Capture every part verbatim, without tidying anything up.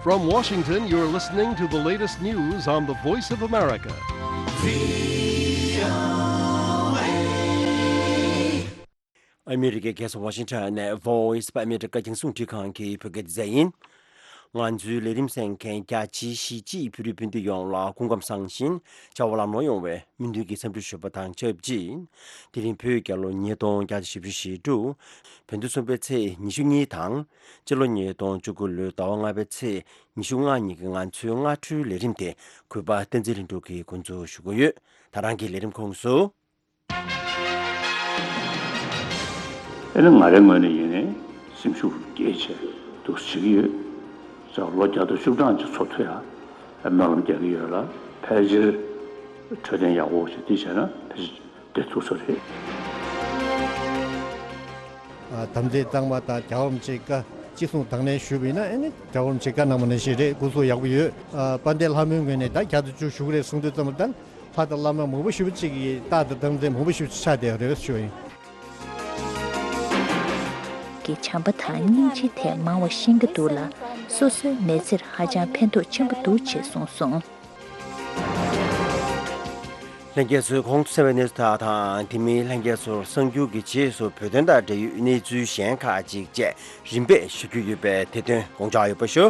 From Washington, you're listening to the latest news on the Voice of America. ཨ་མི་རི་ཀའི་རྒྱལ་ས་ཝ་ཤིང་ཊོན་ནས་Voice of America རྒྱང་སྲིང་རླུང་འཕྲིན་ཁང་གི་བོད་སྐད་སྡེ་ཚན་ཡིན། ང་ཚོའི་ལས་རིམ་གསན་མཁན་རྒྱ་ཆེའི་གཞིས་བྱེས་བོད་རིགས་སྤུན་ཟླ་ཡོངས་ལ་སྐུ་ཁམས་བཟང་ཞིང་བྱ་བ་ལམ་ལྷོང་ཡོང་བའི་སྨོན་འདུན་གྱི་འཚམས་འདྲི་ཞུ་བ་དང་ཆབས་ཅིག་དེ་རིང་བོད་རྒྱལ་ལོ་ཉིས་སྟོང་བརྒྱ་དང་བཞི་བཅུ་ཞེ་དྲུག་བོད་ཟླ་གསུམ་པའི་ཚེས་ཉི་ཤུ་གཉིས་དང་། སྤྱི་ལོ་ཉིས་སྟོང་བཅུ་དགུ་ལོའི་ཟླ་བ་ལྔ་པའི་ཚེས་ཉི་ཤུ་ལྔ་ཉིན་གྱི་ང་ཚོའི་སྔ་དྲོའི་ལས་རིམ་དེ་གུས་པ་བསྟན་འཛིན་ལྷུན་གྲུབ་ཀྱིས་འགོ་འཛུགས་ཞུ་གི་ཡོད། ད་རང་གི་ལས་རིམ་ཁོངས་སུ། ཨེ་ནི་ང་རའི་ངོས་ནས་ཡིན་ནའི་སེམས་ཤུགས་སྐྱེད་བྱས་འདུག་སེ་བྱེད་ཀྱི་ཡོད། ཙང་ལོ་བརྒྱ་དང་བཅུ་གྲངས་ཀྱི་འཚོ་ཐུབ་ཡ་སྨོན་ལམ་རྒྱག་གི་ཡོད་ལ། ཕལ་ཆེར་འཕྲོད་བསྟེན་ཡག་པོ་ཞིག་དེ་བྱས་ན་ཕལ་ཆེར་བསྡད་ཐུབ་ས་རེད། ཨ། དམ་ཚིག་གཙང་མ་དང་རྒྱལ་བ་རིན་པོ་ཆེའི་བཀའ་ཅི་གསུང་དང་ལེན་ཞུས་པ་ཡིན་ན། ཨེ་ནི་རྒྱལ་བ་རིན་པོ་ཆེའི་བཀའ་གནང་བ་ནང་བཞིན་རེད། སྐུ་གཟུགས་ཡག་པོ་ཡོད། ཨ། དཔལ་ལྡན་ལྷ་མོའི་ངོས་ནས་ད་བརྒྱ་དང་བཅུ་ཞུ་གི་རེད་གསུང་དུས་ཙམ་པ་ད། ལྷ་དང་བླ་མ་མང་པོ་ཞེ་པོ་ཅིག་གིས་རྟག་ཏུ་དམ་ཚིག་མང་པོ་ཞེ་པོ་ཅིག་ཆགས་བསྡད་ཡོད་རེད་ཞུ་ཡིན། གི་བྱམས་པ་དང་སྙིང་རྗེའི་ཐད་མང་བ་ཤེས་ཀྱི་འདུག་ལ། སོ་སོའི་མི་ཚེར་ཧ་ཅང་ཕན་ཐོགས་ཆེན་པོ་འདུག་ཅེས་གསུངས་སོང་། ལྷན་རྒྱས་ཚོས་གོང་དུ་གསན་པའི་གནས་ཚུལ་དག་དང་། དེ་མིན་ལྷན་རྒྱས་ཚོར་གསར་འགྱུར་གྱི་རྗེས་སུ་བོད་དོན་དང་འབྲེལ་ཡོད་གནས་ཚུལ་གཞན་ཁག་ཅིག་བཅས་རིམ་པས་ཞུ་རྒྱུ་ཡོད་པས་དེ་དོན་དགོངས་འཇགས་ཡོད་པ་ཞུ།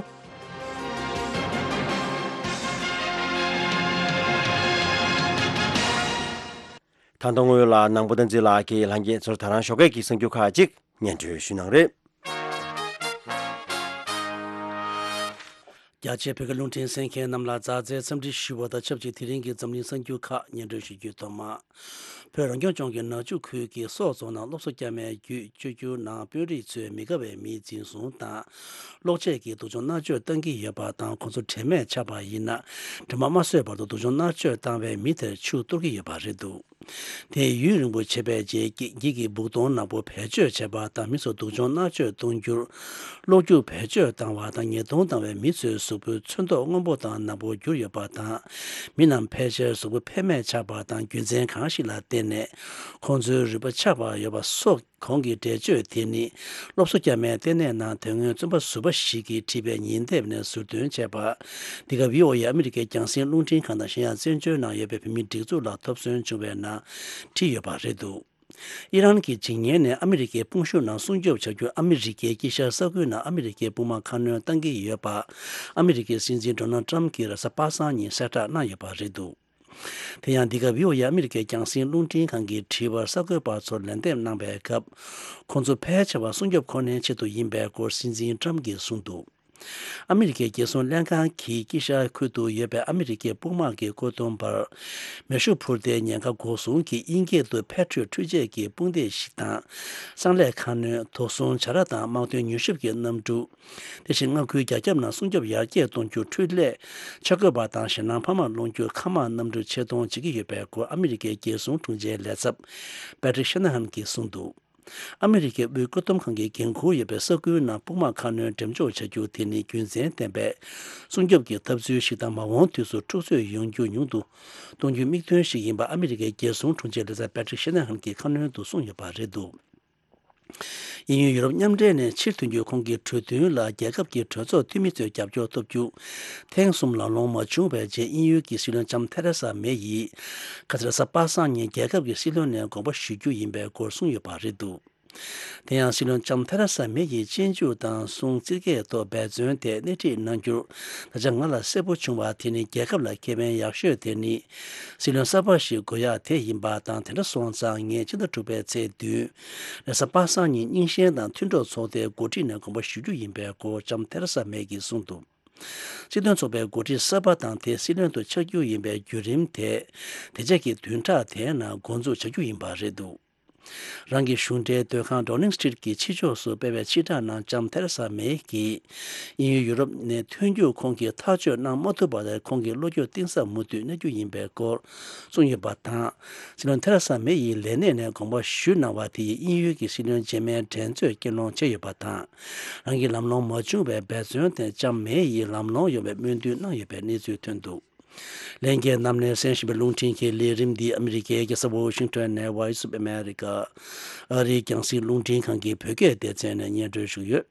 ད་ལྟ་སྔོན་ལ་ནང་པ་བསྟན་འཛིན་ལགས་ཀྱིས་ལྷན་རྒྱས་ཚོར་ད་རང་ཞོགས་ཀས་ཀྱི་གསར་འགྱུར་ཁག་ཅིག་སྙན་སྒྲོན་ཞུས་གནང་རེད། རྒྱ་ཆེའི་བོད་སྐད་རླུང་འཕྲིན་གསན་མཁན་རྣམས་ལ་མཛའ་བརྩེའི་འཚམས་འདྲི་ཞུ་བ་དང་ཆབས་ཅིག་དེ་རིང་གི་འཛམ་གླིང་གསར་འགྱུར་ཁག་སྙན་སྒྲོན་ཞུ་རྒྱུའི་ཐོག་མ། བོད་རང་སྐྱོང་ལྗོངས་ཀྱི་ནག་ཆུ་ཁུལ་གྱི་སོག་རྫོང་ནང་སློབ་གསོ་བསྐྱར་མའི་བརྒྱུད་བཅོས་བསྒྱུར་ནང་དཔོན་རིགས་ཚོས་མི་དགའ་བའི་མིའི་འཛིན་བཟུང་དང་། གློག་ཆས་ཀྱི་སྡུག་སྦྱོང་མནར་གཅོད་བཏང་གི་ཡོད་པ་དང་། ཁོང་ཚོ་དྲན་མེད་ཆགས་པ་ཡིན་ན། དྲི་མ་མ་བཟོད་བར་དུ་སྡུག་སྦྱོང་མནར་གཅོད་བཏང་བའི་མི་དེར་ཆུ་གཏོར་གྱི་ཡོད་པ་རེད་འདུག་དེས་ཡུན་རིང་པོ་བྱས་པའི་རྗེས་ཀྱི་འགྱིག་གི་སྦུག་དོང་ནག་པོ་བེད་སྤྱོད་བྱས་པ་དང་། མི་ཚོ་སྡུག་སྦྱོང་མནར་གཅོད་གཏོང་རྒྱུར་གློག་རྒྱུག་བེད་སྤྱོད་བཏང་བ་དང་། ཉེས་རྡུང་བཏང་བའི་མི་ཚོའི་གཟུགས་པོའི་ཚོན་མདོག་སྔོན་པོ་དང་ནག་པོར་གྱུར་ཡོད་པ་དང་། མི་རྣམས་ཕལ་ཆེར་གཟུགས་པོ་ཕན་མེད་ཆགས་པ་དང་། རྒྱུ་མཚན་གང་ཞིག་ལ་བརྟེན་ནས་ཁོང་ཚོའི་རུས་པ་ཆག་པ་ཡོད་པ་སོགས། གོང་གི་འགྲེལ་བརྗོད་དེ་ནི་སློབ་གསོ་བསྐྱར་མའི་ལྟེ་གནས་ནང་དེ་སྔོན་རྩོམ་པ་ཟུར་པ་ཞིག་གིས་བྲིས་པའི་ཉིན་དེབ་ནས་ཟུར་འདོན་བྱས་པ། འདི་ག་བྷི་ཨོ་ཨེ་ཨ་མི་རི་ཀའི་རྒྱང་སྲིང་རླུང་འཕྲིན་ཁང་དང་གཞན་ཡང་བཙན་བྱོལ་ནང་ཡོད་པའི་བོད་མིའི་སྒྲིག་འཛུགས་ལ་ཐོབ་སོན་བྱུང་བའི་ནང་བྲིས་ཡོད་པ་རེད་འདུག་ཨི་རན་གྱི་འཇིགས་ཉེན་ནས་ཨ་མི་རི་ཀའི་དཔུང་ཤུགས་ནང་སྲུང་སྐྱོབ་བྱ་རྒྱུར་ཨ་མི་རི་ཀའི་དཀྱིལ་ཤར་ས་ཁུལ་ནང་ཨ་མི་རི་ཀའི་དཔུང་དམག་ཁ་སྣོན་གཏང་གི་ཡོད་པ། ཨ་མི་རི་ཀའི་སྲིད་འཛིན་ཌོ་ནལ་ཊམ་གྱིས་རེས་གཟའ་པ་སངས་ཉིན་གསལ་བསྒྲགས་གནང་ཡོད་པ་རེད་འདུག་དེ་ཡང་འདི་ག་བྷི་ཨོ་ཨེ་ཨ་མི་རི་ཀའི་རྒྱང་སྲིང་རླུང་འཕྲིན་ཁང་གི་དྲི་བར་གསར་འགོད་པ་ཚོར་ལན་འདེབས་གནང་པའི་སྐབས། ཁོང་ཚོ་ཕལ་ཆེ་བ་སྲུང་སྐྱོབ་ཁོ་ནའི་ཆེད་དུ་ཡིན་པའི་སྐོར་སྲིད་འཛིན་ཊམ་གྱིས་གསུངས་འདུག་ཨ་མི་རི་ཀའི་རྒྱལ་སྲུང་ལྷན་ཁང་གིས་དཀྱིལ་ཤར་ཁུལ་དུ་ཡོད་པའི་ཨ་མི་རི་ཀའི་དཔུང་དམག་གི་བཀོད་འདོམས་པར་མེ་ཤུགས་འཕུར་མདེལ་ཉེན་ཁ་འགོག་སྲུང་གི་དབྱིན་སྐད་དུ་Patriot འཕྲུལ་ཆས་ཀྱི་དཔུང་སྡེ་ཞིག་དང་། གསང་ལས་ཁ་སྣོན། དོགས་ཟོན་བྱ་ར་དང་དམག་དོན་མྱུལ་ཞིབ་ཀྱི་གནམ་གྲུ། དེ་བཞིན་མངའ་ཁུལ་རྒྱ་ཁྱབ་ནང་སྲུང་སྐྱོབ་ཡར་རྒྱས་གཏོང་རྒྱུ། འཕྲུལ་ལས། ཆ་བགོས་པ་དང་ཞེད་སྣང་འཕར་མ་སློང་རྒྱུ། མཁའ་དམག་གནམ་གྲུ་ཆེད་གཏོང་བྱེད་ཀྱི་ཡོད་པའི་སྐོར་ཨ་མི་རི་ཀའི་རྒྱལ་སྲུང་དྲུང་ཆེའི་ལས་ཚབ་Patrick Shanahan གྱིས་གསུངས་འདུག་ཨ་མི་རི་ཀའི་དབུས་བཀོད་འདོམས་ཁང་གི་འགན་འཁུར་ཡོད་པའི་ས་ཁུལ་ནང་དཔུང་དམག་ཁ་སྣོན་འགྲེམས་འཇོག་བྱ་རྒྱུ་དེ་ནི་རྒྱུ་མཚན་ལྡན་པའི་སྲུང་སྐྱོབ་ཀྱི་ཐབས་ཚུལ་ཞིག་དང་། མ་འོངས་དུས་སུ་འཁྲུག་རྩོད་ཡོང་རྒྱུ་ཉུང་དུ་གཏོང་རྒྱུའི་དམིགས་དོན་ཞིག་ཡིན་པ་ཨ་མི་རི་ཀའི་རྒྱལ་སྲུང་དྲུང་ཆེ་ལས་ཚབ་Patrick Shanahan གྱིས་ཁ་སྣོན་དུ་གསུངས་ཡོད་པ་རེད་འདུག་དབྱིན་ཡུལ་ཡུ་རོབ་མཉམ་འབྲེལ་ནས་ཕྱིར་ཐོན་རྒྱུའི་ཁོང་གི་གྲོས་མཐུན་ལ་རྒྱལ་ཁབ་ཀྱི་གྲོས་ཚོགས་འཐུས་མི་ཚོའི་རྒྱབ་སྐྱོར་ཐོབ་རྒྱུ་ཐེངས་གསུམ་ལམ་ལྷོང་མ་བྱུང་བའི་རྗེས། དབྱིན་ཡུལ་གྱི་སྲིད་བློན་ལྕམ་ཐེ་རེ་ས་མེ་ཡིས་ཁ་སང་རེས་གཟའ་པ་སངས་ཉིན་རྒྱལ་ཁབ་ཀྱི་སྲིད་བློན་ནས་དགོངས་པ་ཞུ་རྒྱུ་ཡིན་པའི་སྐོར་གསུངས་ཡོད་པ་རེད་འདུག་དེ་ཡང་སྲིད་བློན་ལྕམ་ཐེ་རེ་ས་མེ་ཡིས་དབྱིན་ཇི་དང་སུང་རྩིས་རྒྱག་ཐོག་འབད་བརྩོན་དེ་སྣེ་ཁྲིད་གནང་རྒྱུར་ད་ཆ་ང་ལ་གསལ་པོ་བྱུང་བ་དེ་ནི། རྒྱལ་ཁབ་ལ་ཁེ་ཕན་ཡག་ཤོས་དེ་ནི་སྲིད་བློན་གསར་པ་ཞིག་དགོས་ཡག་དེ་ཡིན་པ་དང་། དེ་འདྲ་སོང་ཙང་ངས་ཕྱི་ཟླ་དྲུག་པའི་ཚེས་བདུན་རེས་གཟའ་པ་སངས་ཉིན་རྙིང་ཞེན་དང་མཐུན་གྲོགས་ཚོགས་སྡེའི་འགོ་ཁྲིད་ནས་དགོངས་པ་ཞུ་རྒྱུ་ཡིན་པའི་སྐོར་ལྕམ་ཐེ་རེ་ས་མེ་ཡིས་གསུངས་འདུག་སྲིད་དོན་ཚོགས་པའི་འགོ་ཁྲིད་གསར་པ་དང་དེ་སྲིད་བློན་དུ་ཆགས་རྒྱུ་ཡིན་པའི་བརྒྱུད་རིམ་དེ། དེ་རྗེས་ཀྱི་བདུན་ཕྲག་དེའི་ནང་འགོ་འཛུགས་བྱ་རྒྱུ་ཡིན་པ་རེད་འདུག་རང་གི་གཞུང་འབྲེལ་སྡོད་ཁང་Downing Street གྱི་ཕྱི་ཕྱོགས་སུ་སྤེལ་བའི་ཕྱིར་བསྒྲགས་ནང་ལྕམ་ཐེ་རེ་ས་མེ་གིས། དབྱིན་ཡུལ་ཡུ་རོབ་ནས་ཐོན་རྒྱུར་ཁོང་གིས་ཐག་གཅོད་གནང་མ་ཐུབ་པ་དེར་ཁོང་གི་བློ་འགྱོད་གཏིང་ཟབ་མུ་མཐུད་གནས་རྒྱུ་ཡིན་པའི་སྐོར་གསུངས་ཡོད་པ་དང་། སྲིད་བློན་ཐེ་རེ་ས་མེ་ཡིས་ལས་གནས་ནས་དགོངས་པ་ཞུས་གནང་བ་དེ་ཡིས་དབྱིན་ཡུལ་གྱི་སྲིད་བློན་རྗེས་མའི་འགྲན་རྩོད་རྐྱེན་སློང་བྱས་ཡོད་པ་དང་། རང་གི་ལམ་ལྷོང་མ་བྱུང་བའི་འབད་བརྩོན་དེ་ལྕམ་མེ་ཡིས་ལམ་ལྷོང་ཡོང་བའི་སྨོན་འདུན་གནང་ཡོད་པའི་གནས་ཚུལ་ཐོན་འདུག་ལྷན་རྒྱས་རྣམས་ནས་གསན་བཞིན་པའི་རླུང་འཕྲིན་གྱི་ལས་རིམ་འདི་ཨ་མི་རི་ཀའི་རྒྱལ་ས་ཝོ་ཤིང་ཊོན་ནས་Voice of America ཨ་རིའི་རྒྱང་སྲིང་རླུང་འཕྲིན་ཁང་གི་བོད་སྐད་སྡེ་ཚན་ནས་སྙན་སྒྲོན་ཞུས་ཡོད།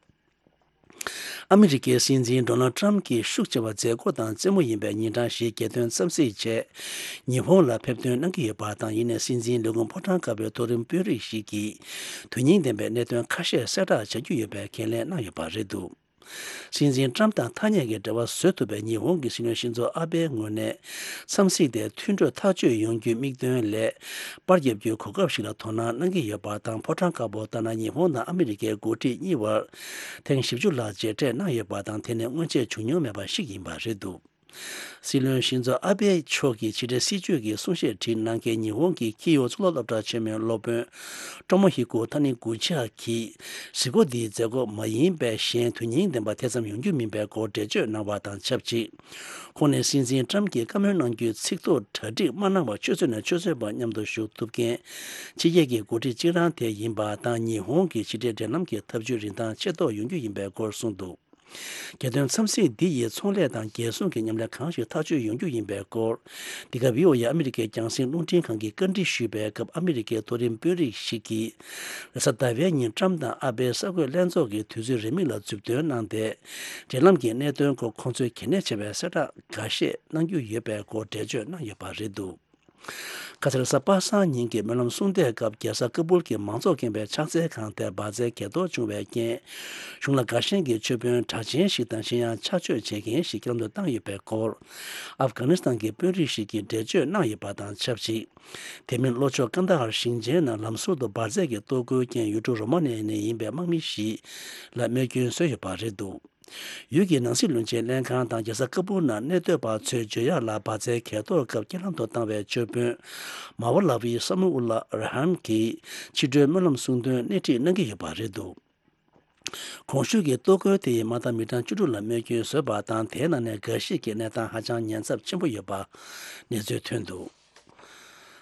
ཨ་མི་རི་ཀའི་སྲིད་འཛིན་ཌོ་ནལ་ཊམ་གྱི་ཤུགས་ཆེ་བ་མཛད་སྒོ་དང་རྩེད་མོ་ཡིན་པའི་ཉིན་གྲངས་ཤིག་རྒྱལ་དོན་འཚམས་གཟིགས་ཆེད་ཉི་ཧོང་ལ་ཕེབས་ཐོན་གནང་གི་ཡོད་པ་དང་། ཡིན་ནའི་སྲིད་འཛིན་ལས་ཁུངས་ཕོ་བྲང་དཀར་པོའི་མཐོ་རིམ་དཔོན་རིགས་ཤིག་གིས་དོན་སྙིང་ལྡན་པའི་གནད་དོན་ཁ་ཤས་གསལ་བསྒྲགས་བྱ་རྒྱུ་ཡོད་པའི་ཁས་ལེན་གནང་ཡོད་པ་རེད་འདུག། སྲིད་འཛིན་ཊམ་དང་ཐག་ཉེ་གི་འབྲེལ་བ་བཟོ་ཐུབ་པའི་ཉི་ཧོང་གི་སྲིད་བློན་ཤིན་ཛོ་ཨ་བྷེའི་ངོས་ནས་འཚམས་གཟིགས་དེ་མཐུན་གྲོས་ཐག་གཅོད་ཡོང་རྒྱུའི་དམིགས་དོན་ལས་པར་བརྒྱབ་རྒྱུའི་གོ་སྐབས་ཤིག་ལ་དོ་སྣང་གནང་གི་ཡོད་པ་དང་། ཕོ་བྲང་དཀར་པོ་ལྟར་ན་ཉི་ཧོང་དང་ཨ་མི་རི་ཀའི་འགོ་ཁྲིད་གཉིས་བར་ཐེངས་བཞི་བཅུ་ལྷག་མཇལ་འཕྲད་གནང་ཡོད་པ་དང་། དེ་ནི་སྔོན་ཆད་བྱུང་མྱོང་མེད་པ་ཞིག་ཡིན་པ་རེད་འདུག། སྲིད་བློན་ཤིན་ཛོ་ཨ་བྷེ་མཆོག་གིས་ཕྱི་དྲིལ་སྲིད་བྱུས་ཀྱི་གསུང་བཤད་བྲིས་གནང་མཁན་ཉི་ཧོང་གི་ཁི་ཡོ་གཙུག་ལག་སློབ་གྲྭ་ཆེན་མོའི་སློབ་དཔོན་ཀྲོ་མོ་ཧི་ཀོ་ཐ་ནི་གུ་ཆི་ཡ་གིས་གཟིགས་སྐོར་འདིའི་མཛད་སྒོ་མ་ཡིན་པའི་གཞན་དོན་སྙིང་ལྡན་པ་དེ་ཙམ་ཡོང་རྒྱུ་མིན་པའི་སྐོར་འགྲེལ་བརྗོད་གནང་བ་དང་ཆབས་ཅིག། ཁོང་ནས་སྲིད་འཛིན་ཊམ་གྱིས་བཀའ་མོལ་གནང་རྒྱུའི་ཚིག་ཐོ་གྲ་སྒྲིག་མ་གནང་བར་ཆུ་ཚོད་ནས་ཆུ་ཚོད་བར་མཉམ་དུ་བཞུགས་ཐུབ་མཁན་ཕྱི་རྒྱལ་གྱི་འགོ་ཁྲིད་གཅིག་རང་དེ་ཡིན་པ་དང་། ཉི་ཧོང་གི་ཕྱི་འབྲེལ་འབྲེལ་ལམ་གྱི་འཐབ་ཇུས་རིན་ཐང་ཆེ་མདོག་ཡོང་རྒྱུ་ཡིན་པའི་སྐོར་གསུངས་འདུག། རྒྱལ་དོན་འཚམས་གཟིགས་འདི་ཡིས་ཚོང་ལས་དང་རྒྱལ་སྲུང་གི་མཉམ་ལས་གང་ཞིག་ཐག་གཅོད་ཡོང་རྒྱུ་ཡིན་པའི་སྐོར། འདི་ག་བྷི་ཨོ་ཨེ་ཨ་མི་རི་ཀའི་རྒྱང་སྲིང་རླུང་འཕྲིན་ཁང་གིས་བཀའ་འདྲི་ཞུས་པའི་སྐབས། ཨ་མི་རི་ཀའི་མཐོ་རིམ་དཔོན་རིགས་ཤིག་གིས་རེས་གཟའ་ཟླ་བའི་ཉིན་ཊམ་དང་ཨ་བྷེ་གསར་འགོད་ལྷན་ཚོགས་ཀྱི་དུས་ཚོད་རིང་མིན་ལ་མཛུབ་སྟོན་གནང་སྟེ། འབྲེལ་ལམ་གྱི་གནད་དོན་སྐོར་ཁོང་ཚོས་གལ་གནད་ཆེ་བའི་གསལ་བསྒྲགས་འགའ་ཤས་གནང་རྒྱུ་ཡོད་པའི་སྐོར་འགྲེལ་བརྗོད་གནང་ཡོད་པ་རེད་འདུག། ཁ་སང་རེས་གཟའ་པ་སངས་ཉིན་གྱི་སྨོན་ལམ་གསུང་བསྡད་སྐབས། རྒྱལ་ས་ཀ་པུལ་གྱི་མང་ཚོགས་ཁེངས་པའི་ཕྱག་འཚལ་ཁང་དེར་འབར་རྫས་གས་གཏོར་བྱུང་བའི་རྐྱེན། གཞུང་ལ་དགའ་ཞེན་གྱི་མཆོད་དཔོན་གྲགས་ཅན་ཞིག་དང་། གཞན་ཡང་ཕྱག་མཆོད་བྱེད་མཁན་ཞིག་རྐྱེན་ལམ་དུ་བཏང་ཡོད་པའི་སྐོར། ཨབ་གྷ་ནི་སི་ཐན་གྱི་དཔོན་རིགས་ཤིག་གིས་འགྲེལ་བརྗོད་གནང་ཡོད་པ་དང་ཆབས་ཅིག། དེ་མིན་ལྷོ་ཕྱོགས་ཀན་ད་ཧར་ཞིང་ཆེན་ནང་ལམ་ཟུར་དུ་འབར་རྫས་ཀྱི་གཏོར་རྒོལ་རྐྱེན། ཡུལ་གྲུ་རོ་མ་ནི་ཡ་ནས་ཡིན་པའི་དམག་མི་ཞིག་ལ་རྨས་སྐྱོན་བཟོས་ཡོད་པ་རེད་འདུག། ཡུལ་གྱི་ནང་སྲིད་བློན་ཆེན་ལྷན་ཁང་དང་རྒྱལ་ས་ཀ་པུལ་ནང་གནས་སྡོད་པ་ཚོས་བརྗོད་ཡག་ལ། འབར་རྫས་གས་གཏོར་སྐབས་རྐྱེན་ལམ་དུ་བཏང་བའི་མཆོད་དཔོན་མ་ཝ་ལ་ཝི་ས་མུ་ཨུ་ལ་ར་ཧན་གྱིས་ཕྱི་དྲོའི་སྨོན་ལམ་གསུང་དོན་སྣེ་ཁྲིད་གནང་གི་ཡོད་པ་རེད་འདུག། གོང་ཞུས་ཀྱི་གཏོར་རྒོལ་དེ་ཡིས་མ་མཐའ་མི་གྲངས་བཅུ་དྲུག་ལ་རྨས་སྐྱོན་བཟོས་པ་དང་། དེའི་ནང་ནས་འགའ་ཞིག་གི་གནས་སྟངས་ཧ་ཅང་ཉེན་ཚབས་ཆེན་པོ་ཡོད་པ་གནས་ཚུལ་ཐོན་འདུག།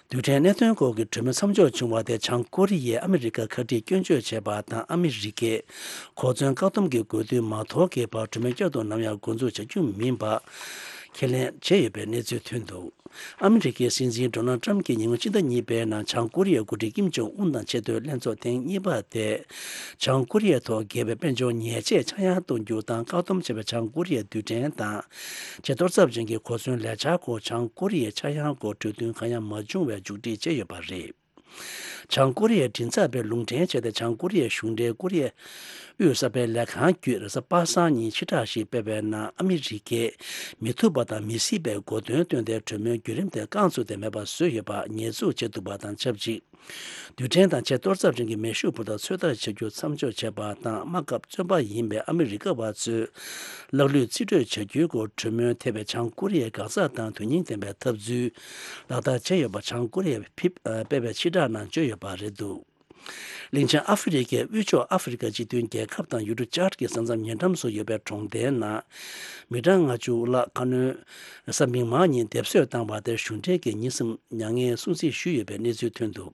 རྡུལ་ཕྲན་གནད་དོན་སྐོར་གྱི་གྲོས་མོལ་མཚམས་འཇོག་བྱུང་བ་དེ་བྱང་ཀོ་རི་ཡས་ཨ་མི་རི་ཀར་ཁ་དཀྲིས་སྐྱོན་བརྗོད་བྱས་པ་དང་། ཨ་མི་རི་ཀས་གོ་མཚོན་བཀག་སྡོམ་གྱི་དགོས་འདུན་མ་དོར་གྱི་བར་གྲོས་མོལ་བསྐྱར་དུ་ནམ་ཡང་འགོ་འཛུགས་བྱ་རྒྱུ་མིན་པ་ཁས་ལེན་བྱས་ཡོད་པའི་གནས་ཚུལ་ཐོན་འདུག། ཨ་མི་རི་ཀའི་སྲིད་འཛིན་ཌོ་ནལ་ཊམ་གྱིས་ཉེ་སྔོན་ཕྱི་ཟླ་གཉིས་པའི་ནང་བྱང་ཀོ་རི་ཡའི་འགོ་ཁྲིད་ཀིམ་ཇོང་ཨུན་དང་ཆེས་མཐོའི་ལྷན་ཚོགས་ཐེངས་གཉིས་པ་དེ། བྱང་ཀོ་རི་ཡའི་ཐོག་འགེལ་བའི་དཔལ་འབྱོར་ཉེས་ཆད་ཆག་ཡང་གཏོང་རྒྱུ་དང་། བཀག་སྡོམ་བྱས་པའི་བྱང་ཀོ་རི་ཡའི་རྡུལ་ཕྲན་དང་ཆེས་གཏོར་ཚབས་ཅན་གྱི་གོ་མཚོན་ལས་འཆར་སྐོར། བྱང་ཀོ་རི་ཡའི་ཆག་ཡང་སྐོར་གྲོས་མཐུན་གང་ཡང་མ་བྱུང་བའི་མཇུག་སྒྲིལ་བྱས་ཡོད་པ་རེད། བྱང་ཀོ་རི་ཡའི་མགྲིན་ཚབ་པས་ལུང་འདྲེན་བྱས་ཏེ། བྱང་ཀོ་རི་ཡའི་གཞུང་འབྲེལ་ཀོ་རི་ཡའི་དབུས་གསར་སྤེལ་ལས་ཁང་བརྒྱུད་རེས་གཟའ་པ་སངས་ཉིན་ཕྱིར་བསྒྲགས་ཤིག་སྤེལ་བའི་ནང་། ཨ་མི་རི་ཀས་མི་ཐུབ་པ་དང་མི་སྲིད་པའི་གོ་དོན་བཏོན་ཏེ། གྲོས་མོལ་བརྒྱུད་རིམ་དེ་རྐང་བཙུགས་ཏེ་མེད་པ་བཟོས་ཡོད་པ་ཉེས་འཛུགས་བྱས་འདུག་པ་དང་ཆབས་ཅིག། རྡུལ་ཕྲན་དང་ཆེས་གཏོར་ཚབས་ཅན་གྱི་མེ་ཤུགས་འཕུར་མདའ་ཚོད་ལྟ་བྱ་རྒྱུ་མཚམས་འཇོག་བྱས་པ་དང་། དམག་སྐབས་བཙོན་པ་ཡིན་པའི་ཨ་མི་རི་ཀ་བ་ཚོས་ལག་ལུས་རྩིས་སྤྲོད་བྱ་རྒྱུའི་སྐོར་གྲོས་མོལ་ཐེབས་པའི་བྱང་ཀོ་རི་ཡའི་འགག་རྩ་དང་དོན་སྙིང་ལྡན་པའི་འཐབ་རྩོད་ལག་བསྟར་བྱས་ཡོད་པ་བྱང་ཀོ་རི་ཡས་ཕིབ་སྤེལ་བའི་ཕྱིར་བསྒྲགས་ནང་བརྗོད་ཡོད་པ་རེད་འདུག། གླིང་ཆེན་ཨ་ཧྥེ་རི་ཁའི་དབུས་ཕྱོགས་ཨ་ཧྥེ་རི་ཁ་སྤྱི་མཐུན་རྒྱལ་ཁབ་དང་ཡུལ་གྲུ་ཅཱཌ་ཀྱི་ས་མཚམས་ཉེ་འགྲམ་སུ་ཡོད་པའི་གྲོང་རྡལ་ནང་མི་གྲངས་ལྔ་བཅུ་ལྷག་ཁ་སྣོན་གཟའ་མིག་དམར་ཉིན་སྡེབ་གསོད་བཏང་བ་དེར་གཞུང་འབྲེལ་གྱིས་ཉིན་གསུམ་མྱ་ངན་སྲུང་བརྩི་ཞུས་ཡོད་པའི་གནས་ཚུལ་ཐོན་འདུག།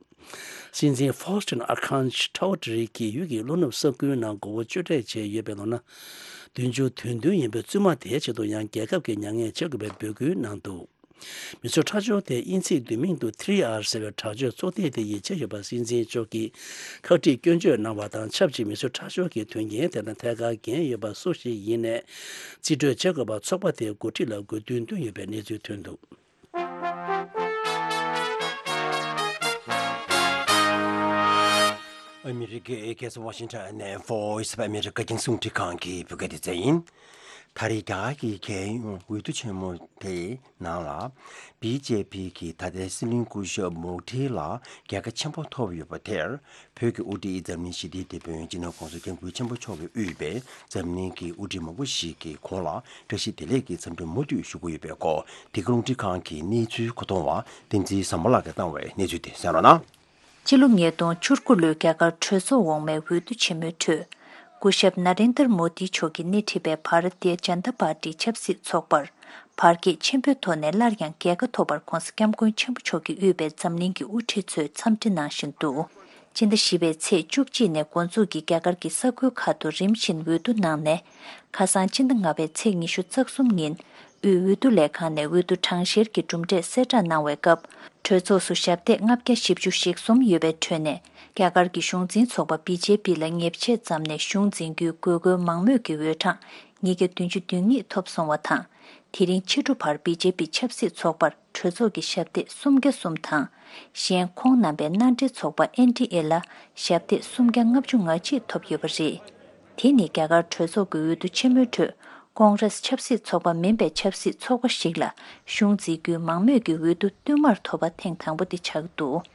སྲིད་འཛིན་ཧྥོ་སི་ཊིན་ཨར་ཁན་ཆའོ་ཏྲི་གིས་ཡུལ་གྱི་ལྷོ་ནུབ་ས་ཁུལ་ནང་མགོ་བོ་གཅོད་འབྲེག་བྱས་ཡོད་པའི་ལོ་ན་བདུན་ཅུ་དོན་བདུན་ཡིན་པའི་བཙུན་མ་དེའི་ཆེད་དུ་ཡང་རྒྱལ་ཁབ་ཀྱིས་མྱ་ངན་བྱེད་དགོས་པའི་འབོད་སྐུལ་གནང་འདུག། མི་གསོད་ཁྲག་སྦྱོར་དེ་དབྱིན་ཚིག་བསྡུས་མིང་དུ་ཐི་རི་ཨར་ཟེར་བའི་དྲག་སྤྱོད་ཚོགས་སྡེ་དེ་ཡིས་བྱས་ཡོད་པ། སྲིད་འཛིན་མཆོག་གིས་ཁག་དཀྲིས་སྐྱོན་བརྗོད་གནང་བ་དང་ཆབས་ཅིག། མི་གསོད་ཁྲག་སྦྱོར་གྱི་དོན་རྐྱེན་དེ་དང་ཐད་ཀར་འགན་ཡོད་པ་སུ་ཞིག་ཡིན་ནའི་རྩིས་སྤྲོད་བྱེད་དགོས་པར་ཚོགས་པ་དེའི་འགོ་ཁྲིད་ལ་དགོས་འདུན་བཏོན་ཡོད་པའི་གནས་ཚུལ་ཐོན་འདུག། ཨ་མི་རི་ཀའི་རྒྱལ་ས་ཝ་ཤིང་ཊོན་ནས་Voice of America རྒྱང་སྲིང་རླུང་འཕྲིན་ཁང་གི་བོད་སྐད་སྡེ་ཚན་ཡིན། ད་རེས་རྒྱ་གར་གྱི་རྒྱལ་ཡོངས་འོས་བསྡུ་ཆེན་མོ་དེའི་ནང་ལ། བི་ཇེ་པི་གིས་ད་ལྟའི་སྲིད་བློན་སྐུ་ཞབས་མོ་ཌི་ལ་རྒྱལ་ཁ་ཆེན་པོ་ཐོབ་ཡོད་པ་དེར། བོད་ཀྱི་དབུ་ཁྲིད་འཛམ་གླིང་ཞི་བདེའི་དེད་དཔོན་སྤྱི་ནོར་༸གོང་ས་༸སྐྱབས་མགོན་ཆེན་པོ་མཆོག་གིས་དབུས་པའི་འཛམ་གླིང་གི་དབུ་ཁྲིད་མང་པོ་ཞིག་གིས་ཁོང་ལ་བཀྲ་ཤིས་བདེ་ལེགས་ཀྱི་འཚམས་འདྲི་མུ་མཐུད་ཞུ་གི་ཡོད་པའི་སྐོར། འདི་ག་རླུང་འཕྲིན་ཁང་གི་གནས་ཚུལ་མཁོ་གཏོང་བ་བསྟན་འཛིན་བཟང་མོ་ལགས་ཀྱིས་བཏང་བའི་གནས་ཚུལ་དེ་གསན་རོགས་གནང་། སྤྱི་ལོ་ཉིས་སྟོང་བཅུ་དགུ་ལོའི་རྒྱ་གར་གྲོས་ཚོགས་འོག་མའི་འོས་བསྡུ་ཆེན་མོའི་ཁྲོད། སྐུ་ཞབས་ན་རེན་དར་མོ་དི་མཆོག་གིས་སྣེ་ཁྲིད་པའི་བྷ་ར་ཏི་ཡ་ཇན་ད་པར་ཏིའི་ཆབ་སྲིད་ཚོགས་པར་བར་ཁྱད་ཆེན་པོའི་ཐོག་ནས་སླར་ཡང་རྒྱལ་ཁ་ཐོབ་པར་༸གོང་ས་༸སྐྱབས་མགོན་ཆེན་པོ་མཆོག་གིས་དབུས་པའི་འཛམ་གླིང་གི་དབུ་ཁྲིད་ཚོས་འཚམས་འདྲི་གནང་བཞིན་འདུག། སྤྱི་ཟླ་བཞི་པའི་ཚེས་བཅུ་གཅིག་ནས་འགོ་འཛུགས་ཀྱིས་རྒྱ་གར་གྱི་ས་ཁུལ་ཁག་ཏུ་རིམ་བཞིན་འོས་བསྡུ་གནང་ནས། ཁ་སང་སྤྱི་ཟླ་ལྔ་པའི་ཚེས་ཉི་ཤུ་རྩ་གསུམ་ཉིན་དབུས་འོས་བསྡུ་ལས་ཁང་ནས་འོས་བསྡུ་གྲངས་བཤེར་གྱི་གྲུབ་འབྲས་གསལ་བསྒྲགས་གནང་བའི་སྐབས། གྲོས་ཚོགས་སུ་ཞབས་སྟེགས་ལྔ་བརྒྱ་བཞི་བཅུ་ཞེ་གསུམ་ཡོད་པའི་ཁྲོད་ནས། རྒྱ་གར་གྱི་གཞུང་འཛིན་ཚོགས་པ་བི་ཇེ་པི་ལ་ཉེས་ཆད་བརྩམས་ནས་གཞུང་འཛིན་རྒྱུའི་དགོས་མཁོའི་མང་མོས་ཀྱི་འོས་གྲངས་ཉིས་བརྒྱ་བདུན་ཅུ་དོན་གཉིས་ཐོབ་སོང་བ་དང་། དེ་རིང་ཕྱི་དྲོ་བར་བི་ཇེ་པི་ཆབ་སྲིད་ཚོགས་པར་གྲོས་ཚོགས་ཀྱི་ཞབས་སྟེགས་སུམ་བརྒྱ་གསུམ་དང་། གཞན་ཁོང་རྣམ་པའི་མནའ་འབྲེལ་ཚོགས་པ་ཨེན་ཌི་ཨེ་ལ་ཞབས་སྟེགས་སུམ་བརྒྱ་ལྔ་བཅུ་ང་གཅིག་ཐོབ་ཡོད་པ་རེད། དེ་ནི་རྒྱ་གར་གྲོས་ཚོགས་ཀྱི་འོས་བསྡུ་ཆེན་མོའི་ཁྲོད། ཀོང་རེས་ཆབ་སྲིད་ཚོགས་པ་མིན་པའི་ཆབ་སྲིད་ཚོགས་པ་ཞིག་ལ་གཞུང་འཛིན་རྒྱུའི་མང་མོས་ཀྱི་འོས་བསྡུ་བསྟུད་མར་ཐོབ་པ་ཐེངས་དང་པོ་དེ་ཆགས་འདུག་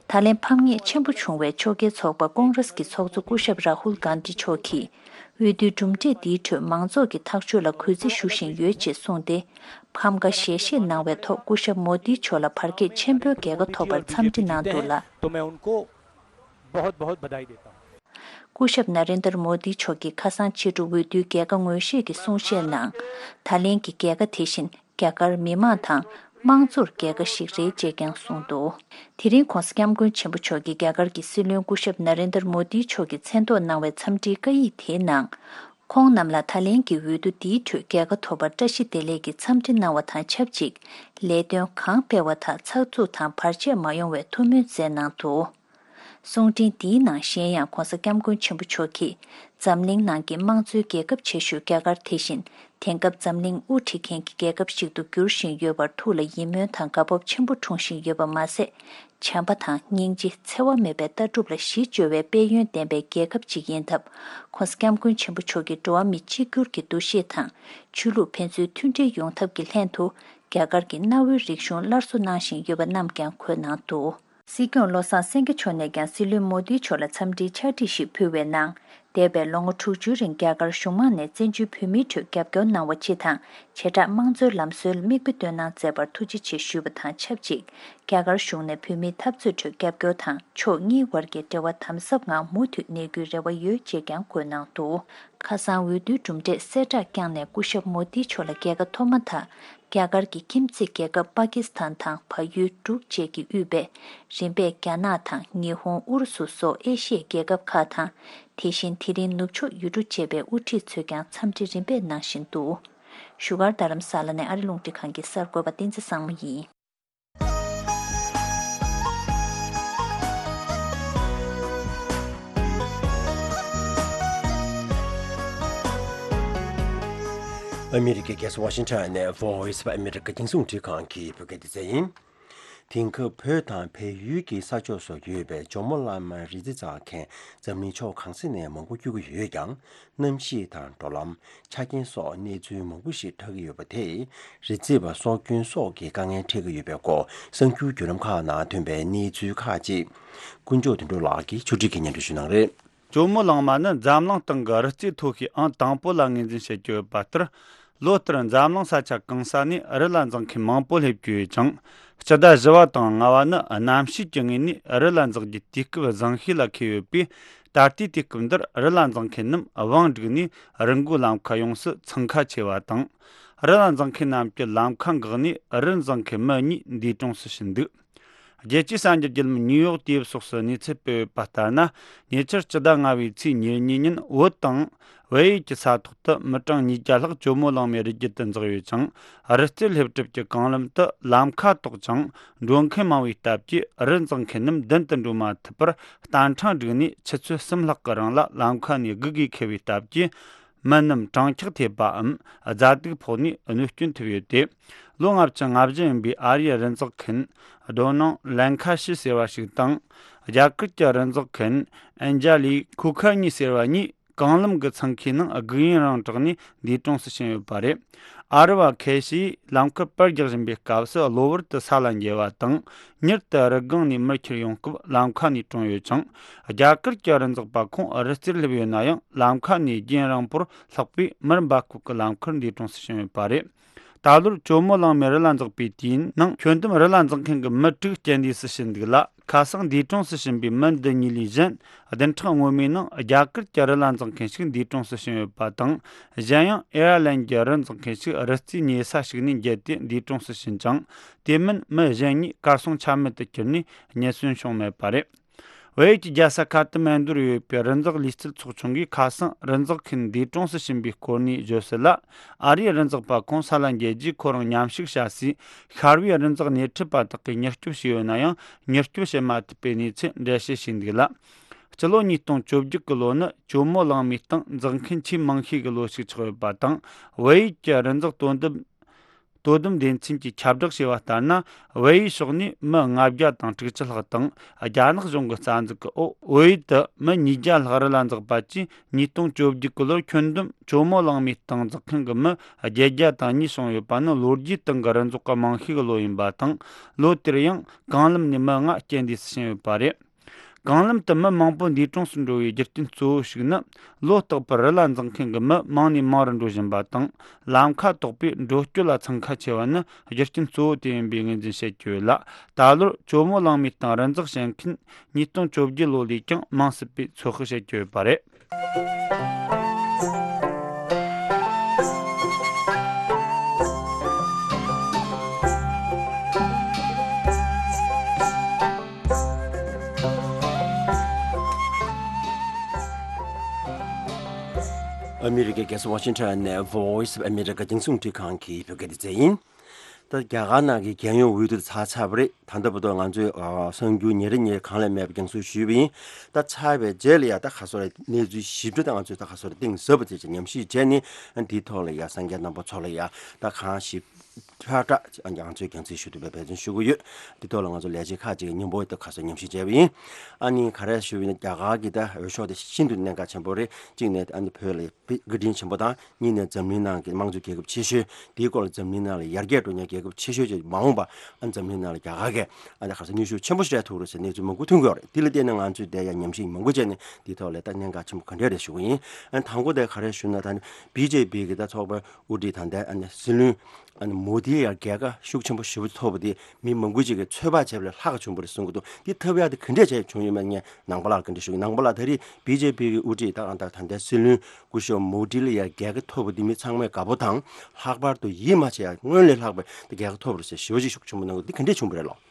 ད་ལན་ཕམ་ཉེས་ཆེན་པོ་བྱུང་བའི་ཕྱོགས་འགལ་ཚོགས་པ་ཀོང་རེས་ཀྱི་ཚོགས་གཙོ་སྐུ་ཞབས་རཱ་ཧུལ་གྷན་དྷི་མཆོག་གིས། འོས་བསྡུའི་གྲུབ་འབྲས་འདིའི་ཁྲོད་མང་ཚོགས་ཀྱི་ཐག་གཅོད་ལ་གུས་བརྩི་ཞུ་བཞིན་ཡོད་ཅེས་གསུངས་ཏེ། ཕམ་ཁ་ཞལ་བཞེས་གནང་བའི་ཐོག་སྐུ་ཞབས་མོ་དྷི་མཆོག་ལ་བར་ཆད་ཆེན་པོའི་རྒྱལ་ཁ་ཐོབ་པར་འཚམས་འདྲི་གནང་འདུག་ལ། སྐུ་ཞབས་ན་རེན་དར་མོ་དྷི་མཆོག་གིས་ཁ་སང་ཕྱི་དྲོ་འོས་བསྡུའི་རྒྱལ་ཁ་ངོས་བཞེས་ཀྱི་གསུང་བཤད་ནང་། ད་ལན་གྱི་རྒྱལ་ཁ་དེ་བཞིན་རྒྱ་གར་མི་མང་དང་དམངས་གཙོར་རྒྱལ་ཁ་ཞིག་རེད་ཅེས་ཀྱང་གསུངས་འདུག་དེ་རིང་༸གོང་ས་༸སྐྱབས་མགོན་ཆེན་པོ་མཆོག་གིས་རྒྱ་གར་གྱི་སྲིད་བློན་སྐུ་ཞབས་ན་རེན་དར་མོ་དྷི་མཆོག་གིས་མཚན་ཐོག་གནང་བའི་འཚམས་འདྲིའི་བཀའ་ཡིག་དེའི་ནང་། ཁོང་རྣམས་ལ་ད་ལན་གྱི་འོས་བསྡུ་འདིའི་ཁྲོད་རྒྱལ་ཁ་ཐོབ་པར་བཀྲ་ཤིས་བདེ་ལེགས་ཀྱི་འཚམས་འདྲི་གནང་བ་དང་ཆབས་ཅིག་ལས་དོན་གང་སྤེལ་བ་དག་ཚགས་ཚུད་དང་བར་ཆད་མ་ཡོང་བའི་ཐུགས་སྨོན་སྩལ་གནང་འདུག་གསུང་འཕྲིན་འདིའི་ནང་གཞན་ཡང་༸གོང་ས་༸སྐྱབས་མགོན་ཆེན་པོ་མཆོག་གིས། འཛམ་གླིང་ནང་གི་དམངས་གཙོའི་རྒྱལ་ཁབ་ཆེ་ཤོས་རྒྱ་གར་དེ་བཞིན། དེང་སྐབས་འཛམ་གླིང་དབུ་ཁྲིད་མཁན་གྱི་རྒྱལ་ཁབ་ཞིག་ཏུ་འགྱུར་བཞིན་ཡོད་པར་ཐུགས་ལ་ཡིད་སྨོན་དང་དགའ་སྤོབས་ཆེན་པོ་འཁྲུངས་བཞིན་ཡོད་པ་མ་ཟད། བྱམས་པ་དང་སྙིང་རྗེ་འཚེ་བ་མེད་པའི་ལྟ་གྲུབ་ལ་གཞི་བཅོལ་བའི་དཔལ་ཡོན་ལྡན་པའི་རྒྱལ་ཁབ་ཅིག་ཡིན་སྟབས། ༸གོང་ས་༸སྐྱབས་མགོན་ཆེན་པོ་མཆོག་གིས་འགྲོ་བ་མི་གཅིག་གྱུར་གྱི་འདུ་ཤེས་དང་། ཆོས་ལུགས་ཕན་ཚུན་མཐུན་སྒྲིལ་ཡོང་ཐབས་ཀྱི་ལྷན་དུ། རྒྱ་གར་གྱི་གནའ་བོའི་རིག་གཞུང་སླར་གསོ་གནང་བཞིན་ཡོད་པ་རྣམས་ཀྱང་འཁོད་གནང་འདུག་སྲིད་སྐྱོང་བློ་བཟང་སེང་གེ་མཆོག་ནས་ཀྱང་སྲིད་བློན་མོ་དྷི་མཆོག་ལ་འཚམས་འདྲིའི་ཕྱག་བྲིས་ཤིག་ཕུལ་བའི་ནང་། འདས་པའི་ལོ་ངོ་དྲུག་ཅུའི་རིང་རྒྱ་གར་གཞུང་མང་ནས་བཙན་བྱོལ་བོད་མིའི་ཁྲོད་རྒྱབ་སྐྱོར་གནང་བ་སྤྱི་དང་། བྱེ་བྲག་དམངས་གཙོའི་ལམ་སྲོལ་མིག་དཔེ་སྟོན་གནང་མཛད་པར་ཐུགས་རྗེ་ཆེ་ཞུས་པ་དང་ཆབས་ཅིག་རྒྱ་གར་གཞུང་ནས་བོད་མིའི་འཐབ་རྩོད་ཁྲོད་རྒྱབ་སྐྱོར་དང་ཕྱོགས་གཉིས་དབར་གྱི་འབྲེལ་བ་དམ་ཟབ་ངང་མུ་མཐུད་གནས་རྒྱུའི་རེ་བ་ཡོད་ཅེས་ཀྱང་བཀོད་གནང་འདུག་ཁ་སང་འོས་བསྡུའི་གྲུབ་འབྲས་གསལ་བསྒྲགས་བསྐྱངས་ནས་སྐུ་ཞབས་མོ་དྷི་མཆོག་ལ་རྒྱལ་ཁ་ཐོབ་མ་ཐག་རྒྱ་གར་གྱི་ཁྱིམ་མཚེས་རྒྱལ་ཁབ་པ་ཀི་སི་ཐན་དང་བལ་ཡུལ་འབྲུག་བཅས་ཀྱིས་དབུས་པའི་རིམ་པས་རྒྱ་ནག་དང་ཉི་ཧོང་ཨུ་རུ་སུ་སོགས་ཨེ་ཤི་ཡའི་རྒྱལ་ཁབ་ཁག་དང་། དེ་བཞིན་དེ་རིང་ནུབ་ཕྱོགས་ཡུལ་གྲུ་བཅས་པའི་དབུ་ཁྲིད་ཚོས་ཀྱང་འཚམས་འདྲི་རིམ་པས་གནང་བཞིན་འདུག་བཞུགས་སྒར་རྡ་རམ་ས་ལ་ནས་ཨ་རི་རླུང་འཕྲིན་ཁང་གི་གསར་འགོད་པ་བསྟན་འཛིན་བཟང་མོ་ཡིན། ཨ་མི་རི་ཀའི་རྒྱལ་ས་ཝ་ཤིང་ཊོན་ནས་Voice of America རྒྱང་སྲིང་རླུང་འཕྲིན་ཁང་གི་བོད་སྐད་སྡེ་ཚན་ཡིན། དེང་སྐབས་བོད་དང་བལ་ཡུལ་གྱི་ས་ཕྱོགས་སུ་ཡོད་པའི་ཇོ་མོ་གླང་མ་རི་རྩེ་འཛེགས་མཁན་འཛམ་གླིང་ཕྱོགས་གང་ས་ནས་མང་པོ་སྐྱོད་ཀྱི་ཡོད་ཀྱང་། གནམ་གཤིས་དང་འགྲོ་ལམ། ཆ་རྐྱེན་སོགས་གནས་ཚུལ་མང་པོ་ཞིག་འཁྲབ་ཀྱི་ཡོད་པ་དེས། རི་རྩེ་བ་སྲོག་སྐྱོན་སོགས་ཀྱི་དཀའ་ངལ་འཕྲད་ཀྱི་ཡོད་པའི་སྐོར་གསར་འགྱུར་བརྒྱུད་ལམ་ཁག་ནང་ཐོན་པའི་གནས་ཚུལ་ཁག་ཅིག་དཀོན་མཆོག་དོན་གྲུབ་ལགས་ཀྱིས་ཕྱོགས་སྒྲིག་གིས་སྙན་སྒྲོན་ཞུ་གནང་རེད། ཇོ་མོ་གླང་མ་ནི་འཛམ་གླིང་སྟེང་གི་རི་རྩེ་མཐོ་ཤོས་ཨང་དང་པོ་ལ་ངོས་འཛིན་བྱེད་ཀྱི་ཡོད་པ་ལྟར། ལོ་ལྟར་འཛམ་གླིང་ས་ཆ་གང་ས་ནས་རི་ལ་འཛེག་མཁན་མང་པོ་སླེབས་ཀྱི་ཡོད་ཅིང་། སྤྱི་ཟླ་བཞི་བ་དང་ལྔ་བ་ནི་གནམ་གཤིས་ཀྱི་ངོས་ནས་རི་ལ་འཛེག་རྒྱུའི་དུས་སྐབས་བཟང་ཤོས་ལ་འཁེལ་ཡོད་པས། ད་ལྟའི་དུས་སྐབས་འདིར་རི་ལ་འཛེག་མཁན་རྣམས་བང་བསྒྲིགས་ནས་རི་མགོའི་ལམ་ཁ་ཡོངས་སུ་འཚང་ཁ་ཆེ་བ་དང་། རི་ལ་འཛེག་མཁན་རྣམས་ཀྱི་ལམ་ཁ་འགག་ནས་རི་འཛེག་མཁན་མི་གཉིས་འདས་གྲོངས་སུ་ཕྱིན་འདུག་རྒྱལ་སྤྱིའི་གསར་འགྱུར་བརྒྱུད་ལམ་ནིའུ་ཡོག་དུས་བབ་སོགས་སུ་གནས་ཚུལ་སྤེལ་ཡོད་པ་ལྟར་ན། ཉེ་ཆར་སྤྱི་ཟླ་ལྔ་བའི་ཚེས་ཉེར་གཉིས་ཉིན་བོད་དང་། བལ་ཡུལ་གྱི་ས་ཐོག་ཏུ་མི་གྲངས་ཉིས་བརྒྱ་ལྷག་ཇོ་མོ་གླང་མའི་རི་རྒྱུད་དུ་འཛེགས་ཡོད་ཅིང་། རི་རྩེར་སླེབས་གྲབས་ཀྱི་གོང་ལམ་དུ་ལམ་ཁ་དོག་ཅིང་འགྲོ་མཁན་མང་བའི་སྟབས་ཀྱིས་རི་འཛེག་མཁན་རྣམས་མདུན་དུ་འགྲོ་མ་ཐུབ་པར་རྟ་ཕྲེང་བསྒྲིགས་ནས་ཆུ་ཚོད་གསུམ་ལྷག་གི་རིང་ལ་ལམ་ཁ་ནས་སྒུག་དགོས་འཁེལ་བའི་སྟབས་ཀྱིས། མི་རྣམས་གྲང་འཁྱག་ཐེབས་པའམ་རྫ་དུག་ཕོག་ནས་གནོད་སྐྱོན་ཐེབས་ཡོད་དེ། ལོ་ལྔ་བཅུ་ང་བཞི་ཡིན་པའི་ཨ་རིའི་རི་འཛེག་མཁན་རྡོ་ནང་ལན་ཁ་ཤི་ཟེར་བ་ཞིག་དང་། རྒྱ་གར་གྱི་རི་འཛེག་མཁན་ཨན་ཇ་ལི་ཁུ་ཁ་ཉི་ཟེར་བ་གཉིས་གོང་ལམ་གྱི་འཚང་ཁའི་ནང་སྒུག་ཡུན་རིང་དྲགས་ནས་འདས་གྲོངས་སུ་ཕྱིན་ཡོད་པ་རེད། ཨ་རི་བ་ཁེ་ཤིས་ལམ་ཁར་པར་རྒྱག་བཞིན་པའི་སྐབས་སུ་གློ་བུར་དུ་ས་ལ་འགྱེལ་བ་དང་། མྱུར་དུ་རི་སྒང་ནས་མར་ཁྱེར་ཡོང་སྐབས་ལམ་ཁ་ནས་གྲོངས་ཡོད་ཅིང་། རྒྱ་གར་གྱི་རི་འཛེག་པ་ཁོང་རི་རྩེར་སླེབས་ཡོད་ན་ཡང་། ལམ་ཁ་ནས་རྒྱུན་རིང་པོར་ལྷག་པའི་མར་འབབ་ཁུག་གི་ལམ་ཁར་འདས་གྲོངས་སུ་ཕྱིན་ཡོད་པ་རེད། ད་ལོར་ཇོ་མོ་གླང་མའི་རི་ལ་འཛེག་པའི་དུས་ཡུན་ནང་། ཁྱོན་བསྡོམས་རི་ལ་འཛེག་མཁན་གྱི་མི་དྲུག་རྐྱེན་འདས་སུ་ཕྱིན་འདུག་ལ། ཁ་སང་འདས་གྲོངས་སུ་ཕྱིན་པའི་མི་འདི་གཉིས་ལས་གཞན། བདུན་ཕྲག་སྔོན་མའི་ནང་རྒྱ་གར་གྱི་རི་ལ་འཛེག་མཁན་ཞིག་འདས་གྲོངས་སུ་ཕྱིན་ཡོད་པ་དང་། གཞན་ཡང་ཨེར་ལན་གྱི་རི་འཛེག་མཁན་ཞིག་རི་རྩེའི་ཉེ་ས་ཞིག་ནས་འགྱེལ་ཏེ་འདས་གྲོངས་སུ་ཕྱིན་ཅིང་། དེ་མིན་མི་གཞན་གཉིས་གར་སོང་ཆ་མེད་དུ་གྱུར་ནས་རྙེད་སོན་བྱུང་མེད་པ་རེད། བལ་ཡུལ་གྱི་རྒྱལ་ས་ཁ་ཐ་མན་ཌུ་རུ་ཡོད་པའི་རི་འཛེག་ལུས་རྩལ་ཚོགས་ཆུང་གིས་ཁ་སང་རི་འཛེག་མཁན་འདས་གྲོངས་སུ་ཕྱིན་པའི་སྐོར་ནས་བརྗོད་གསལ་ལ། ཨ་རིའི་རི་འཛེག་པ་ཁོང་ས་ལ་འགྱེལ་རྗེས་ཁོ་རང་མཉམ་ཞུགས་བྱ་སའི་ཤར་བའི་རི་འཛེག་སྣེ་ཁྲིད་པ་དག་གིས་མྱུར་སྐྱོབ་བྱས་ཡོད་ན་ཡང་མྱུར་སྐྱོབ་བྱེད་མ་ཐུབ་པའི་གནས་ཚུལ་འགྲེལ་བཤད་བྱས་འདུག་ལ། སྤྱི་ལོ་ཉིས་སྟོང་བཅོ་བརྒྱད་ཀྱི་ལོ་ནི་ཇོ་མོ་གླང་མའི་སྟེང་འཛེག་མཁན་ཆེས་མང་ཤོས་ཀྱི་ལོ་ཞིག་ཆགས་ཡོད་པ་དང་། བལ་ཡུལ་གྱི་རི་འཛེག་དོ་དམ་དོ་དམ་སྡེ་ཚན་གྱིས་ཁྱབ་བསྒྲགས་བྱས་པ་ལྟར་ན། བལ་ཡུལ་ཕྱོགས་ནས་མི་ལྔ་བརྒྱ་དང་དྲུག་ཅུ་ལྷག་དང་རྒྱ་ནག་གཞུང་གི་རྩ་འཛུགས་ཀྱི་འོག་བལ་ཡུལ་དུ་མི་ཉིས་བརྒྱ་ལྷག་རི་ལ་འཛེགས་པ་བཅས། ཉིས་སྟོང་བཅོ་བརྒྱད་ཀྱི་ལོར་ཁྱོན་བསྡོམས་ཇོ་མོ་གླང་མའི་སྟེང་འཛེག་མཁན་གྱི་མི་བརྒྱད་བརྒྱ་དང་གཉིས་བྱུང་ཡོད་པ་ནི་ལོ་རྒྱུས་སྟེང་གི་རི་འཛེག་གི་མང་ཤོས་ཀྱི་ལོ་ཡིན་པ་དང་། ལོ་དེར་ཡང་གང་ལམ་ནས་མི་ལྔ་རྐྱེན་འདས་སུ་ཕྱིན་ཡོད་པ་རེད། གང་ལམ་དུ་མི་མང་པོ་འདས་གྲོངས་སུ་འགྲོ་བའི་རྒྱུ་རྐྱེན་གཙོ་བོ་ཞིག་ནི། ལོ་རྟག་པར་རི་ལ་འཛེག་མཁན་གྱི་མི་མང་ནས་མང་རུ་འགྲོ་བཞིན་པ་དང་། ལམ་ཁ་དོག་པས་འགྲོ་སྐྱོད་ལ་འཚང་ཁ་ཆེ་བ་ནི་རྒྱུ་རྐྱེན་གཙོ་བོ་དེ་ཡིན་པའི་ངོས་འཛིན་བྱེད་ཀྱི་ཡོད་ལ། ད་ལོར་ཇོ་མོ་གླང་མའི་སྟེང་རི་འཛེག་བྱེད་མཁན་ཉིས་སྟོང་བཅོ་བརྒྱད་ལོ་ལས་ཀྱང་མང་སྲིད་པའི་ཚོད་དཔག་བྱེད་ཀྱི་ཡོད་པ་རེད། ཨ་མི་རི་ཀའི་རྒྱལ་ས་ཝ་ཤིང་ཊོན་ནས་Voice of America རྒྱང་སྲིང་རླུང་འཕྲིན་ཁང་གི་བོད་སྐད་སྡེ་ཚན་ཡིན། ད་རྒྱ་གར་ནང་གི་རྒྱལ་ཡོངས་འོས་བསྡུ་ཚར་ཚར་བ་རེད། ད་ལྟ་བར་དུ་ང་ཚོས་ཨ་གསར་འགྱུར་ཉིན་རེ་ཉིན་རེ་གང་ལས་མེད་པ་རྒྱང་སྲིང་ཞུས་པ་ཡིན། ད་ཚར་བའི་རྗེས་ལ་ཡ་ད་ག་སོ་རེ་གནས་ཚུལ་ཞིབ་ཕྲ་ད་ང་ཚོས་ད་ག་སོ་རེ་གཏིང་ཟབ་པ་བྱས་ཀྱི་ཉམས་ཞིབ་བྱས་ནས་འདིའི་ཐོག་ལ་ཡ་སངས་རྒྱས་རྣམ་པ་ཚོ་ལ་ཡ་ད་གང་ཞིབ་ཕྲ་ཕྲ་ང་ཚོས་རྒྱང་སྲིང་ཞུ་ཐུབ་པའི་འབད་བརྩོན་ཞུ་གི་ཡོད། འདི་ཐོག་ལ་ང་ཚོ་ལས་བྱེད་ཁག་ཅིག་གིས་སྙིང་པོ་ད་ག་སོ་ཉམས་ཞིབ་བྱས་པ་ཡིན། ཨ་ནི་ག་རེ་ཞུ་བ་ཡིན་ན་རྒྱ་གར་གྱི་ད་འོས་ཤོག་དེ་ཤིན་ཏུ་གནད་འགག་ཆེན་པོ་རེད། གཅིག་ནས་ཨ་ནི་བོད་ལ་བཀའ་དྲིན་ཆེན་པོ་དང་། གཉིས་ནས་འཛམ་གླིང་ནང་གི་དམངས་གཙོའི་རྒྱལ་ཁབ་ཆེ་ཤོས་དེའི་སྐོར་ལ་འཛམ་གླིང་ནང་ལ་ཡར་རྒྱས་འགྲོ་མཁན་རྒྱལ་ཁབ་ཆེ་ཤོས་ཅིག་མ་འོངས་པ་ཨ་འཛམ་གླིང་ནང་ལ་རྒྱ་གར་གྱིས་ཨ་ནི་ག་ས་ནུས་ཤུགས་ཆེན་པོ་ཞིག་སྤྲད་ཐུབ་རེད་ཟེར་གནས་ཚུལ་མང་པོ་ཐོན་གྱི་ཡོད་རེད། དེ་ལ་བརྟེན་ནས་ང་ཚོས་དེ་ཡང་ཉམས་ཞིབ་མང་པོ་བྱས་ནས་དེའི་ཐོག་ལ་ད་གནད་འགག་ཆེན་པོ་ག་འདྲས་རེད་ཞུ་གི་ཡིན། ཨ་ནི་དང་པོ་དེ་ག་རེ་ཞུ་ན་ད་ནི་བི་ཇེ་པི་གི་ད་ཚོགས་པ་དབུ་ཁྲིད་ད་ལྟའི་ཨ་ནི་སྲིད་བློན་ཨ་ནི་མོ་དི་ལ་ཡང་རྒྱལ་ཁ་ཤུགས་ཆེན་པོ་ཞེ་པོ་ཐོབ་པ་དེ་མི་མང་པོ་ཅིག་གིས་ཚོད་དཔག་བྱས་པ་ལས་ལྷག་བྱུང་བ་རེད་གསུང་གི་འདུག་འདི་ཐོབ་ཡག་དེ་ག་འདྲས་བྱས་བྱུང་ཡོད་མེད་ངས་ནང་པ་ལགས་ག་འདྲས་ཞུ་གི། ནང་པ་ལགས་ད་རེས་བི་ཇེ་པི་གི་དབུ་ཁྲིད་ད་ད་ད་ལྟའི་སྲིད་བློན་སྐུ་ཞབས་མོ་དི་ལ་ཡང་རྒྱལ་ཁ་ཐོབ་པ་འདི་མི་ཚང་མས་དགའ་པོ་དང་ལྷག་པར་དུ་ཡིད་མ་ཆེས་ཡག་སྔོན་ལས་ལྷག་པའི་རྒྱལ་ཁ་ཐོབ་པ་རེད་ཟེར་ཞེ་པོ་ཅིག་ཤུགས་ཆེན་པོ་གནང་གི་འདི་ག་འདྲས་བྱུང་བ་རེད་ལགས།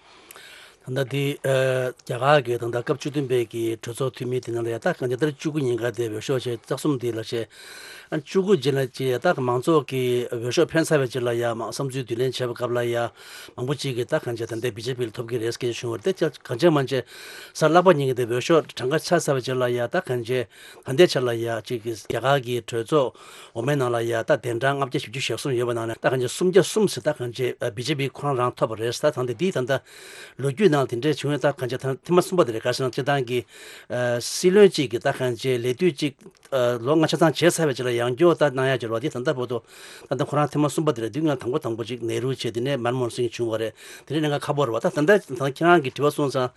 ད་ལྟ་འདི་ཨ་རྒྱ་གར་གྱི་ད་ལྟ་སྐབས་བཅུ་བདུན་པའི་གི་གྲོས་ཚོགས་འཐུས་མི་དེ་ནང་ལ་ཡ་ད་གང་ལྟར་བཅུ་དགུ་ཉིན་ཀ་དེ་འོས་ཤོག་བྱས་རྩ་གསུམ་དེ་ལ་བྱས། ཨ་བཅུ་དགུ་རྗེས་ལ་ཅི་ཡ་ད་མང་ཚོགས་ཀྱི་འོས་ཤོག་འཕེན་ཚར་བའི་རྗེས་ལ་ཡ་མ་བསམ་ཚུལ་བསྡུ་ལེན་བྱས་པའི་སྐབས་ལ་ཡ་མང་པོ་ཅིག་གིས་ད་གང་ཅི་ད་ལྟའི་བི་ཇེ་པི་ལ་ཐོབ་ཀྱི་རེད་ཟེར་གྱི་བྱུང་བ་རེད། དེ་གང་ཅི་མ་ཅི་གཟའ་ལྷག་པ་ཉིན་གྱི་དེ་འོས་ཤོག་གྲངས་ཀ་ཆ་ཚར་བའི་རྗེས་ལ་ཡ་ད་གང་ཅི་ད་ལྟའི་ཆ་ལ་ཡ་ཅིག་གི་རྒྱ་གར་གྱི་གྲོས་ཚོགས་འོག་མའི་ནང་ལ་ཡ་ད་གདན་གྲངས་ལྔ་བརྒྱ་བཞི་བཅུ་ཞེ་གསུམ་ཡོད་པ་ནང་ནས་ད་གང་ཅི་སུམ་བརྒྱ་གསུམ་ཟེར་ད་གང་ཅི་བི་ཇེ་པི་ཁོ་རང་རང་ཐོབ་པ་རེད་ཟེར། ད་ད་ལྟ་འདི་ད་ལྟ་ལོ་རྒྱུས་ནང་དེ་འདྲས་བྱུང་ཡོད། ད་གང་ཅི་ཐེངས་མ་གསུམ་པ་དེ་རེད། ག་རེ་ཟེར་ན་སྤྱིར་བཏང་གི་ཨ་སྲིད་བློན་གཅིག་གི་ད་གང་ཅི་ལས་དུས་གཅིག་ཨ་ལོ་ལྔ་ཆ་ཚང་བྱས་ཚར་བའི་རྗེས་ལ་ཡང་བསྐྱར་ད་གནང་ཡ་བྱས་རོགས་དེ་ད་ལྟ་བར་དུ་ད་ལྟ་ཁོ་རང་ཐེངས་མ་གསུམ་པ་དེ་རེད། དུས་སྔ་དང་པོ་དང་པོ་ཅིག་ནེ་རུ་བྱས། དེ་ནས་མན་མོ་ཧན་སིང་བྱུང་བ་རེད། དེ་ནས་གནད་འགག་ཁག་པོ་རེད་བ། ད་ད་ལྟ་ད་ཁྱེད་རང་གིས་དྲི་བ་གསུངས་ཙང་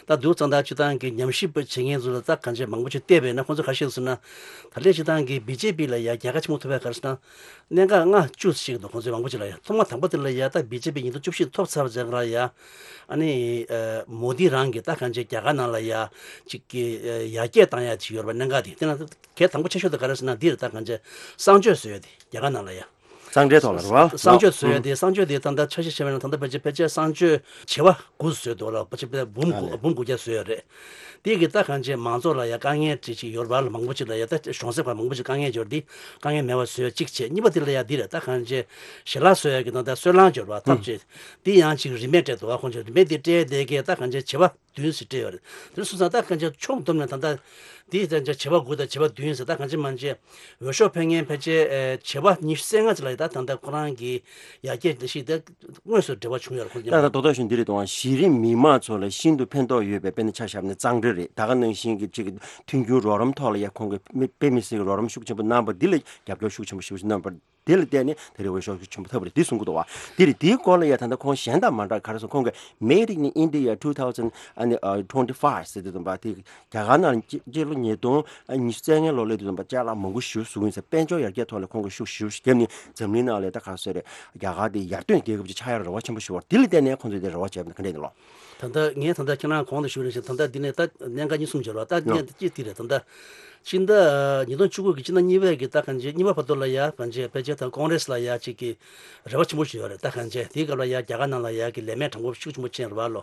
ད་འདུག་ཙང་ད་སྤྱིར་བཏང་གི་ཉམས་ཞིབ་པ་བྱེད་མཁན་ཚོ་ལ་ད་གང་ཅི་མང་པོ་ཅིག་བལྟས་པས་ན་ཁོང་ཚོ་ག་རེ་བཤད་སོང་ན་ད་ལྟའི་སྤྱིར་བཏང་གི་བི་ཇེ་པི་ལ་ཡ་རྒྱལ་ཁ་ཆེན་པོ་ཐོབ་པའི་ག་རེ་ཟེར་ན་གནད་འགག་ལྔ་བཅུ་ཞིག་འདུག་ཁོང་ཚོས་མང་པོ་ཅིག་ལ་ཡ་ཐོག་མ་དང་པོ་དེ་ལ་ཡ་ད་བི་ཇེ་པི་ཉིས་སྟོང་བཅུ་བཞི་ཐོབ་ཚར་བ་ཙང་ལ་ཡ་ཨ་ནི་ཨ་མོ་དི་རང་གིས་ད་གང་ཅི་རྒྱ་གར་ནང་ལ་ཡ་ཅིག་གི་ཡར་རྒྱས་བཏང་ཡ་ཅིག་ཡོད་རེད་པ། གནད་འགག་དེ་དེ་ན་གལ་དང་པོ་ཆེ་ཤོས་དེ་ག་རེ་ཟེར་ན་འདི་རེད། ད་གང་ཅི་གསང་སྤྱོད་བཟོ་ཡ་དེ་རྒྱ་གར་ནང་ལ་ཡ། གསང་གྲལ་ཐོག་ལ་རེད་བ། གསང་སྤྱོད་བཟོ་ཡ་དེ་གསང་སྤྱོད་དེ་ད་ལྟ་ཆ་ཤས་བཤད་པ་ན་ད་ལྟ་ཕལ་ཆེར་ཕལ་ཆེར་གསང་སྤྱོད་བྱེ་བ་དགུ་བཟོས་འདུག་ལ། ཕལ་ཆེར་འབུམ་དགུ་འབུམ་དགུ་བརྒྱ་བཟོས་ཡོད་རེད། དེ་གི་ད་གང་ཅི་མང་ཚོགས་ལ་ཡ་དཀའ་ངལ་ཅིག་ཅིག་ཡོད་རེད་པ་ལ། མང་པོ་ཅིག་ལ་ཡ་ད་གཞུང་ཚབ་ཁག་མང་པོ་ཅིག་དཀའ་ངལ་ཡོད་རེད། དེ་དཀའ་ངལ་མེད་པ་བཟོས་གཅིག་བྱས། གཉིས་པ་དེ་ལ་ཡ་འདི་རེད། ད་གང་ཅི་ཞལ་ལག་བཟོ་ཡ་གི་ད་ལྟ་སོལ་རླངས་ཡོད་རེད་པ། ཐབ་ཅིག་དེ་ཡང་ཅིག་རིན་མེད་སྤྲད་འདུག་བ། ཁོང་ཚོས་རིན་མེད་དེ་སྤྲད་དེ་གི་ད་གང་ཅི་བྱེ་བ་བདུན་ཟེར་སྤྲད་ཡོད་རེད། དེ་སོང་ཙང་ད་གང་ཅི་ཕྱོགས་བསྡོམས་ནས་ད་ལྟ་འདི་ད་ལྟ་བྱེ་བ་དགུ་དང་བྱེ་བ་བདུན་ཟེར་ད་གང་ཅི་མང་ཅི་འོས་ཤོག་འཕེན་མཁན་ཕལ་ཆེར་ཨེ་བྱེ་བ་ཉི་ཤུ་རྩ་ལྔ་ཙམ་ལ་ད་ད་ལྟ་ཁོ་རང་གི་ཡར་རྒྱས་འགྲོ་གཞི་དེ་དངོས་སུ་འབྲེལ་བ་བྱུང་ཡོད་རེད། ཁོ་ད་ད་རྡོག་རྡོག་བཞིན་འདི་རེད་དང་། གཞི་རིམ་མི་མང་ཚོ་ལ་ཤིན་ཏུ་ཕན་ཐོགས་ཡོད་པའི་དཔེར་ན་ཆ་བཞག་ན་གཙང་སྦྲ་རེད། ད་ག་ནང་བཞིན་གྱི་ཅིག་མཐུན་འགྱུར་རོགས་རམ་ཐོག་ལ་ཡ་ཁོང་གིས་དཔེ་མི་སྲིད་ཀྱི་རོགས་རམ་ཤུགས་ཆེན་པོ་གནང་བ་འདི་ལ་རྒྱབ་སྐྱོར་ཤུགས་ཆེན་པོ་ཞེ་པོ་ཞིག་གནང་བར། དེ་ལ་བརྟེན་ནས་ད་རེས་འོས་ཤོག་ཆེན་པོ་ཐོབ་པ་རེད། འདི་གསུང་གི་འདུག་བ། དེ་རེད། དེའི་སྐོར་ལ་ཡ་ད་ལྟ་ཁོང་གཞན་དང་མ་འདྲ་ག་རེ་སོང་ཁོང་གིས་Made in India two thousand ཨ་ནི་twenty-five ཟེར་དུས་ཙམ་པ་དེ་རྒྱ་གར་ནང་སྤྱི་ལོ་ཉིས་སྟོང་ཉི་ཤུ་རྩ་ལྔའི་ལོ་སླེབས་དུས་ཙམ་པ་ཅ་ལག་མང་པོ་ཞིག་བཟོ་གི་ཡིན་ཟེར། དཔལ་འབྱོར་ཡར་རྒྱས་ཐོག་ལ་ཁོང་གིས་ཤུགས་ཞེ་པོ་ཞིག་བརྒྱབ་ནས་འཛམ་གླིང་ནང་ལ་ད་ག་རེ་ཟེར་རེད། རྒྱ་གར་དེ་ཡར་ཐོན་རྒྱལ་ཁབ་ཅིག་ཆགས་ཡག་རེ་བ་ཆེན་པོ་ཞིག་ཡོད་རེད། དེ་ལ་བརྟེན་ནས་ཁོང་ཚོས་དེ་རེ་བ་བྱས་པ་ན་ག་འདྲས་ཡིན་ལོ། ད་ལྟ་ངས་ད་ལྟ་ཁྱེད་རང་གོང་དུ་ཞུས་ནང་བཞིན་ད་ལྟ་འདི་ནས་ད་གནད་འགག་གཉིས་གསུམ་ཡོད་རེད་བ། ད་ཡོ། ངས་ད་ཅི་དེ་རེད། ད་ལྟ་ སྤྱི་ཟླ་ཉིས་སྟོང་བཅུ་དགུ་གི་སྤྱི་ཟླ་གཉིས་པའི་གི་ད་གང་ཅི་གཉིས་པ་བར་དུ་ལ་ཡ་གང་ཅི་ཕལ་ཆེར་ད་ཀོང་རེས་ལ་ཡ་གཅིག་གི་རེ་བ་ཆེན་པོ་ཞིག་ཡོད་རེད། ད་གང་ཅི་དེའི་སྐབས་ལ་ཡ་རྒྱ་གར་ནང་ལ་ཡ་གི་ལས་མེད་གྲངས་འབོར་ཤུགས་ཆེན་པོ་ཕྱིན་རེད་བ་ལོ།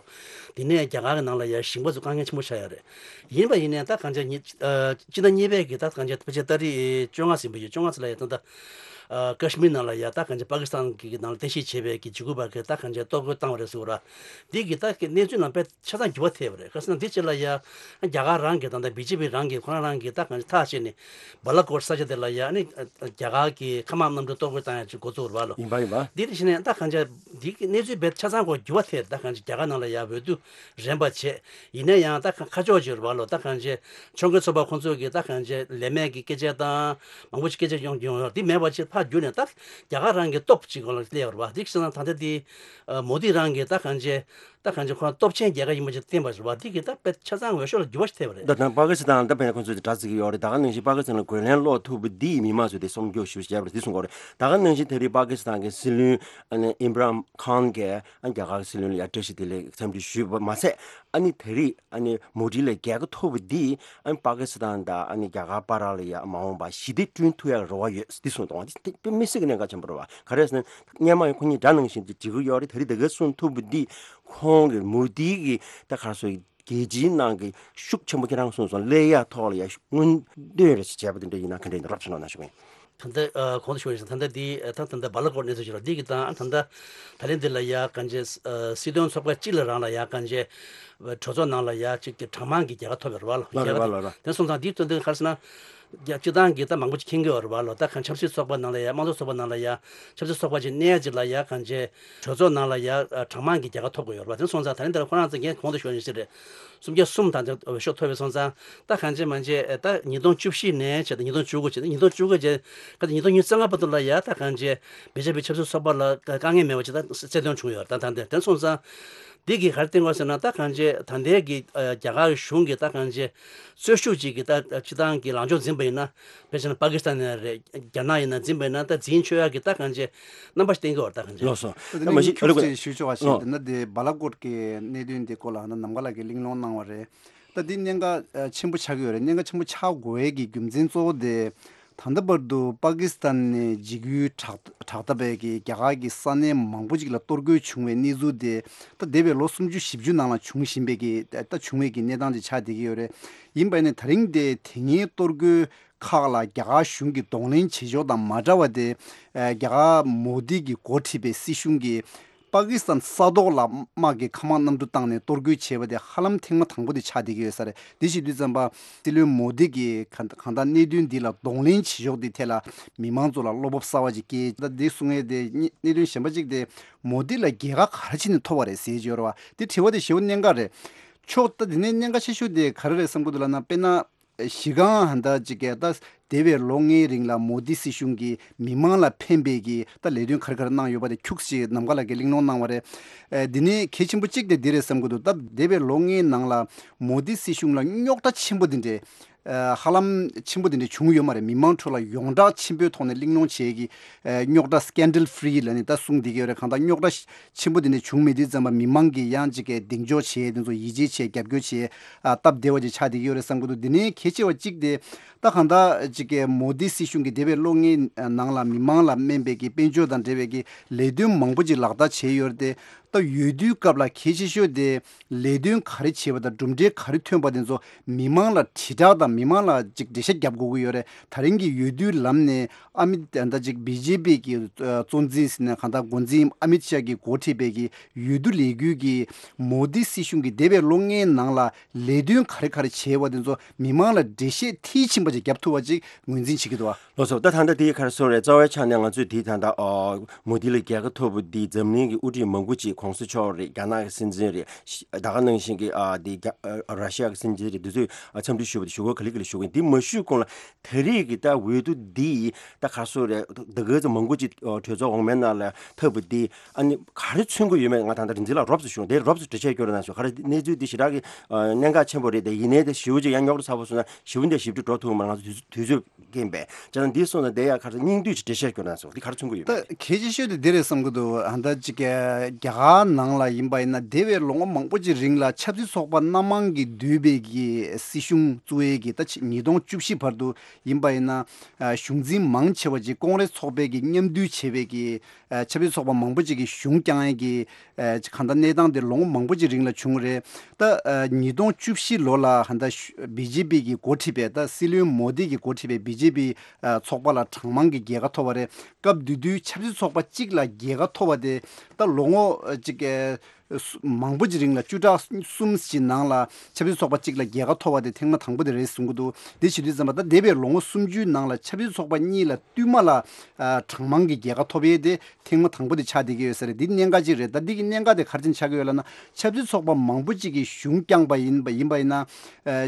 དེ་ནས་རྒྱ་གར་གི་ནང་ལ་ཡ་ཞིང་པ་ཚོ་དཀའ་ངལ་ཆེན་པོ་ཆགས་ཡོད་རེད། ཡིན་པ་ཡིན་ནའི་ད་གང་ཅི་ཉི་ཨ་སྤྱི་ཟླ་གཉིས་པའི་གི་ད་གང་ཅི་ཕལ་ཆེར་ཏ་རིག་བཅོ་ལྔ་ཟིན་པ་ཡོད། བཅོ་ལྔ་ཙམ་ལ་ཡ་ད་ད་ཨ་ཀ་ཤི་མིར་ནང་ལ་ཡ་ད་གང་ཅི་པ་ཀི་སི་ཐན་གི་ནང་ལ་རྟེན་གཞི་བྱས་པའི་གི་འཇིགས་སྐུལ་བ་གི་ད་གང་ཅི་གཏོར་རྒོལ་བཏང་བ་རེད་ཟེར་བ་ར། འདི་གི་ད་གི་གནས་ཚུལ་ནང་དཔེ་ཆ་ཚང་འགྱུར་བ་ཐེབས་པ་རེད། ག་ཟེར་ན་འདི་ཕྱི་ལ་ཡ་རྒྱ་གར་རང་གི་ད་ལྟ་བི་ཇེ་པི་རང་གི་ཁོ་རང་རང་གི་ད་གང་ཅི་ཐག་བཅད་ནས་བ་ལ་ཀོཊ་ས་ཆ་དེ་ལ་ཡ་ནི་རྒྱ་གར་གི་མཁའ་དམག་གནམ་གྲུ་གཏོར་རྒོལ་བཏང་ཡ་ཅིག་འགོ་བཙུགས་རེད་བ་ལོ། ཡིན་པ་ཡིན་པ། འདི་དེ་བཞིན་ནས་ད་གང་ཅི་འདི་གི་གནས་ཚུལ་དཔེ་ཆ་ཚང་གོ་འགྱུར་བ་ཐེབས། ད་གང་ཅི་རྒྱ་གར་ནང་ལ་ཡ་འོས་བསྡུ་རན་པ་བྱས། ཡིན་ན་ཡང་ད་ཁ་ཁ་ཕྱོགས་ཅིག་རེད་བ་ལོ། ད་གང་ཅི་ཕྱོགས་འགལ་ཚོགས་པ་ཁོང་ཚོས་གི་ད་གང་ཅི་ལས་མེད་ཀྱི་སྐད་ཆ་དང་མང་པོ་ཞིག་སྐད་ཆ་ཡོང་ཡོང་ཡོད། འདི་མེད་པ་ཅིག་ཕར་བསྒྱུར་ནས་ད་རྒྱ་གར་རང་གི་སྟོབས་ཅིག་སྒང་ལ་སླེབས་ཡོད་རེད་བ། འདི་བྱས་ན་ད་ལྟ་འདི་ཨ་མོ་དི་རང་གི་ད་གང་ཅི་ད་གང་ཅི་ཁོ་རང་སྟོབས་ཆེན་རྒྱལ་ཁབ་ཡིན་པ་ཅིག་བསྟན་པ་རེད་བ། འདི་གི་ད་དཔེ་ཆ་ཚང་འོས་ཤོག་ལ་འགྱུར་བ་ཞིག་ཐེབས་པ་རེད། ད་ད་པ་ཀི་སི་ཐན་ད་ཕན་ཁོང་ཚོས་དྲ་ཚིག་ཡོད་རེད། ད་ག་ནང་བཞིན་པ་ཀི་སི་ཐན་ལ་རྒོལ་ལན་སློག་ཐུབ་པ་འདིས་མི་མང་ཚོས་དེ་སྲུང་སྐྱོབ་ཞུ་བྱས་པ་རེད། འདི་གསུང་གི་ཡོད་རེད། ད་ག་ནང་བཞིན་དེ་རིང་པ་ཀི་སི་ཐན་གྱི་སྲིད་བློན་ཨ་ནི་ཨིམ་རན་ཁཱན་གྱིས་ཨ་རྒྱ་གར་གྱི་སྲིད་བློན་ལ་ཡ་བཀྲ་ཤིས་བདེ་ལེགས་འཚམས་འདྲི་ཞུས་པ་མ་ཚད། ཨ་ནི་དེ་རིང་ཨ་ནི་མོ་དི་ལ་རྒྱལ་ཁ་ཐོབ་པ་འདིས་ཨ་ནི་པ་ཀི་སི་ཐན་དང་ཨ་ནི་རྒྱ་གར་བར་ལ་ཡ་མ་འོངས་པར་ཞི་བདེ་བསྐྲུན་ཐུབ་ཡག་རེ་བ་ཡོད། འདི་གསུངས་འདུག་འདི་དཔེ་མི་སྲིད་ཀྱི་གནད་འགག་ཆེན་པོ་རེད་བ། ག་རེ་ཟེར་ན་སྔོན་མ་ཡང་ཁོ་གཉིས་དྲ་ནང་བཞིན་དུ་འགྲིག་གི་ཡོད་རེད། དེ་རིང་ད་ག་གསུངས་ཐུབ་པ་འདིས་ཁོང་གི་མོ་དི་གི་ད་ག་རེ་ཟེར། རྒྱལ་སྤྱིའི་ནང་གི་ཤུགས་ཆེན་པོ་ཁྱེད་རང་གསུངས་སོང་། སླེབས་ཡག་ཐོག་ལ་ཡ་སྔོན་འདོན་རེ་ཞིག་བྱས་པ་དེ་འདྲ་ཡིན་ན་ག་འདྲ་ཡིན་ན་རོབ་ཞུ་གནང་ན་ཞུ་གི་ཡིན། ད་ལྟ་ཨ་གོང་དུ་ཞུ་བ་ཡིན་ཙང་ད་ལྟ་འདི་ཨ་ད་ད་ལྟ་བ་ལ་ཀོཊ་གནས་ཚུལ་ཞིག་རེད། འདི་གི་ད་ད་ལྟ་ད་ལན་འདི་ལ་ཡ་གང་ཅི་ཨ་སྲིད་དོན་ཚོགས་པ་གཅིག་ལ་རང་ལ་ཡ་གང་ཅི་གྲོས་ཚོགས་ནང་ལ་ཡ་གཅིག་གི་གྲངས་མང་གི་རྒྱལ་ཁ་ཐོབ་ཡོད་རེད་བ་ལ། ལ་རེད་རྒྱལ་ཁ་བ་ལ་ཐོབ་ར། དེ་སོང་ཙང་འདིའི་དོན་དུ་ག་རེ་ཟེར་ན། རྒྱ་སྤྱི་བཏང་གི་ད་མང་པོ་ཅིག་མཁྱེན་གྱི་ཡོད་རེད་བ་ལོ། ད་གང་ཆབ་སྲིད་ཚོགས་པ་ནང་ལ་ཡ་དམངས་གཙོ་ཚོགས་པ་ནང་ལ་ཡ་ཆབ་སྲིད་ཚོགས་པ་ཅིག་གནས་ཡ་ཅིག་ལ་ཡ་གང་ཅི་གྲོས་ཚོགས་ནང་ལ་ཡ་གྲངས་མང་གི་རྒྱལ་ཁ་ཐོབ་དགོས་ཡོད་རེད་བ། དེ་སོང་ཙང་ད་རིང་འདིར་ཁོ་རང་ཚོ་ངས་གོང་དུ་ཞུས་ནས་ཞིག་རེད། སུམ་བརྒྱ་གསུམ་དང་འོས་ཤོག་ཐོབ་པའི་སོང་ཙང་ད་གང་ཅི་མང་ཅི་ད་ཉིས་སྟོང་བཅུ་བཞི་ནས་བྱས་ད་ཉིས་སྟོང་བཅུ་དགུ་བྱས་ད་ཉིས་སྟོང་བཅུ་དགུ་བྱས་ད་ཉིས་སྟོང་ཉི་ཤུ་རྩ་ལྔ་བར་དུ་ལ་ཡ་ད་གང་ཅི་བེ་ཇེ་པི་ཆབ་སྲིད་ཚོགས་པ་ལ་དཀའ་ངལ་མེད་པ་ཅིག་ད་རྩ་དོན་བྱུང་ཡོད་རེད། ད་ད་འདིར་དེ་སོང་ཙང་། འདི་གིས་ག་རེ་བསྟན་དགོས་ཟེར་ན་ད་གང་ཅི་ད་ལྟའི་གི་ཨ་རྒྱ་གར་གཞུང་གི་ད་གང་ཅི་རྩོད་ཤུགས་ཅིག་གི་ད་སྤྱི་བཏང་གི་ལངས་ཕྱོགས་འཛིན་པ་ཡིན་ན་དཔེ་བྱས་ན་པ་ཀི་སི་ཐན་ཡིན་ན་རེད། རྒྱ་ནག་ཡིན་ན་འཛིན་པ་ཡིན་ན་ད་འཛིན་ཆོག་ཡག་གི་ད་གང་ཅི་རྣམ་པ་ཞིག་བསྟན་གྱི་ཡོད་རེད། ད་གང་ཅི། ལགས་སོ། ད་ད་མ་གཞི་ཁྱུག་ཅིག་ཞུ་ཆོག་པ་ཞིག་ཨ་འདི་ན་དེ་བ་ལ་ཀོཊ་གི་གནད་དོན་དེ་སྐོར་ལ་ནམ་མཁའ་ལགས་ཀྱིས་གླེང་སློང་གནང་བ་རེད། ད་འདི་གནད་འགག་ཆེན་པོ་ཆགས་ཀྱི་ཡོད་རེད། གནད་འགག་ཆེན་པོ་ཆགས་དགོས་ཡས་ཀྱི་རྒྱུ་མཚན་གཙོ་བོ་དེ། ད་ལྟ་བར་དུ་པ་ཀི་སི་ཐན་ནས་འཇིགས་སྐུལ་དྲག་དྲག་ད་པའི་གི་རྒྱ་གར་གྱི་ས་གནས་མང་པོ་ཅིག་ལ་གཏོར་རྒོལ་བྱུང་བའི་གནས་ཚུལ་དེ་ད་འདས་པའི་ལོ་སུམ་ཅུ་བཞི་བཅུ་ནང་ལ་བྱུང་བཞིན་པའི་གི་ད་བྱུང་བའི་གི་གནས་སྟངས་ཅིག་ཆགས་བསྡད་ཀྱི་ཡོད་རེད། ཡིན་པ་ནི་ད་རིང་དེ་དེ་སྔའི་གཏོར་རྒོལ་ཁག་ལ་རྒྱ་གར་གཞུང་གིས་གདོང་ལེན་བྱེད་ཕྱོགས་དང་མ་འདྲ་བ་དེ་རྒྱ་གར་མོ་དི་གིས་འགོ་ཁྲིད་པའི་སྲིད་གཞུང་གིས། པ་ཀི་སི་ཐན་ས་ཐོག་ལ་དམག་གི་མཁའ་དམག་གནམ་གྲུ་བཏང་ནས་གཏོར་རྒོལ་བྱས་པ་དེ་ཧ་ལམ་ཐེངས་མ་དང་པོ་དེ་ཆགས་བསྡད་ཀྱི་ཡོད་ས་རེད། དེ་བྱེད་དུས་ཙམ་པ་སྲིད་བློན་མོ་དི་གིས་གང་གང་ལྟར་གནད་དོན་འདི་ལ་གདོང་ལེན་བྱེད་ཕྱོགས་འདི་ཐད་ལ་མི་མང་ཚོ་ལ་བློ་སྤོབས་གསར་བ་ཅིག་སྐྱེས། ད་འདི་གསུང་ཡས་དེ་གནད་དོན་གཞན་པ་ཅིག་དེ་མོ་དི་ལ་རྒྱལ་ཁ་ག་རེ་བྱས་ནས་ཐོབ་པ་རེད་ཟེར་གྱི་ཡོད་རེད་བ། དེ་དྲི་བ་དེ་ཞེ་པོ་གནད་འགག་རེད། ཕྱོགས་ད་དེ་ནས་གནད་འགག་ཆེ་ཤོས་དེ་ག་རེ་རེད་བསམ་གྱི་འདུག་ལབ་ན། དཔེར་ན། གཞི་རྐང་ཧ་ད་ཅིག་གི་ད་འདས་པའི་ལོ་ལྔའི་རིང་ལ་མོ་དི་སྲིད་གཞུང་གིས་མི་མང་ལ་ཕན་པའི་གི་ད་ལས་དོན་ག་རེ་ག་རེ་གནང་ཡོད་པ་དེ་ཁྱུག་ཅིག་ནམ་མཁའ་ལགས་ཀྱིས་གླེང་སློང་གནང་བ་རེད། ཨ་འདི་ནས་གལ་ཆེན་པོ་གཅིག་དེ་འདི་རེད་བསམ་གྱི་འདུག་ད་འདས་པའི་ལོ་ལྔའི་ནང་ལ་མོ་དི་སྲིད་གཞུང་ལ་རྙོག་དྲ་ཆེན་པོ་འདི་འདྲས་ཨ་ཧ་ལམ་ཆེན་པོ་འདི་འདྲས་བྱུང་ཡོད་མ་རེད། མི་མང་ཁྲོད་ལ་ཡོངས་གྲགས་ཆེན་པོའི་ཐོག་ནས་གླེང་སློང་བྱེད་ཀྱི་ཨ་རྙོག་དྲ་སི་ཀེན་ཌལ་ཕི་རི་ལབ་ནས་ད་གསུང་བསྡད་ཀྱི་ཡོད་རེད། གང་ལྟར་རྙོག་དྲ་ཆེན་པོ་དེ་འདྲ་བྱུང་མེད་དུས་ཙམ་པ་མི་མང་གིས་ཡང་ཅིག་གི་གདེང་འཇོག་བྱས། དེ་ཚོ་ཡིད་ཆེས་བྱས། རྒྱབ་སྐྱོར་བྱས། ཨ་སྟབས་བདེ་བ་ཅིག་ཆགས་བསྡད་ཀྱི་ཡོད་རེད་བསམ་གྱི་འདུག་དེ་ནས་གལ་ཆེ་བ་གཅིག་དེ་ད་གང་ལྟར་ཅིག་གི་མོ་དི་སྲིད་གཞུང་གིས་འདས་པའི་ལོ་ལྔའི་ནང་ལ་མི་མང་ལ་སྨན་པའི་གི་དཔལ་འབྱོར་དང་འབྲེལ་བའི་གི་ལས་དོན་མང་པོ་ཅིག་ལག་བསྟར་བྱས་ཡོད་རེད་དེ། ད་འོས་བསྡུའི་སྐབས་ལ་གལ་ཆེ་ཤོས་དེ་ལས་དོན་ག་རེ་བྱས་པ་དང་གྲུབ་འབྲས་ག་རེ་ཐོན་པ་དེ་ཚོ་མི་མང་ལ་དྲིལ་བསྒྲགས་དང་མི་མང་ལ་ཅིག་འགྲེལ་བཤད་རྒྱབ་དགོས་ཀྱི་ཡོད་རེད། ད་རིང་གི་འོས་བསྡུའི་ལམ་ནས། ཨ་མི་ད་ཅིག་བི་ཇེ་པི་གི་གཙོ་འཛིན་ཟེར་ན་གང་ལྟར་འགོ་འཛིན་ཨ་མིད་ཤཱ་གིས་འགོ་ཁྲིད་པའི་གི་འོས་བསྡུ་ལས་འགུལ་གྱིས་མོ་དི་སྲིད་གཞུང་གིས་འདས་པའི་ལོ་ལྔའི་ནང་ལ་ལས་དོན་ག་རེ་ག་རེ་བྱས་པ་དེ་ཚོ་མི་མང་ལ་འགྲེལ་བཤད་མཐིལ་ཕྱིན་པ་ཅིག་བརྒྱབ་ཐུབ་པ་ཅིག་ངོས་འཛིན་བྱེད་ཀྱི་འདུག་བ། ལགས་སོ། ད་ད་ལྟ་དེའི་ཁར་སོང་རེད། རྩ་བའི་ཆ་ནས་ང་ཚོས་དེའི་ད་ལྟ་ཨ་མོ་དི་ལ་རྒྱལ་ཁ་ཐོབ་པ་འདི་འཛམ་གླིང་གི་དབུ་ཁྲིད་མང་པོ་ཅིག་གོང་ས་མཆོག་རེད། རྒྱ་ནག་གི་སྲིད་འཛིན་རེད། ད་ག་ནང་བཞིན་གྱི་ཨ་དེ་རྒྱ་ཨ་ར་ཤི་ཡ་གི་སྲིད་འཛིན་རེད། འདི་ཚོས་ཨ་འཚམས་འདྲི་ཞུས་པ་དེ་ཞུ་སྒོ་ག་ལེ་ག་ལེ་ཞུ་གི་ཡིན། འདི་མ་ཞུས་གོང་ལ་ད་རེས་ཀྱི་ད་འོས་བསྡུ་འདི་ད་ག་སོ་རེད། ད་ག་ཚོད་མང་པོ་ཅིག་གྲོས་ཚོགས་འོག་མའི་ནང་ལ་ཐབས་པ་འདི་ཨ་ནི་ག་རེ་མཚོན་གྱི་ཡོད་མེད་ང་ད་ལྟ་རིག་འཛིན་ལགས་རོབ་ཙམ་ཞུ། དེ་རོབ་ཙམ་འགྲེལ་བཤད་སྐྱོན་རོགས་གནང་ཞུ། ག་རེ་གནས་ཚུལ་འདི་ཞེ་དྲག་གི་གནད་འགག་ཆེན་པོ་རེད། དེ་ཡིན་ནའི་དེ་ཞེ་པོ་ཅིག་ཡང་རྙོག་དྲ་ཚ་པོ་སོང་ན་ཞེ་པོ་འདི་ཞིབ་ཕྲ་འགྲོ་ཐུབ་མ་རེད། ང་ཚོ་དུས་ཚོད་རྐྱེན་པས། བྱས་ཙང་འདི་སོང་ན་དེ་ཡང་ག་རེ་སྙིང་བསྡུས་ཀྱི་འགྲེལ་བཤད་སྐྱོན་རོགས་གནང་ཞུ། འདི་ག་རེ་མཚོན་གྱི་ཡོད་མེད། ད་གལ་ཆེ་ཤོས་དེ་འདི་རེད་བསམ་གྱི་འདུག་ཨ་ད་ཅིག་རྒྱ་གར། ཨ་ནང་ལ་ཡིན་པ་ཡིན་ན་འདས་པའི་ལོ་ངོ་མང་པོ་ཅིག་རིང་ལ་ཆབ་སྲིད་ཚོགས་པ་སྣ་མང་གིས་བསྡུས་པའི་གི་སྲིད་གཞུང་བཙུགས་ཡས་ཀྱི་ད་ཕྱི་ཉིས་སྟོང་བཅུ་བཞི་བར་དུ་ཡིན་པ་ཡིན་ན་གཞུང་འཛིན་མང་ཆེ་བ་ཅིག་ཀོང་རེས་ཚོགས་པའི་གི་མཉམ་འདུས་བྱས་པའི་གི་ཆབ་སྲིད་ཚོགས་པ་མང་པོ་ཅིག་གི་གཞུང་བསྐྱངས་ཡས་ཀྱི་གང་ལྟར་གནས་སྟངས་དེ་ལོ་ངོ་མང་པོ་ཅིག་རིང་ལ་བྱུང་རེད། ད་ཉིས་སྟོང་བཅུ་བཞི་ལོ་ལ་ཧན་ད་བི་ཇེ་པི་གི་འགོ་ཁྲིད་པའི་ད་སྲིད་བློན་མོ་དི་གི་འགོ་ཁྲིད་པའི་བི་ཇེ་པི་ཚོགས་པ་ལ་གྲངས་མང་གི་རྒྱལ་ཁ་ཐོབ་པ་རེད། སྐབས་དེ་དུས་ཆབ་སྲིད་ཚོགས་པ་གཅིག་ལ་རྒྱལ་ཁ་ཐོབ་པ་དེ་ད་ལོ་ངོ་གཅིག་གི་མང་པོ་ཅིག་རིང་ལ་བཅུ་ཕྲག་གསུམ་ཞིག་ནང་ལ་ཆབ་སྲིད་ཚོགས་པ་གཅིག་ལ་རྒྱལ་ཁ་ཐོབ་པ་དེ་ཐེངས་མ་དང་པོ་དེ་རེད་གསུང་གི་འདུག་དེ་བྱེད་དུས་ཙམ་པ་ད་འདས་པའི་ལོ་ངོ་སུམ་ཅུའི་ནང་ལ་ཆབ་སྲིད་ཚོགས་པ་གཉིས་ལ་བསྟུད་མ་ལ་གྲངས་མང་གི་རྒྱལ་ཁ་ཐོབ་ཡས་དེ་ཐེངས་མ་དང་པོ་དེ་ཆགས་བསྡད་ཀྱི་ཡོད་ས་རེད། འདི་གནད་འགག་ཅིག་རེད། ད་འདི་གི་གནད་འགག་དེ་ག་རེ་བྱས་ནས་ཆགས་ཀྱི་ཡོད་ལབ་ན་ཆབ་སྲིད་ཚོགས་པ་མང་པོ་ཅིག་གིས་གཞུང་བསྐྱངས་པ་ཡིན་པ་ཡིན་པ་ཡིན་ན་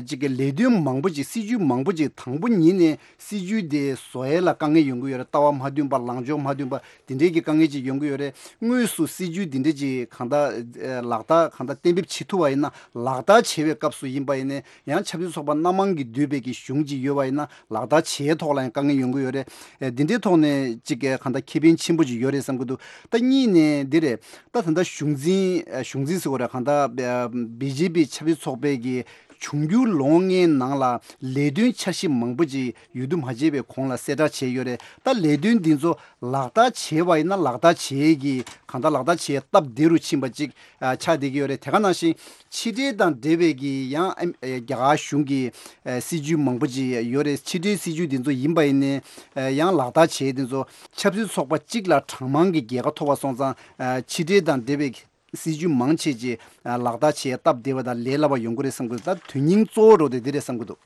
ཅིག་གི་ལས་དོན་མང་པོ་ཅིག་སྲིད་ཇུས་མང་པོ་ཅིག་དང་པོ་ཉིད་ནས་སྲིད་ཇུས་དེ་བཟོ་ཡས་ལ་དཀའ་ངལ་ཡོང་གི་ཡོད་རེད། ལྟ་བ་མ་མཐུན་པ་ལངས་ཕྱོགས་མ་མཐུན་པ་དེ་འདྲའི་གི་དཀའ་ངལ་ཅིག་ཡོང་གི་ཡོད་རེད། དངོས་སུ་སྲིད་ཇུས་འདི་འདྲ་ཅིག་གང་ལྟར་ལག་བསྟར་གང་ལྟར་གཏན་འབེབས་བྱེད་ཐུབ་པ་ཡིན་ན་ལག་བསྟར་བྱེད་པའི་སྐབས་སུ་ཡིན་པ་ཡིན་ན་ཡང་ཆབ་སྲིད་ཚོགས་པ་སྣ་མང་གིས་བསྡུས་པའི་གི་གཞུང་ཅིག་ཡོད་པ་ཡིན་ན་ལག་བསྟར་བྱེད་ཐོག་ལ་ཡང་དཀའ་ངལ་ཡོང་གི་ཡོད་རེད། ཨེ་འདི་འདྲའི་ཐོག་ནས་ཅིག་གི་གང་ལྟར་ཁེ་ཕན་ཆེན་པོ་ཅིག་ཡོད་རེད་བསམ་གི་འདུག་ད་གཉིས་ནས་འདི་རེད། ད་ད་ལྟ་གཞུང་འཛིན་གཞུང་འཛིན་ཟེར་བ་རེད། གང་ལྟར་བི་ཇེ་པི་ཆབ་སྲིད་ཚོགས་པའི་གི་འབྱུང་འགྱུར་ལོ་ངོ་ལྔའི་ནང་ལ་ལས་དོན་འཆར་གཞི་མང་པོ་ཅིག་ཡོད་དུ་མ་བྱས་པའི་གོང་ལ་གསལ་བསྒྲགས་བྱས་ཡོད་རེད། ད་ལས་དོན་འདི་ཚོ་ལག་བསྟར་བྱས་པ་ཡིན་ན་ལག་བསྟར་བྱེད་ཀྱི་གང་ལྟར་ལག་བསྟར་བྱེད་སྟབས་བདེ་རུ་ཕྱིན་པ་ཅིག་ཨ་ཆགས་བསྡད་ཀྱི་ཡོད་རེད། དེ་ག་ནང་བཞིན་ཕྱི་འབྲེལ་དང་འབྲེལ་བའི་གི་ཡང་ཨ་རྒྱ་གར་གཞུང་གི་ཨ་སྲིད་ཇུས་མང་པོ་ཅིག་ཡོད་རེད། ཕྱི་འབྲེལ་སྲིད་ཇུས་འདི་ཚོ་ཡིན་པ་ཡིན་ནའི་ཨ་ཡང་ལག་བསྟར་བྱེད་འདི་ཚོ་ཆབ་སྲིད་ཚོགས་པ་གཅིག་ལ་གྲངས་མང་གི་རྒྱལ་ཁ་ཐོབ་པ་སོང་ཙང་ཨ་ཕྱི་འབྲེལ་དང་འབྲེལ་བའི་སྲིད་ཇུས་མང་ཆེ་ཅིག་ལག་བསྟར་བྱེད་སྟབས་བདེ་བ་དང་ལས་སླ་བ་ཡོང་གི་རེད་བསམ་གི་འདུག་ད་དོན་སྙིང་གཙོ་བོ་འགྲོ་དེ་འདི་རེད་བསམ་གི་འདུག་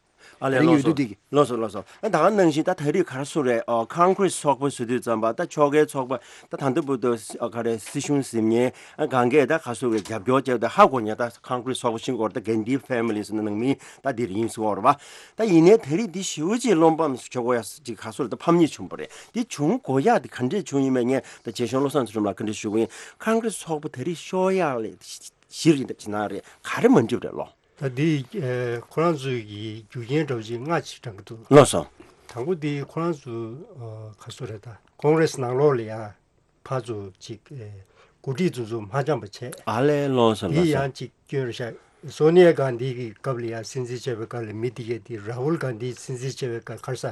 ཨ་ལས། རིང་ཡོད་ལགས་སོ། དུས་དེ་གི་ལགས་སོ་ལགས་སོ། ཨ་ད་ག་ནང་བཞིན་ད་ད་རེས་ག་རེ་ཟེར་རེད། ཨ་ཀོང་ཀྲེས་ཚོགས་པ་ཟེར་དུས་ཙམ་པ་ད་ཕྱོགས་འགལ་ཚོགས་པ་ད་ད་ལྟ་བར་དུ་ཨ་ག་རེ་སྲིད་གཞུང་ཟིན་མཁན་ཨ་གང་གས་ད་ག་ཟེར་རེད་རྒྱབ་སྐྱོར་བྱས་ད་ཧ་གོ་ཉེ་ད་ཀོང་ཀྲེས་ཚོགས་པ་ཤིང་སྐོར་ད་གན་དྷི་ཕེ་མི་ལི་ཟེར་ན་ནང་མི་ད་འདིར་ཡིན་ཟེར་བ་རེད་པ། ད་ཡིན་ནའི་ད་རེས་འདི་ཞེ་པོ་ཅིག་བློ་ཕམ་ཞིག་བྱེད་དགོས་ཡ་ཅིག་ག་ཟེར་རེད། ད་ཕམ་ཉེས་བྱུང་བ་རེད། འདི་བྱུང་དགོས་ཡ་དེ་ག་འདྲས་བྱུང་ཡིན་མིན་ངས་ད་རྗེ་གཞུང་བློ་བཟང་ཚུལ་ཁྲིམས་ལགས་བཀའ་འདྲི་ཞུ་གི་ཡིན། ཀོང་ཀྲེས་ཚོགས་པ་ད་རེས་ཤོར་ཡག་ལས་གཞིར་ཡིན་ད་ཅི་ན་རེད་ག་རེ་མ་འགྲིག་རེད་ལོ། ད་འདི་ཨེ་ཁོ་རང་ཚོའི་གི་རྒྱུ་རྐྱེན་འདྲ་བོ་ཅིག་ལྔ་ཅིག་དྲངས་ཀྱི་འདུག་ལགས་སོ། དང་པོ་འདི་ཁོ་རང་ཚོ་ཨ་ག་ཟེར་རེད་ད་ཀོང་ཀྲེས་ནང་ལོགས་ལ་ཡ་ཕར་ཚུར་ཅིག་ཨེ་འགོ་ཁྲིད་ཚོ་ཚོ་མ་འཆམ་པ་བྱས། ཨ་ལས་ལགས་སོ་ལགས་འདི་སོ། ཡང་ཅིག་སྐྱོན་རེད་ཤག་སོ་ནི་ཡ་གྷན་དྷི་གི་སྐབས་ལ་ཡ་སྲིད་འཛིན་བྱས་པའི་སྐབས་ལ་མི་འདི་གས་འདི་ར་ཧུལ་གྷན་དྷི་སྲིད་འཛིན་བྱས་པའི་སྐབས་ག་རེ་ཟ་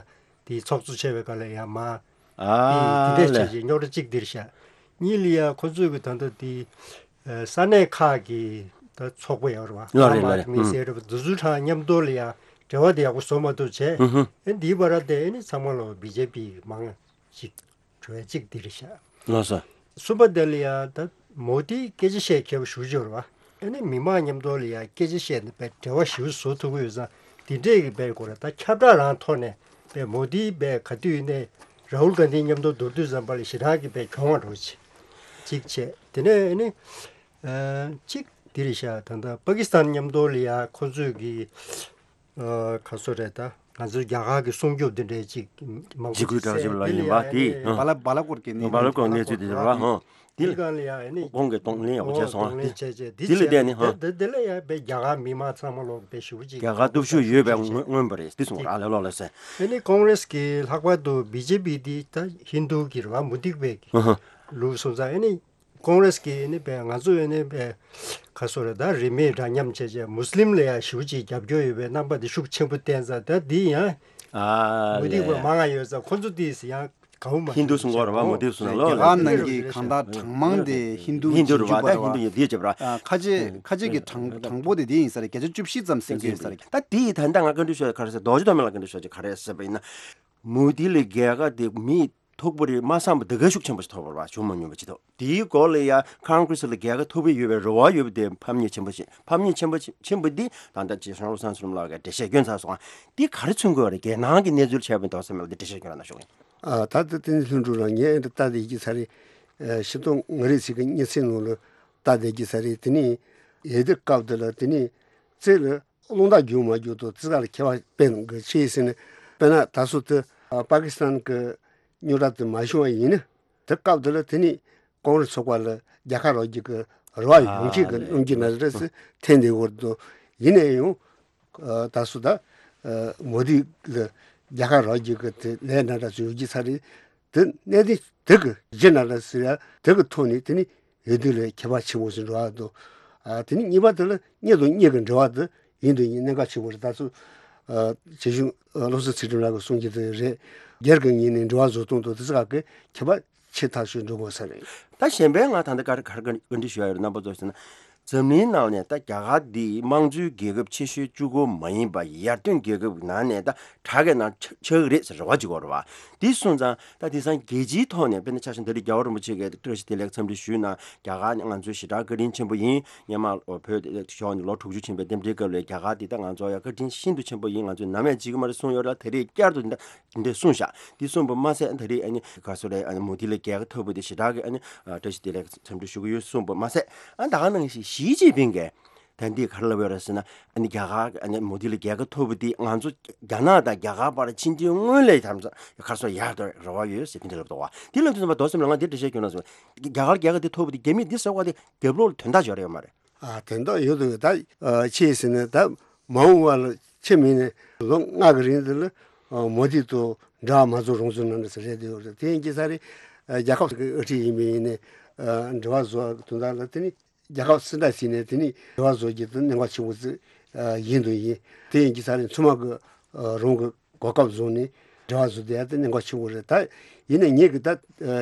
འདི་ཚོགས་གཙོ་བྱས་པའི་སྐབས་ལ་ཡ་མ་ཨ་འདི་འདི་འདྲས་ལས། བྱས་ཅིག་རྙོག་དྲ་གཅིག་འདིར་ཤག་གཉིས་ལ་ཡ་ཁོ་ཚོས་གི་ད་ལྟ་འདི་ཨ་ས་གནས་ཁག་གི་ད་ཚོགས་པ་ཡོད་རེད་བ། ལོ་རེད་ལོ་རེད། མི་ཨུམ། སེར་རེད་བ་འདི་ཚོ་གྲངས་མཉམ་དུ་ལ་ཡ་འབྲེལ་བ་དེ་ཡག་པོ་བཟོ་མ་ཐུབ་བྱས། ཨུ་ཧུ། ཨེ་འདིའི་བར་དེ་ཨེ་ནི་ཚང་མ་ལོ་བི་ཇེ་པི་མང་ཅིག་འགྲོ་ཡ་གཅིག་འདི་རེད་ཤག་ལགས་སོ། གསུམ་པ་དེ་ལ་ཡ་ད་མོ་དིས་སྐད་ཆ་བཤད་མཁས་པོ་ཞེ་པོ་ཅིག་ཡོད་རེད་བ། ཨེ་ནི་མི་མང་མཉམ་དུ་ལ་ཡ་སྐད་ཆ་བཤད་ནས་པའི་འབྲེལ་བ་ཞེ་པོ་བཟོ་ཐུབ་ཀྱི་ཡོད་ཙང་འདི་འདྲས་ཀྱི་པའི་སྐོར་ལ་ད་ཁྱབ་བསྒྲགས་རང་ཐོག་ནས་པའི་མོ་དིས་པའི་ག་དུས་ཡིན་ནའི་ར་ཧུལ་གྷན་དྷི་མཉམ་དུ་འགྲོ་དུས་ཙམ་པ་ལ་ཞེ་དྲག་གི་པའི་གྱོང་བ་འགྲོ་ཅིག་ཅིག་བྱས། དེ་ནས་ཨེ་ནི་ཨ་གཅིག་འདི་རེད་ཤག་ད་ལྟ་པ་ཀི་སི་ཐན་མཉམ་དུ་ལ་ཡ་ཁོ་ཚོས་ཀྱི་ཨ་ག་ཚོད་རེད་ད། ང་ཚོའི་རྒྱ་གར་གྱི་སྲུང་སྐྱོབ་འདི་འདྲའི་ཅིག་མང་པོ་འཇིགས་སྐུལ་དྲག་ཞིག་ལ་ཡིན་པ་དེ་ཨ་བ་ལ་བ་ལ་སྐོར་གྱི་གནས་བ་ལ་སྐོར་གནས་ཚུལ་དེ་རེད་བ། ཧང་། དེ་དེ་གང་ལ་ཡ་ཨ་ནི་གོང་གི་གདོང་ལེན་ཡག་པོ་བྱས་སོང་ཨ། གདོང་ལེན་བྱས་བྱས་འདི་དེ་ལ་བྱས་བལྟས་ནས་ཧང་། དེ་དེ་ལ་ཡ་བའི་རྒྱ་གར་མི་མང་ཚང་མ་ལོག་པའི་ཞུ་ཅིག་རྒྱ་གར་སྟོབས་ཤུགས་ཡོད་པའི་མངོན་མངོན་པ་རེད་དེ་གསུངས་ར་ལས་ལོག་ལ་ཟེར། ཨ་ནི་ཀོང་རེས་ཀྱི་ལྷག་པར་དུ་བི་ཇེ་པི་འདི་ད་ཧིན་རྡུ་གི་རེད་བ་མུ་སྟེགས་པའི་ཧང་ཧང་། ལུགས་སོང་ཙང་ཨ་ནི། ཀོང་རེས་ཀྱི་ནི་པའི་ང་ཚོ་ཡོད་ནི་པའི་ག་སོ་རེ་ད་རིས་མེད་འདྲ་མཉམ་བྱས་བྱས་མུ་སི་ལིམ་ལ་ཡང་ཞེ་པོ་ཅིག་རྒྱབ་སྐྱོར་ཡོད་པའི་རྣམ་པ་དེ་ཤུགས་ཆེན་པོ་བསྟན་ཙང་ད་འདི་ཡང་ཨ་མུ་སྟེགས་པ་ལས་མང་ང་ཡོད་ཙང་ཁོ་ཚོ་དེས་ཡང་གའུ་མ་ཧིན་རྡུ་གསུང་གོ་ར་བ་མུ་སྟེགས་གསུང་ན་ལོ་རྒྱ་གར་ནང་གི་གང་ལྟར་གྲངས་མང་དེ་ཧིན་རྡུ་ཧིན་རྡུ་རུ་བ་ད་ཧིན་རྡུ་ཡིན་དེ་བྱེད་པ་ར་ཁ་ཆེ་ཁ་ཆེ་གི་གྲངས་གྲངས་འབོར་དེ་དེ་ཡིན་ས་རེད། བརྒྱ་ཆ་བཅུ་བཞི་ཙམ་ཟིན་གྱི་ཡོད་ས་རེད། ད་དེ་ཡི་ད་ལྟ་ང་བཀའ་འདྲི་ཞུ་ཡ་ག་རེ་ཟེར་རྡོ་རྗེ་ཐོགས་མེད་ལ་བཀའ་འདྲི་ཞུ་ཡ་ག་རེ་ཟེར་བ་ཡིན་ན། མུ་དྷི་ལ་རྒྱལ་ཁ་དེ་མི་ཐུག་པ་རེད་མ་བསམ་པ་དེ་ག་ཤུགས་ཆེན་པོ་ཞིག་ཐོབ་པ་རེད་བ། བྱུང་མ་མྱོང་བ་ཅིག་འདུག་དེའི་སྐོར་ལ་ཡ་ཀོང་ཀྲེས་ལ་རྒྱལ་ཁ་ཐོབ་ཀྱི་ཡོད་པའི་རེ་བ་ཡོད་པ་དེ་ཕམ་ཉེས་ཆེན་པོ་ཞིག་ཕམ་ཉེས་ཆེན་པོ་ཆེན་པོ་འདི་ད་ལྟ་རྗེ་གཞུང་བློ་བཟང་ཚུལ་ཁྲིམས་ལགས་ཀྱིས་འགྲེལ་བཤད་སྐྱོན་ཚར་སོང་ང་། འདི་ག་རེ་མཚོན་དགོས་པ་རེད། རྒྱལ་ནང་གི་གནས་ཚུལ་ཆགས་པའི་འདུག་ཟེར་མེད་ལ་འདི་འགྲེལ་བཤད་སྐྱོན་ར་ན་ཤོག་ཡིན། ཨ་ད་ལྟ་བསྟན་འཛིན་ལྷུན་གྲུབ་རང་ངས་ཨེ་འདྲ་ལྟ་བསྡད་ཀྱི་ས་རེད། ཤིང་སྡོང་ང་རེ་ཚིག་གི་གཉིད་སད་ནང་ལ་ལྟ་བསྡད་ཀྱི་ས་རེད། དེ་ནི་ཡེ་དེ་སྐབས་དེ་ལ་དེ་ནི་རྩེ་ལ། རླུང་རྟ་རྒྱུག་མ་རྒྱུག་དང་ཙི་ག་ལ་ཁྱད་པར་དཔེ་གི་ཆེ་ཟེར་ནས་དཔེར་ན་ད་སོ་དེ་པ་ཀི་སི་ཐན་གི་རྙོག་དྲ་དེ་མ་བྱུང་བ་ཡིན་ན་དེ་སྐབས་དེ་ལ་དེ་ནི་ཀོང་རེས་ཚོགས་པ་ལ་རྒྱལ་ཁ་རག་རྒྱུ་གི་རེ་བ་ཡོང་གི་གི་སྣང་རྒྱུ་ན་རེ་སི་འཐེན་བསྡད་ཡོད་དོ། ཡིན་ན་ཡང་ད་སོ་ད་མོ་དི་ལ་རྒྱལ་ཁ་རག་རྒྱུ་གི་དེ་ལས་ན་འདྲ་ཚོ་ཡོད་ཀྱི་ས་རེད། དེ་གནད་དེ་དེ་གི་རྒྱུ་ན་འདྲ་ཟེར་ཡ་དེ་གི་ཐོག་ནས་དེ་ནི། འོས་བསྡུ་ལ་ཁྱད་པར་ཆེན་པོ་ཞིག་འགྲོ་བ་དང་། ཨ། དེ་ནས་གཉིས་པ་དེ་ལ་གཉེན་དང་གཉེན་གྱི་འབྲེལ་བ་དེ་ཡིན་དང་ཡིན། གནད་འགག་ཆེན་པོ་རེད། ད་ཚོ། ཨ། བྱེད་གཞུང་། ཨ། བློ་བཟང་ཚུལ་ཁྲིམས་ལགས་ཀྱིས་གསུང་གི་དེ་རེད། སྒེར་གྱི་ངོས་ནས་འབྲེལ་བ་བཟོ་སྟངས་དང་དེ་ཚོ་ག་གི་ཁྱད་པར་ཆེ་ཐག་ཆོད་འགྲོ་དགོས་ས་རེད། ད་གཞན་པའི་ང་ད་ལྟ་ག་རེ་ག་རེ་བཀའ་འདྲི་ཞུ་ཡ་ཡོད་རེད། རྣམ་པ་ཚོ་ཟེར་ན། འཛམ་གླིང་ནང་ནས་ད་རྒྱ་གར་འདི་དམངས་གཙོའི་རྒྱལ་ཁབ་ཆེ་ཤོས་གཅིག་པོ་མ་ཡིན་པ། ཡར་ཐོན་རྒྱལ་ཁབ་ནང་ནས་ད་དྲག་གི་ནང་ཆགས་ཆགས་ཀྱི་རེད་ཟེར་རེ་བ་ཅིག་ཡོད་རེད་བ། འདི་སོང་ཙང་ད་དེང་སང་རྒྱལ་སྤྱིའི་ཐོག་ནས། དཔེར་ན་ཆ་བཞག་ན་ད་རེས་རྒྱལ་བ་རིན་པོ་ཆེ་གིས་བཀྲ་ཤིས་བདེ་ལེགས་འཚམས་འདྲི་ཞུས་ན། རྒྱ་གར་ནི་ང་ཚོའི་ཞེ་དྲག་བཀའ་དྲིན་ཆེན་པོ་ཡིན། སྔོན་མ་བོད་ཕྱོགས་ནས་ལོ་དྲུག་ཅུ་ཕྱིན་པའི་རྟེན་འབྲེལ་སྐབས་ལ་རྒྱ་གར་འདི་ད་ང་ཚོ་ཡ་བཀའ་དྲིན་ཤིན་ཏུ་ཆེན་པོ་ཡིན། ང་ཚོས་ནམ་ཡང་བརྗེད་ཀྱི་མ་རེད་གསུངས་ཡོད་རེད། ད་རེས་བསྐྱར་དུ་འདི་འདྲ་འདི་འདྲ་གསུངས་ཤག་འདི་གསུངས་པ་མ་ཟད། ད་རེས་ཨ་ནི་ག་སོ་རེད། ཨ་ནི་མོ་དི་ལ་རྒྱལ་ཁ་ཐོབ་པ་དེ་ཞེ་དྲག་གི་ཨ་ནི་བཀྲ་ཤིས་བདེ་ལེགས་འཚམས་འདྲི་ཞུ་གི་ཡོད་གསུངས་པ་མ་ཟད། ཨ། ད་ག་ནང་བཞིན་ཞི་ཅིན་ཕིང་གིས་ད་འདི་ག་རེ་ལབ་ཡོད་རེད་ཟེར་ན། ཨ་ནི་རྒྱ་གར། ཨ་ནི་མོ་དི་ལ་རྒྱལ་ཁ་ཐོབ་པ་དེ་ང་ཚོ་རྒྱ་ནག་དང་རྒྱ་གར་བར་ཕྱིན་ཅི་སྔོན་ལས་དམ་ཚ་ག་སོ་ཡག་ཏུ་རེ་བ་ཡོད་ཟེར་དེ་འདྲ་ལབ་འདུག་བ། དེ་ལབ་དུས་ཙམ་པ་མདོ་ཙམ་ལ་ང་འདི་འདྲ་བཤད་སྐྱོན་ན་སོང་། རྒྱ་གར་རྒྱལ་ཁ་དེ་ཐོབ་པ་དེ་རྒྱ་མི་འདི་ཟེར་བ་དེ་རྒྱབ་ལོགས་ལ་དོན་དག་ཅིག་ཡོད་རེད་ཡོད་མ་རེད། ཨ། དོན་དག་ཡོད་དོ་ཡོད། ད། ཨ། ཅི་ཟེར་ན་ད་མ་འོངས་པ་ལ་ཆེས་མིན་ནས་ལོ་ལྔ་གི་རིང་དེ་ལ། ཨ། མོ་དི་དང་འབྲེལ་བ་མ་བཟོ་རོགས་ཟེར་ནང་ནས་ཟེར་རེད་དེ་ཡོད་རེད། དེ་ཡིན་གྱི་ས་རེད། ཨ། རྒྱལ་ཁབ་ཀྱི་དབུ་ཁྲིད་ཡིན་པ་ཡིན་ནས། ཨ། འབྲེལ་བ་བཟོ་དོན་དག་ལ་དེ་ནི། རྒྱལ་ཁབ་སུ་འདྲ་ཞིག་ནས་དེ་ནི་འབྲེལ་བ་བཟོ་རྒྱུ་དེ་གནད་འགག་ཆེན་པོ་ཞིག་ཡིན་དུ་ཡིན། དེ་ཡིན་གྱི་ས་ནས་ཚང་མ་གི་རང་གི་གོ་སྐབས་བཟུང་ནས་འབྲེལ་བ་བཟོ་བསྡད་ཡ་དེ་གནད་འགག་ཆེན་པོ་རེད། ད་ཡིན་ནའི་ངེད་ཀྱི་ད་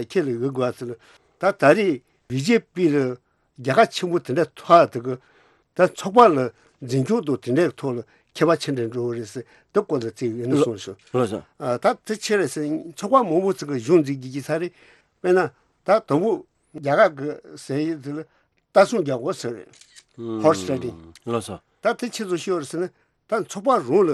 ཁྱེད་ལ་ཡོད་དགོས་པ་ཟེར་ན། ད་ད་རེས་བི་ཇེ་པི་ལ་རྒྱལ་ཁ་ཆེན་པོ་དེ་འདྲ་ཐོབ་ཡ་དེ་གི། ད་ཚོགས་པ་ལ་འཛིན་སྐྱོང་དང་དེ་འདྲའི་ཐོག་ལ་ཁྱད་པར་ཆེ་འདྲ་འགྲོ་གི་རེད་ཟེར། དེ་སྐོར་ལ་ཚིག་ཡིན་ན་གསུངས་ཤོག་ལགས་སོ། ཨ། ད་དེ་ཆེ་རེད་ཟེར། ཚོགས་པ་མང་པོ་ཅིག་གི་གཞུང་འཛིན་གྱི་གི་ས་རེད། དཔེར་ན་ད་དང་པོ་རྒྱ་གར་གི་ཟེར་ཡི་དེ་ལ། རྟ་སྲུང་རྒྱག་དགོས་ཟེར་རེད། ཧོར་སི་རའི་ཌིང་། ལགས་སོ། ད་དེ་ཆེ་ཚོ་ཤོར་ཟེར་ན། ད་ཚོགས་པ་རང་ལ་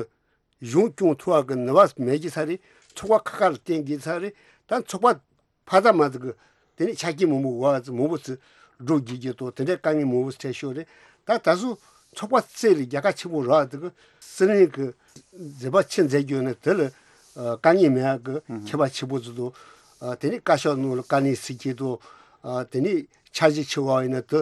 གཞུང་སྐྱོང་ཐུབ་པ་གི་ནུས་པ་མེད་ཀྱི་ས་རེད། ཚོགས་པ་ཁ་ཁ་ལ་བརྟེན་གྱི་ས་རེད། ད་ཚོགས་པ་ཕ་ད་མ་ད་གི་དེ་ནས་ཆ་རྐྱེན་མང་པོ་བ་ཚོ་མང་པོ་ཚོ་སྒྲུབ་བགྱིད་རྒྱུ་དང་དེ་འདྲའི་དཀའ་ངལ་མང་པོ་འཕྲད་ཤོར་རེད། ད་ད་གཟོད་ཚོགས་པ་རྩེ་ལ་རྒྱལ་ཁ་ཆེན་པོ་རག་ད་གི་སྲིད་བློན་གི་མཛད་པ་ཆེ་མཛད་རྒྱུ་ནི་དེ་ལ། ཨ། དཀའ་ངལ་མེད་ཡག་གི་ཁྱད་པར་ཆེན་པོ་ཟིག་འདུག་ཨ། དེ་ནས་བཀའ་ཤག་ནང་ལ་བཀའ་ནན་ཟེར་གྱི་འདུག་ཨ། དེ་ནས་འཆར་གཞི་ཆེ་བ་ཡིན་ན་དེ་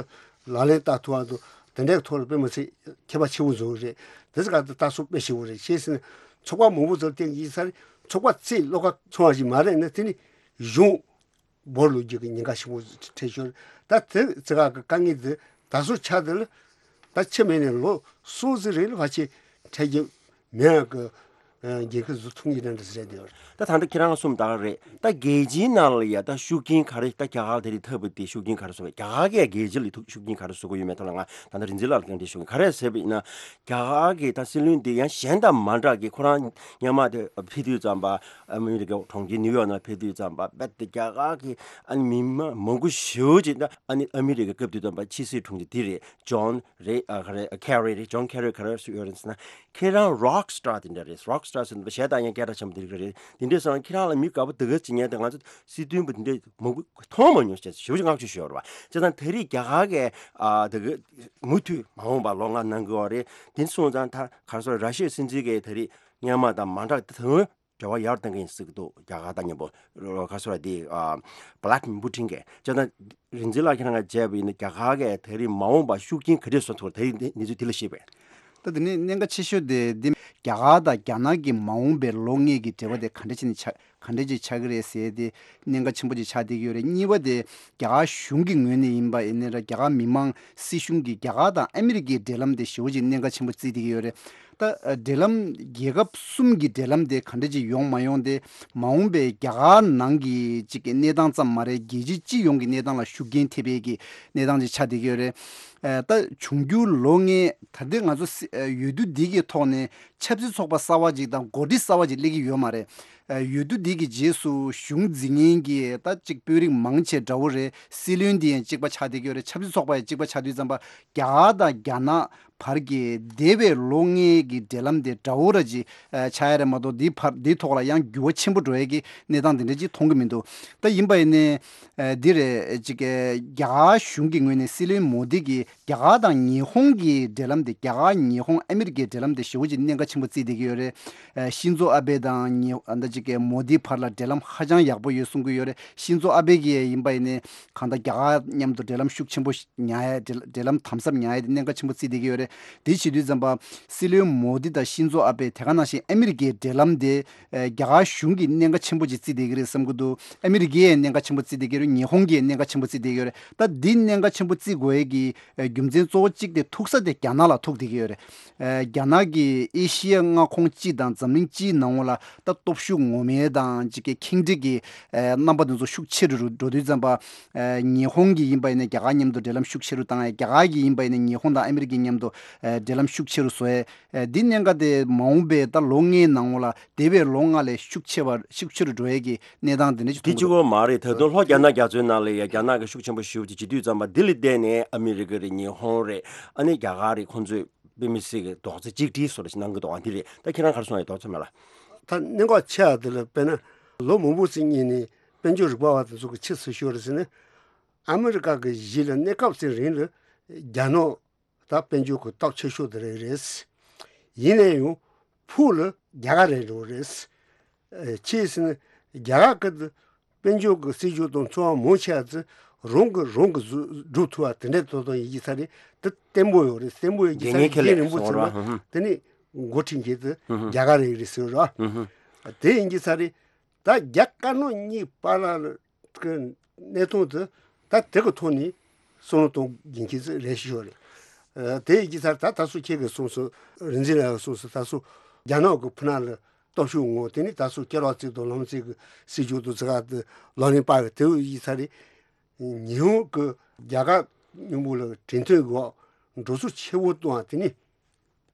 ལག་ལེན་བསྟར་ཐུབ་པ་འདུག་དེ་འདྲའི་ཐོག་ལ་དཔེ་མི་སྲིད་ཁྱད་པར་ཆེན་པོ་བཟོ་གི་རེད། དེ་ཚོ་ག་དེ་ལྟ་སོགས་དཔེ་ཞིག་བོ་རེད། ཅི་ཟེར་ན་ཚོགས་པ་མང་པོ་ཚོར་བརྟེན་གྱི་ས་རེད། ཚོགས་པ་རྩེ་བློ་ཁ་ཚང་བ་ཞིག་མ་རེད་ན་དེ་ནི་གཞུང་བོར་ལོག་རྒྱུ་གི་ཉེན་ཁ་ཆེན་པོ་འཕྲད་ཤོར། ད་དེ་ཚོ་ག་གི་དཀའ་ངལ་དེ་ད་གཟོད་ཆགས་དེ་ལ། ད་ཆེས་མེད་ནས་ལོ་གསུམ་ཙམ་རིང་ལ་ཕལ་ཆེར་འཕྲད་རྒྱུ་མེད་ཡག་གི། ཨ། འགན་ཁུར་བཟོ་ཐུབ་ངེས་དྲན་འདྲ་ཟེར་དེ་བར། ད་ད་ལྟ་ཁྱེད་རང་གསུངས་ད་ག་རེད། ད་རྒྱལ་སྤྱིའི་ནང་ལ་ཡ་ད་ཤུགས་རྐྱེན་ག་རེ། ད་རྒྱ་གར་དེ་རིང་ཐོབ་པ་དེ་ཤུགས་རྐྱེན་ག་རེ་བཟོ་བས། རྒྱ་གར་གྱིས་རྒྱལ་སྤྱི་ལ་ཐུག་ཤུགས་རྐྱེན་ག་རེ་བཟོ་གི་ཡོད་མེད་ཐོག་ལ་ང་ད་ལྟ་རིག་འཛིན་ལགས་ལ་བཀའ་འདྲི་ཞུ་གི། ག་རེ་ཟེར་བ་ཡིན་ན། རྒྱ་གར་གྱི་ད་སྲིད་བློན་དེ་ཡང་གཞན་དང་མ་འདྲ་གི། ཁོ་རང་སྔོན་མ་དེ་ཕེབས་དུས་ཙམ་པ་ཨ་མི་རི་ཀའི་གྲོང་ཁྱེར་ནིའུ་ཡོག་ནང་ཕེབས་དུས་ཙམ་པ་རྦད་དེ་རྒྱ་གར་གྱི་ཨ་ནི་མི་མང་མང་པོ་ཞེ་པོ་ཅིག་ད་ཨ་ནི་ཨ་མི་རི་ཀའི་སྐབས་དུས་ཙམ་པ་ཕྱི་སྲིད་དྲུང་ཆེ་དེ་རེད། ཇོན་རེད། ཨ། ག་རེ། ཨ། ཁེ་རི་རེད། ཇོན་ཁེ་རི་ག་རེ་ཡོད་རེད་ཟེར་ན། ཁྱེད་རང་རོག་སི་ཊར་དེ་འདྲ་རེད། རོག་སི་ཊར་ཟེར་ན་གཞས་བཏང་མཁན་སྐད་གྲགས་ཆེན་པོ་དེ་རིགས་རེད། དེ་འདྲ་སོང་ན་ཁྱེད་རང་ལ་མི་དགའ་པོ་དེ་ག་ཅིག་ཉན་དེ། ང་ཚོ་སྲིད་དོན་པ་དེ་འདྲ་མང་པོ་མཐོང་མ་མྱོང་ཞེས་ཞེ་པོ་ཅིག་བསྔགས་བརྗོད་ཞུ་ཡོད་རེད་བ། བྱས་ཙང་ད་རེས་རྒྱ་གར་གྱིས། ཨ། དེ་ག་མུ་མཐུད་མ་འོངས་པ་ལོ་ལྔ་གནང་གི་ཡོད་རེད། དེ་སོང་ཙང་ད་ག་རེ་ཟེར། ར་ཤི་ཡའི་སྲིད་འཛིན་གྱིས་ད་རེས་སྔོན་མ་དང་མ་འདྲ་དེ་འབྲེལ་བ་ཡར་གཏོང་གི་ཡིན་ཟེར་གྱི་འདུག་རྒྱ་གར་དང་མཉམ་པོ། ག་རེ་ཟེར་དེ། ཨ། བྷ་ལ་ཏི་མིར་པུ་ཏིན་གྱིས། བྱས་ཙང་རིག་འཛིན་ལགས་ཁྱེད་རང་ག་མཇལ་བ་ཡིན་ན་རྒྱ་གར་གྱིས་ད་རེས་མ་འོངས་པར་ཤུགས་རྐྱེན་ག་འདྲས་བཟོ་ཐུབ། ད་རེས་འདི་གནས་ཚུལ་འདི་ལ་བཤད་པས། ད་དེ་ནས་གནད་འགག་ཆེ་ཤོས་དེ་འདི་རྒྱ་གར་དང་རྒྱ་ནག་གི་མ་འོངས་པའི་ལོ་ལྔའི་གི་འབྲེལ་བ་དེ་ག་འདྲ་བྱས་ནས་ཆགས། ག་འདྲ་ཅིག་ཆགས་ཀྱི་རེད་ཟེར་དེ་གནད་འགག་ཆེན་པོ་ཅིག་ཆགས་བསྡད་ཀྱི་ཡོད་རེད། གཉིས་པ་དེ་རྒྱ་གར་གཞུང་གི་ངོས་ནས་ཡིན་པ་ཡིན་ན་ར། རྒྱ་གར་མི་མང་སྲིད་གཞུང་གིས་རྒྱ་གར་དང་ཨ་མི་རི་ཀའི་འབྲེལ་ལམ་དེ་ཞེ་པོ་ཅིག་གནད་འགག་ཆེན་པོ་བརྩིས་བསྡད་ཀྱི་ཡོད་རེད། ད་འབྲེལ་ལམ་རྒྱལ་ཁབ་གསུམ་གྱི་འབྲེལ་ལམ་དེ་ག་འདྲ་ཅིག་ཡོང་མ་ཡོང་དེ་མ་འོངས་པའི་རྒྱ་གར་ནང་གི་ཅིག་གི་གནས་སྟངས་ཙམ་མ་རེད། རྒྱལ་སྤྱི་སྤྱི་ཡོངས་ཀྱི་གནས་སྟངས་ལ་ཤུགས་རྐྱེན་ཐེབས་པའི་གི་གནས་སྟངས་ཅིག་ཆགས་བསྡད་ཀྱི་ཡོད་རེད། ཨ། ད་འབྱུང་འགྱུར་ལོ་ལྔའི་ད་ལྟའི་ང་ཚོ་སྲི། ཨ། འོས་བསྡུ་འདི་གི་ཐོག་ནས་ཆབ་སྲིད་ཚོགས་པ་གསར་པ་ཅིག་དང་འགོ་ཁྲིད་གསར་པ་ཅིག་སླེབས་ཀྱི་ཡོད་མ་རེད། ཨ། འོས་བསྡུ་འདི་གི་རྗེས་སུ་གཞུང་འཛིན་མཁན་གྱི་ད་ཅིག་དཔོན་རིགས་མང་ཆེ་འདྲ་བོ་རེད། སྲིད་བློན་འདི་ཡང་གཅིག་པ་ཆགས་བསྡད་ཀྱི་ཡོད་རེད། ཆབ་སྲིད་ཚོགས་པ་ཡང་གཅིག་པ་ཆགས་དུས་ཙམ་པ་རྒྱ་གར་དང་རྒྱ་ནག་བར་གྱི་འདས་པའི་ལོ་ལྔའི་གི་འབྲེལ་ལམ་དེ་འདྲ་བོ་ར་ཅིག་ཨ། ཆགས་ཡ་རེད་མ་གཏོགས་འདིའི་བར་འདིའི་ཐོག་ལ་ཡང་འགྱུར་བ་ཆེན་པོ་འགྲོ་ཡ་གི་གནས་སྟངས་དེ་འདྲ་ཅིག་མཐོང་གི་མི་འདུག་ད་ཡིན་པ་ཡིན་ནའི། ཨ། འདི་རེད། ཅིག་གི་རྒྱ་གར་གཞུང་གི་ངོས་ནས་སྲིད་བློན་མོ་དི་གི་ རྒྱ་གར་དང་ཉི་ཧོང་གི་འབྲེལ་ལམ་དེ། རྒྱ་གར་ཉི་ཧོང་ཨ་མི་རི་ཀའི་འབྲེལ་ལམ་དེ་ཞེ་པོ་ཅིག་གནད་འགག་ཆེན་པོ་བརྩིས་བསྡད་ཀྱི་ཡོད་རེད། ཨ་ཤིན་ཛོ་ཨ་བྷེ་དང་ཉི་ཨ་ད་ཅིག་གི་མོ་དི་བར་ལ་འབྲེལ་ལམ་ཧ་ཅང་ཡག་པོ་ཡོད་གསུང་གི་ཡོད་རེད། ཤིན་ཛོ་ཨ་བྷེ་གིས་ཡིན་པ་ཡིན་ནའི་གང་ལྟར་རྒྱ་གར་མཉམ་དུ་འབྲེལ་ལམ་ཤུགས་ཆེན་པོ་ཉར་ཡ། འབྲེལ་འབྲེལ་ལམ་དམ་ཟབ་ཉར་ཡ་དེ་གནད་འགག་ཆེན་པོ་བརྩིས་བསྡད་ཀྱི་ཡོད་རེད། དེ་བྱེད་དུས་ཙམ་པ་སྲིད་བློན་མོ་དི་དང་ཤིན་ཛོ་ཨ་བྷེ་དེ་ག་ནང་བཞིན་ཨ་མི་རི་ཀའི་འབྲེལ་ལམ་དེ་ཨ་རྒྱ་གར་གཞུང་གིས་གནད་འགག་ཆེན་པོ་ཅིག་བརྩིས་བསྡད་ཀྱི་རེད་བསམ་གྱི་འདུག་ཨ་མི་རི་ཀས་གནད་འགག་ཆེན་པོ་བརྩིས་བསྡད་ཀྱི་རེད། ཉི་ཧོང་གིས་གནད་འགག་ཆེན་པོ་བརྩིས་བསྡད་ཀྱི་རེད། ད་འདི་གནད་འགག་ཆེན་པོ་བརྩི་དགོས་ཡས་ཀྱི་ཨ་རྒྱུ་མཚན་གཙོ་བོ་གཅིག་དེ་ཐུག་ས་དེ་རྒྱ་ནག་ལ་ཐུག་བསྡད་ཀྱི་ཡོད་རེད། ཨ་རྒྱ་ནག་གིས་ཨེ་ཤི་ཡ་མངའ་ཁོངས་སྤྱི་དང་འཛམ་གླིང་སྤྱིའི་ནང་ལ་ད་སྟོབས་ཤུགས་ངོ་མའི་དང་ཅིག་གི་ཁེངས་དྲེགས་ཀྱི་ཨ་རྣམ་པ་དེ་ཚོ་ཤུགས་ཆེ་རུ་འགྲོ་དུས་ཙམ་པ། ཨ་ཉི་ཧོང་གིས་ཡིན་པ་ཡིན་ན་རྒྱ་གར་མཉམ་དུ་འབྲེལ་ལམ་ཤུགས་ཆེ་རུ་བཏང་ཡས། རྒྱ་གར་གྱིས་ཡིན་པ་ཡིན་ན་ཉི་ཧོང་དང་ཨ་མི་རི་ཀའི་མཉམ་དུ་ཨ་འབྲེལ་ལམ་ཤུགས་ཆེ་རུ་བཟོ་ཡས། ཨ་འདི་གནད་འགག་དེ་མ་འོངས་པའི་ད་ལོ་ལྔའི་ནང་ལ་འདས་པའི་ལོ་ལྔ་ལས་ཤུགས་ཆེ་བ་ཤུགས་ཆེ་རུ་འགྲོ་ཡས་ཀྱི་གནས་སྟངས་དེ་འདྲ་ཞིག་དེ་མཐོང་གི་གཅིག་པོ་མ་རེད། ད་དུང་ལྷོ་རྒྱ་ནག་རྒྱ་མཚོའི་ནང་ལ་ཡ་རྒྱ་ནག་གི་ཤུགས་ཆེན་པོ་ཞེ་པོ་ཅིག་བྱེད་དུས་ཙམ་པ་འདི་ལ་བརྟེན་ནས་ཨ་མི་རི་ཀ་རེད། ཉི་ཧོང་རེད། ཨ་ནི་རྒྱ་གར་རེད། ཁོང་ཚོས་དཔེ་མི་སྲིད་ཀྱི་རྡོག་རྩ་གཅིག་སྒྲིལ་བཟོ་འདྲ་ཞིག་གནང་གི་འདུག་ཨ་འདི་རེད། ད་ཁྱེད་རང་ག་རེ་གསུང་ཡ་རེད། རྡོག་རྩ་མེད་ལ། ད་གནད་འགག་ཆེ་བ་དེ་ལ་དཔེར་ན་ལོ་མང་པོ་ཙམ་སྔོན་ནས་དཔལ་འབྱོར་རིག་པ་བ་དེ་ཚོ་གིས་ཅི་ཟེར་ཤོད་རེད་ཟེར་ན། ཨ་མི་རི་ཀ་གི་གཞི་ལ་གནས་སྐབས་ཙམ་རིང་ལ་རྒྱ་ནག་ད་དཔལ་འབྱོར་གྱི་སྟོབས་ཆེ་ཤོས་དེ་རེད་རེད། ཡིན་ན་ཡང་ཕུགས་ལ་རྒྱ་གར་རེད་འགྲོ་རེད། ཨ་ཅི་ཟེར་ན་རྒྱ་གར་གྱི་དཔལ་འབྱོར་གྱི་སྲིད་ཇུས་དང་འཚོ་བ་མང་ཆེ་བ་ཚོ་རང་གིས་རང་གིས་བཟོ་སྒྲུབ་ཐུབ་པ་དེ་འདྲ་ཏོག་ཏོག་ཡིན་གྱི་ས་རེད། དེ་བརྟན་པོ་ཡོད་རེད། བརྟན་པོ་ཡོད་ཀྱི་ས་རེད། རྒྱལ་ངེས་ཁེ་ལས་རིང་པོ་ཚོ་ལ་དེ་ནི་འགོ་ཁྲིད་མཁན་དེ་རྒྱ་གར་རེད་རེད་ཟེར་རོ། དེ་ཡིན་གྱི་ས་རེད། ད་རྒྱ་དཀར་ནག་གཉིས་བར་ལ་གི་གནས་སྟངས་དེ་ད་དེ་གི་ཐོག་ནས་བསམ་བློ་གཏོང་དགོས་ཀྱི་རེད་ཤོད་རེད། ཨ་དེ་ཡི་ཚར་ད་ད་སུ་ཁྱེད་ཀྱིས་གསུངས་སོང་། རིག་འཛིན་ལགས་གསུངས་སོང་། ད་སུ་རྒྱ་ནག་གི་ཕུ་ན་ལ་སྟོབས་ཤུགས་ངོ་། དེ་ནི་ད་སུ་སྐྱེ་རོགས་བརྩེགས་དང་ལམ་བརྩེགས་ཀྱི་སྲིད་ཇུས་དང་ཙི་ག་དེ་ལག་ལེན་པ་གི་དེ་ཡི་ཚར་རེད། ཉི་ཧོང་གི་རྒྱ་གར་མཉམ་པོ་ལ་གྲོས་མཐུན་གི་འགྲོ་སོང་ཆེ་བོ་གཏོང་བ་དེ་ནི་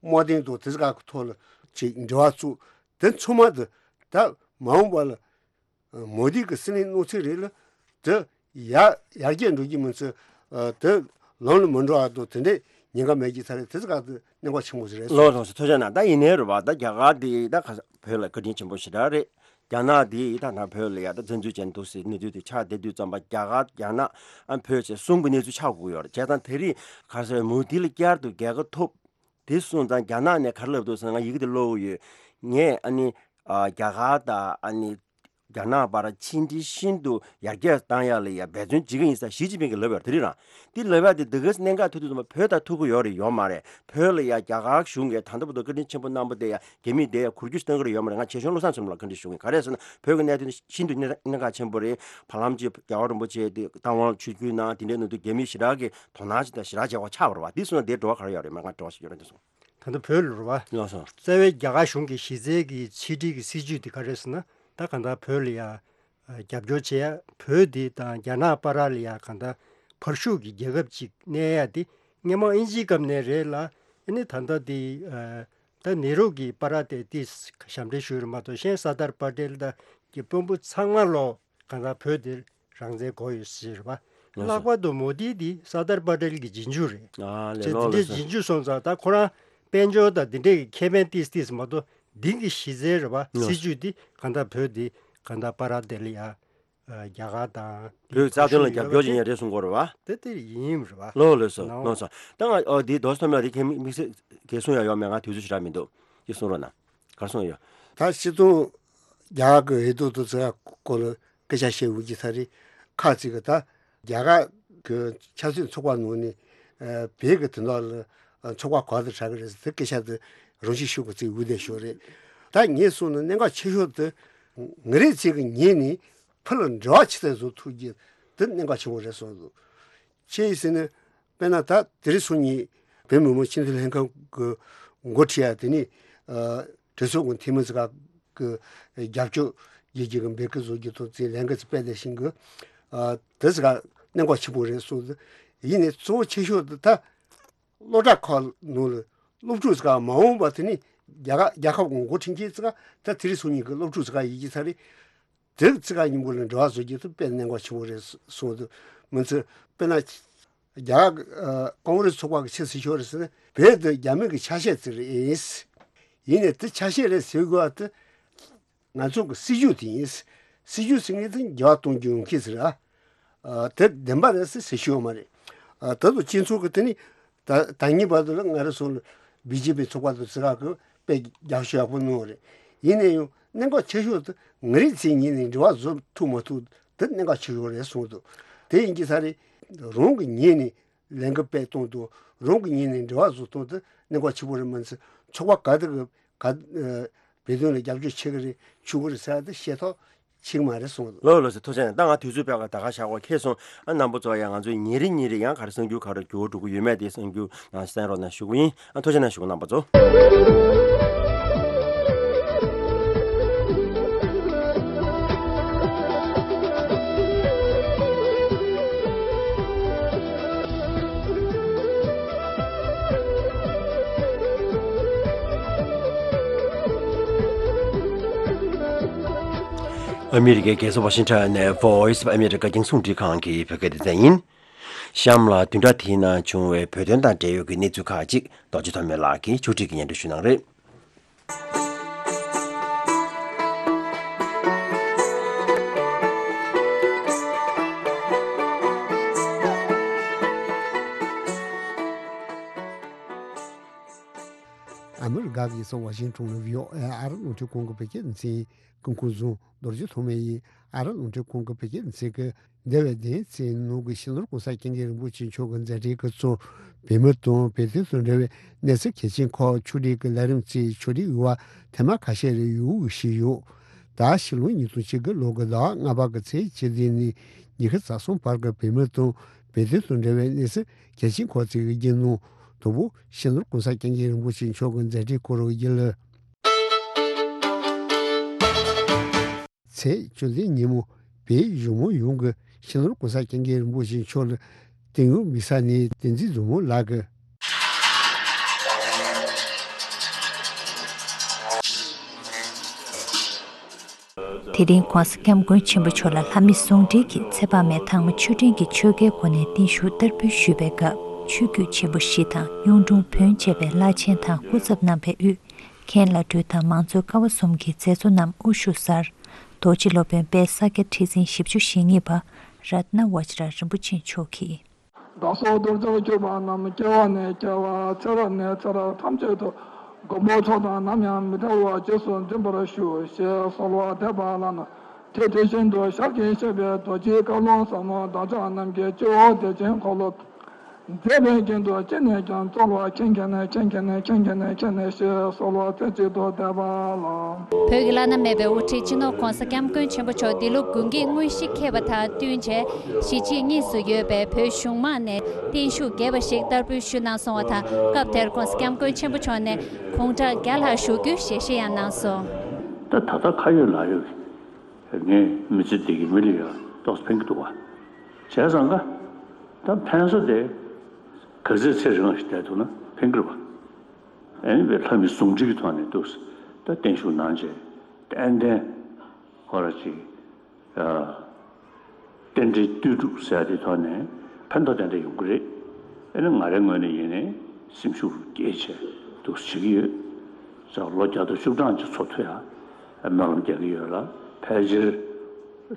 དམག་དོན་དང་དེ་ཙི་ག་གི་ཐོག་ལ་ཅིག་འབྲེལ་བ་བཙུགས། དེ་ཚང་མ་དེ་ད་མ་འོངས་པ་ལ་མོ་དི་གི་སྲིད་བློན་གནང་ཚུལ་རེད་ལ། དེ་ཡར་ཡར་རྒྱས་འགྲོ་རྒྱུ་མིན་ཚེ་དེ་ལམ་ལ་མི་འགྲོ་བ་དང་དེ་འདྲའི་ཉེན་ཁ་མེད་ཀྱི་ས་རེད། དེ་ཚོ་ག་དེ་གནད་འགག་ཆེན་པོ་ཞིག་རེད། ལགས་ལགས་སོ། ཐུགས་རྗེ་གནང་། ད་ཡིན་ནའི་རེད་བ། ད་རྒྱ་གར་དེ་ད་ག་བོད་ལ་བཀའ་དྲིན་ཆེན་པོ་ཞེ་དྲག་རེད། རྒྱ་ནག་དེ་ད་ནང་བོད་ལ་ཡ་ད་བཙན་འཛུལ་བྱས་འདུག་ཟེར་གནས་ཚུལ་དེ་ཆགས་བསྡད་དུས་ཙམ་པ་རྒྱ་གར་རྒྱ་ནག་ཨ་བོད་ཅེས་གསུམ་གྱི་གནས་ཚུལ་ཆགས་དགོས་ཡོད་རེད། བྱས་ཙང་དེ་རིང་ག་རེ་ཟེར་མོ་དི་ལ་བསྐྱར་དུ་རྒྱལ་ཁ་ཐོབ། དེ་སོང་ཙང་རྒྱ་ནག་ནས་ག་རེ་ལབ་འདུག་ཟེར་ན། ང་ཡི་གེ་དེ་ཀློག་གི་ཡོད། ངས་ཨ་ནི་ཨ་རྒྱ་གར་དང་ཨ་ནི་རྒྱ་ནག་བར་ཕྱི་འབྲེལ་ཤིན་ཏུ་ཡར་རྒྱས་བཏང་ཡག་ལ་ཡ་འབད་བརྩོན་བྱེད་ཀྱི་ཡིན་ཟེར་ཞི་ཅིན་ཕིང་གིས་ལབ་ཡོད་རེད། དེ་རིང་རང་དེ་ལབ་ཡག་དེ་འདི་ག་གནད་འགག་ཐུག་དུས་ཙམ་པ་བོད་དང་ཐུག་གི་ཡོད་རེད་ཡོད་མ་རེད། བོད་ལ་ཡ་རྒྱ་གར་གཞུང་གིས་ད་ལྟ་བར་དུ་བཀའ་དྲིན་ཆེན་པོ་གནང་བ་དེ་ཡ་རྒྱ་མིས་དེ་ཡ་འགུལ་སྐྱོད་བཏང་གི་རེད་ཡོད་མ་རེད། ང་རྗེ་བཙུན་བློ་བཟང་སེང་གེ་ལགས་བཀའ་འདྲི་ཞུ་གི་ཡིན། ག་རེ་ཟེར་ན་བོད་ཀྱི་གནད་དོན་ཤིན་ཏུ་གནད་གནད་འགག་ཆེན་པོ་རེད། བར་ལམ་གྱི་རྒྱལ་བ་རིན་པོ་ཆེ་དེ་བཏང་དབང་ཆིབས་བསྒྱུར་གནང་། དེ་འདྲའི་ནང་དུ་རྒྱ་མིས་ཞེ་དྲག་གི་དོ་སྣང་ཞིག་དང་ཞེ་དྲག་བྱེད་དགོས་ཆགས་པ་རེད་བ། དེ་སོང་ན་དེའི་བྲོ་བ་ག་རེ་ཡོད་རེད། མ་ང་བྲོ་བ་ཞིག་ཡོད་རེད་དེ་སོང་། ད་ལྟ་བོད་ལ་རེད་བ། ལགས་སོ། རྩ་བའི་རྒྱ་གར་གཞུང་གི་གཞི་རྩའི་གི་ཕྱི་འབྲེལ་གྱི་སྲིད་ཇུས་དེ་ག་རེ་ཟེར་ན། ད་གང་ལྟར་བོད་ལ་ཡ་རྒྱབ་སྐྱོར་བྱེད་ཡ། བོད་དེ་དང་རྒྱ་ནག་བར་ལ་ཡ་གང་ལྟར་བར་ཤུགས་ཀྱི་རྒྱལ་ཁབ་ཅིག་གནས་ཡ་དེ་སྔོན་མ་དབྱིན་ཇིའི་སྐབས་ནས་རེད་ལ། ཨ་ནི་ད་ལྟ་དེ་ད་ནེ་རུ་གི་པར་དེ་དེ་ཞབས་འདྲེན་ཞུས་རེད་མ་གཏོགས། གཞན་སར་དར་པ་ཏེལ་དང་གི་དཔོན་པོ་ཚང་མ་ལོ་གང་ལྟར་བོད་དེ་རང་བཙན་དགོས་ཡོད་ཟེར་བ། ལགས་སོ། ལྷག་པར་དུ་མོ་དི་འདི་སར་དར་པ་ཏེལ་གྱི་རྗེས་འཇུག་རེད། ཨ་ལས། བྱས་ལོ་འདི་ལས་འདྲའི་སོ། རྗེས་འཇུག་སོང་ཙང་ད་ཁོ་རང་དཔལ་འབྱོར་དང་འདི་འདྲའི་གི་ཁེ་ཕན་ཏིས་ཏིས་མ་གཏོགས་འདི་གི་གཞི་རྩའི་རེད་བ། ལགས། སྲིད་ཇུས་འདི་གང་ལྟར་བོད་འདི་གང་ལྟར་པ་ར་དེ་ལ་ཡ་རྒྱ་གར་དང་བོད་རྩ་དོན་ལ་རྒྱབ་སྐྱོར་བྱེད་མཁན་རེད་གསུང་གི་ཡོད་རེད་བ། དེ་དེ་ཡིན་རེད་བ། ལོ་ལོ་སོ་ནའོ། ལོ་སོ། ད་ང་ཨོ་འདི་རྡོ་སོ་མ་འདི་ཁྱེད་དམིགས་བསལ་གྱི་གསུང་ཡ་ཡོད་མེད། ང་དུས་ཚོད་ཞེ་དྲག་མི་འདུག་འདི་གསུང་རོགས་གནང་། ག་རེ་གསུང་ཡ་ཡོད། ད་སྤྱིར་བཏང་རྒྱ་གར་གྱི་འོས་བསྡུ་དེ་ཚོའི་སྐོར་ལ་སྐད་ཆ་བཤད་འོས་ཀྱི་ས་རེད། ཁག་ཅིག་གིས་ད་རྒྱ་གར་གྱི་ཆབ་སྲིད་ཚོགས་པ་ནང་ནས་ཨ་བོད་ཀྱི་དོན་དག་ལ་ཨ་ཚོགས་པ་ག་པར་དུ་ཆགས་ཀྱི་རེད་ཟེར་དེ་སྐད་ཆ་དེ་རང་བཞིན་ཤུགས་ཀྱིས་ཅིག་འོས་བསྡད་ཤོག་རེད། ད་ངས་གསུངས་ན་གནད་འགག་ཆེ་ཤོས་དེ་ང་རང་ཅིག་གི་ངོས་ནས་བོད་ལ་འབྲེལ་བ་ཇི་ལྟར་བཟོ་ཐུབ་རྒྱུ་དེ་གནད་འགག་ཆེན་པོ་རེད་བསམ་འདུག་ཅི་ཡིན་ཟེར་ན། དཔེར་ན་ད་དེ་རིང་སང་ཉིན་བོད་མི་མང་སྤྱི་འཐུས་ལྷན་ཁང་གི་འགོ་ཁྲིད་ཡ་དེ་ནི་ཨ་གྲོས་ཚོགས་ཀྱི་འཐུས་མི་ཚོ་ག་གི་རྒྱབ་སྐྱོར་ཡོད་རྒྱུ་གི་འབོད་སྐུལ་བཟོ་རྒྱུ་དང་དེ་ལས་འགུལ་ཚོ་སྤེལ་བསྡད་ཤིང་གི། ཨ་དེ་ཚོ་ག་གནད་འགག་ཆེན་པོ་རེད་གསུངས་ཏེ། ཡིན་ནའི་གཙོ་བོ་ཆེ་ཤོས་དེ་ད་སློབ་གྲྭ་ཁག་ནང་ལ་སློབ་ཕྲུག་ཚོ་ག་མ་འོངས་པ་དེ་ནི་རྒྱ་གར་རྒྱལ་ཁབ་ཀྱི་འགོ་ཁྲིད་མཁན་ཚོ་ག་ད་དེ་རིང་སང་ཉིན་གི་སློབ་ཕྲུག་ཚོ་ག་ཡིན་གྱི་ས་རེད། དེ་ཚོ་ག་མཉམ་པོ་ལ་འབྲེལ་བ་བཟོ་རྒྱུ་དེ་དཔེ་གནད་འགག་ཆེན་པོ་རེད་གསུངས་འདུག་མི་ཚོས་དཔེར་ན་རྒྱ་གར་ཨ་ཀོང་རེས་ཚོགས་པ་གི་ཆེས་སྲིད་ཤོག་རེད་ཟེར་ན། བོད་དེ་རྒྱ་མི་གི་ཆ་ཤས་ཅིག་རེད། ཡིན་ནའི་དེ་ཆ་ཤས་རེད་ཟེར་དགོས་པ་དེ་ང་ཚོ་གི་སྲིད་ཇུས་དེ་ཡིན། སྲིད་ཇུས་ཟེར་མཁན་དེ་འགྱུར་བ་གཏོང་རྒྱུ་ཡོང་གི་ཟེར་ཨ། ཨ་དེ་བདེན་པ་རེད་ཟེར་ཟེར་ཤེས་ཡོད་མ་རེད། ཨ་ད་དུང་སྤྱི་ཚོགས་ཀྱི་དེ་ནི་ད་ད་ཉིན་བར་དུ་ལ་ང་རང་ཚོ་ལ་བི་ཇེ་པི་ཚོགས་པ་དང་ཙི་ག་གི་དཔེ་རྒྱབ་སྐྱོར་ཡག་པོ་གནང་བ་རེད། ཡིན་ན་ཡང་གནད་འགག་ཆེ་ཤོས་དེ་ང་རང་ཚོའི་ངོས་ནས་འབྲེལ་བ་བཟོ་ཐུབ་མ་ཐུབ་དེ་གནད་འགག་ཆེ་ཤོས་རེད་གསུངས་འདུག་དེ་ཡིན་གྱི་ས་རེད། རང་གི་ངོས་ནས་ལས་འགུལ་སྤེལ་གཏོང་དུ་རང་གི་ངོས་ནས་འབྲེལ་བ་བཟོ་གཏོང་དུ་གནད་འགག་ཆེ་པོ་རེད། མ་ཚད་ཚོགས་པ་ག་དེ་གི་ག་ཨ་བོད་དོན་ལ་རྒྱབ་སྐྱོར་བྱེད་ཀྱི་རེད་ཆོག་གི་རེད་ཟེར་ཡ་དེ་ཤེས་ཐོག་ཆིག་མ་རེད་གསུངས་འདུག་ལོ་ལོ་ཟེར་ཐུགས་རྗེ་ཆེ། ད་ང་དུས་ཚོད་སྤྲད་ག་ད་ག་བཞག་གོ་ཁེལ་སོང་། ཨ་རྣམ་པ་ཚོ་ཡང་ང་ཚོའི་ཉིན་རེ་ཉིན་རེ་ཡང་ག་རེ་གསར་འགྱུར་ག་རེ་འགྱུར་བ་འགྲོ་གི་ཡོད་མེད་དེ་གསར་འགྱུར་ནང་གསན་རོགས་གནང་ཞུ་གི་ཡིན། ཨ་ཐུགས་རྗེ་གནང་ཞུ་གི་རྣམ་པ་ཚོ། ཨ་མི་རི་ཀའི་རྒྱལ་ས་ཝ་ཤིང་ཊོན་ནས་Voice of America རྒྱང་སྲིང་རླུང་འཕྲིན་ཁང་གི་བོད་སྐད་སྡེ་ཚན་ཡིན། གཤམ་ལ་བདུན་ཕྲག་དེའི་ནང་བྱུང་བའི་བོད་དོན་དང་འབྲེལ་ཡོད་ཀྱི་གནས་ཚུལ་ཁག་ཅིག་རྡོ་རྗེ་ཐོགས་མེད་ལགས་ཀྱིས་ཕྱོགས་སྒྲིག་གིས་སྙན་སྒྲོན་ཞུ་གནང་རེད། ཨ་མི་རི་ཀ་གི་ས་ཝ་ཤིང་ཊོན་ལ་བྷི་ཨོ་ཨེ་ཨ་རི་རླུང་འཕྲིན་ཁང་གི་བོད་སྐད་སྡེ་ཚན་གྱི་འགོ་འཛིན་རྡོ་རྗེ་ཐོགས་མེད་ཡིན། ཨ་རི་རླུང་འཕྲིན་ཁང་གི་བོད་སྐད་སྡེ་ཚན་གྱིས་འདས་པའི་བདུན་ཕྲག་གཅིག་ནང་གི་སྤྱི་ནོར་གོང་ས་སྐྱབས་མགོན་རིན་པོ་ཆེ་མཆོག་གི་མཛད་འཕྲིན་གྱི་ཚོགས་བོད་མི་དང་བོད་དོན་དང་འབྲེལ་བའི་གནས་ཚུལ་གལ་ཆེན་ཁག་ཕྱོགས་སྒྲིག་གི་ལས་རིམ་གྱི་ཕྱོགས་སྒྲིག་ཡོད་པ་ཐེངས་མ་ཁ་ཤས་རེ་ཡོང་བཞིན་ཡོད། ད་ཕྱི་ལོ་ཉིས་སྟོང་ཉི་ཤུ་རྩ་དགུ་ལོ་གི་ཟླ་བ་ལྔ་པ་གི་ཚེས་བཅུ་བདུན་ནས་ཉི་ཤུ་རྩ་གསུམ་བར་གྱི་བོད་མི་དང་བོད་དོན་དང་འབྲེལ་བའི་གནས་ཚུལ་གལ་ཆེན་ཁག་ཅིག་གི་རྒྱུན་ནང་དང་པོ་སྤྱི་ནོར་གོང་ས་སྐྱབས་མགོན་རིན་པོ་ཆེ་མཆོག་གི་མཛད་འཕྲིན་སྐོར་རྒྱུན་ལས། ཚེས་བཅུ་བདུན་ཉིན་མོ་བོད་གཞུང་མང་ཡོངས་ཀྱིས་སྤྱི་ནོར་གོང་ས་སྐྱབས་མགོན་རིན་པོ་ཆེ་མཆོག་ལ་དོན་ཡོད་དམིགས་བསལ་ནས་བསྟན་འཛིན་བཟང་མོ་ལགས་ཀྱིས། དེ་རིང་༧གོང་ས་༧སྐྱབས་མགོན་ཆེན་པོ་མཆོག་ལ་ལྷ་མི་ཟུང་འབྲེལ་གྱིས་ཚེ་དཔག་མེད་དྭངས་མ་ཆོས་སྒྲོན་གྱི་ཆོས་འགལ་སྒོ་ནས་བརྟན་བཞུགས་བསྟར་འབུལ་ཞུས་པའི་སྐབས་ཆོས་བརྒྱུད་ཆེན་པོ་བཞི་དང་གཡུང་དྲུང་བོན་བཅས་པའི་བླ་ཆེན་དང་སྐུ་ཚབ་རྣམ་པས་དབུས་མཁན་བླ་སྤྲུལ་དང་མང་གཙོའི་ཀ་བ་གསུམ་གྱི་མཛད་གཙོ་རྣམས་དབུ་བཞུགས་སར་རྡོ་རྗེ་སློབ་དཔོན་དཔལ་ས་སྐྱ་ཁྲི་འཛིན་བཞི་བཅུ་ཞེ་གཉིས་པ་རཏྣ་བཛྲ་རིན་པོ་ཆེ་མཆོག་གིས། བདག་སོགས་གདུལ་བྱར་གྱུར་པ་རྣམས་སྐྱེ་བ་ནས་སྐྱེ་བ་ཚེ་རབས་ནས་ཚེ་རབས་ཐམས་ཅད་དུ་མགོན་པོ་མཆོག་དང་ནམ་ཡང་མི་འབྲལ་བར་རྗེས་སུ་འཛིན་པར་ཞུ་ཞེས་གསོལ་བ་འདེབས་པ་ལ་ནི་དེ་དེ་བཞིན་དུ་ཞལ་གྱིས་བཞེས་པའི་རྡོ་རྗེའི་བཀའ་ལུང་ཟབ་མོ་བདག་ཅག་རྣམས་ཀྱི་སྤྱི་བོ་བདེ་ཆེན་འཁོར་ལོ་མཛད་པའི་རྒྱན་དུ་ཅི་ནས་ཀྱང་སྩོལ་བ་མཁྱེན་མཁྱེན་ནས་མཁྱེན་མཁྱེན་ནས་མཁྱེན་མཁྱེན་ནས་མཁྱེན་ནས་ཞེས་གསོལ་བ་རྩེ་གཅིག་ཏུ་འདེབས་པ་ལགས། བོད་ཀྱི་བླ་ན་མེད་པའི་དབུ་ཁྲིད་སྤྱི་ནོར་༧གོང་ས་༧སྐྱབས་མགོན་ཆེན་པོ་མཆོག་འདི་ལོ་དགུན་གྱི་དངོས་གཞི་འཁེལ་བ་དང་བསྟུན་བྱས་གཞིས་བྱེས་གཉིས་སུ་ཡོད་པའི་བོད་གཞུང་མང་ནས་བརྟན་བཞུགས་རྒྱས་པ་ཞིག་བསྟར་འབུལ་ཞུས་གནང་སོང་བ་དང་སྐབས་དེར་༧གོང་ས་༧སྐྱབས་མགོན་ཆེན་པོ་མཆོག་ནས་དགུང་གྲངས་བརྒྱ་ལྷག་བཞུགས་རྒྱུའི་ཞལ་བཞེས་ཡང་གནང་སོང་། ད་ད་ལྟ་ཁ་ཡོད་ལག་ཡོད་ངས་མི་ཚེ་འདི་གི་མི་ལ་ཡང་ཏོག་ཙམ་ཕན་གྱི་འདུག་བ། བྱས་ཙང་ཀ་ད་ཕན་ས་དེ་ག་ཚོད་ཚེ་རིང་ཞིག་བསྡད་ཐུབ་ན་ཕན་གྱི་རེད་བ། ཨ་ནི་བའི་ལྷ་མི་ཟུང་འབྲེལ་གྱི་ཐོག་ནས་འདུག་ད་བརྟན་བཞུགས་གནང་བྱས་ཏན་ཏན་ཧོ་ར་ཅིག་རྟེན་འབྲེལ་ལྟོས་གྲུབ་ཟེར་ཡ་དེ་ཐོག་ནས་ཕན་ཐོགས་ཏན་ཏན་ཡོང་གི་རེད། ཨ་ནི་ང་རའི་ངོས་ནས་ཡིན་ནའི་སེམས་ཤུགས་བསྐྱེད་བྱས་འདུག་བྱེད་ཀྱི་ཡོད། ཙང་ལོ་བརྒྱ་དང་བཅུ་གྲངས་ཅིག་འཚོ་ཐུབ་ཡ་སྨོན་ལམ་རྒྱག་གི་ཡོད་ལ་ཕལ་ཆེར་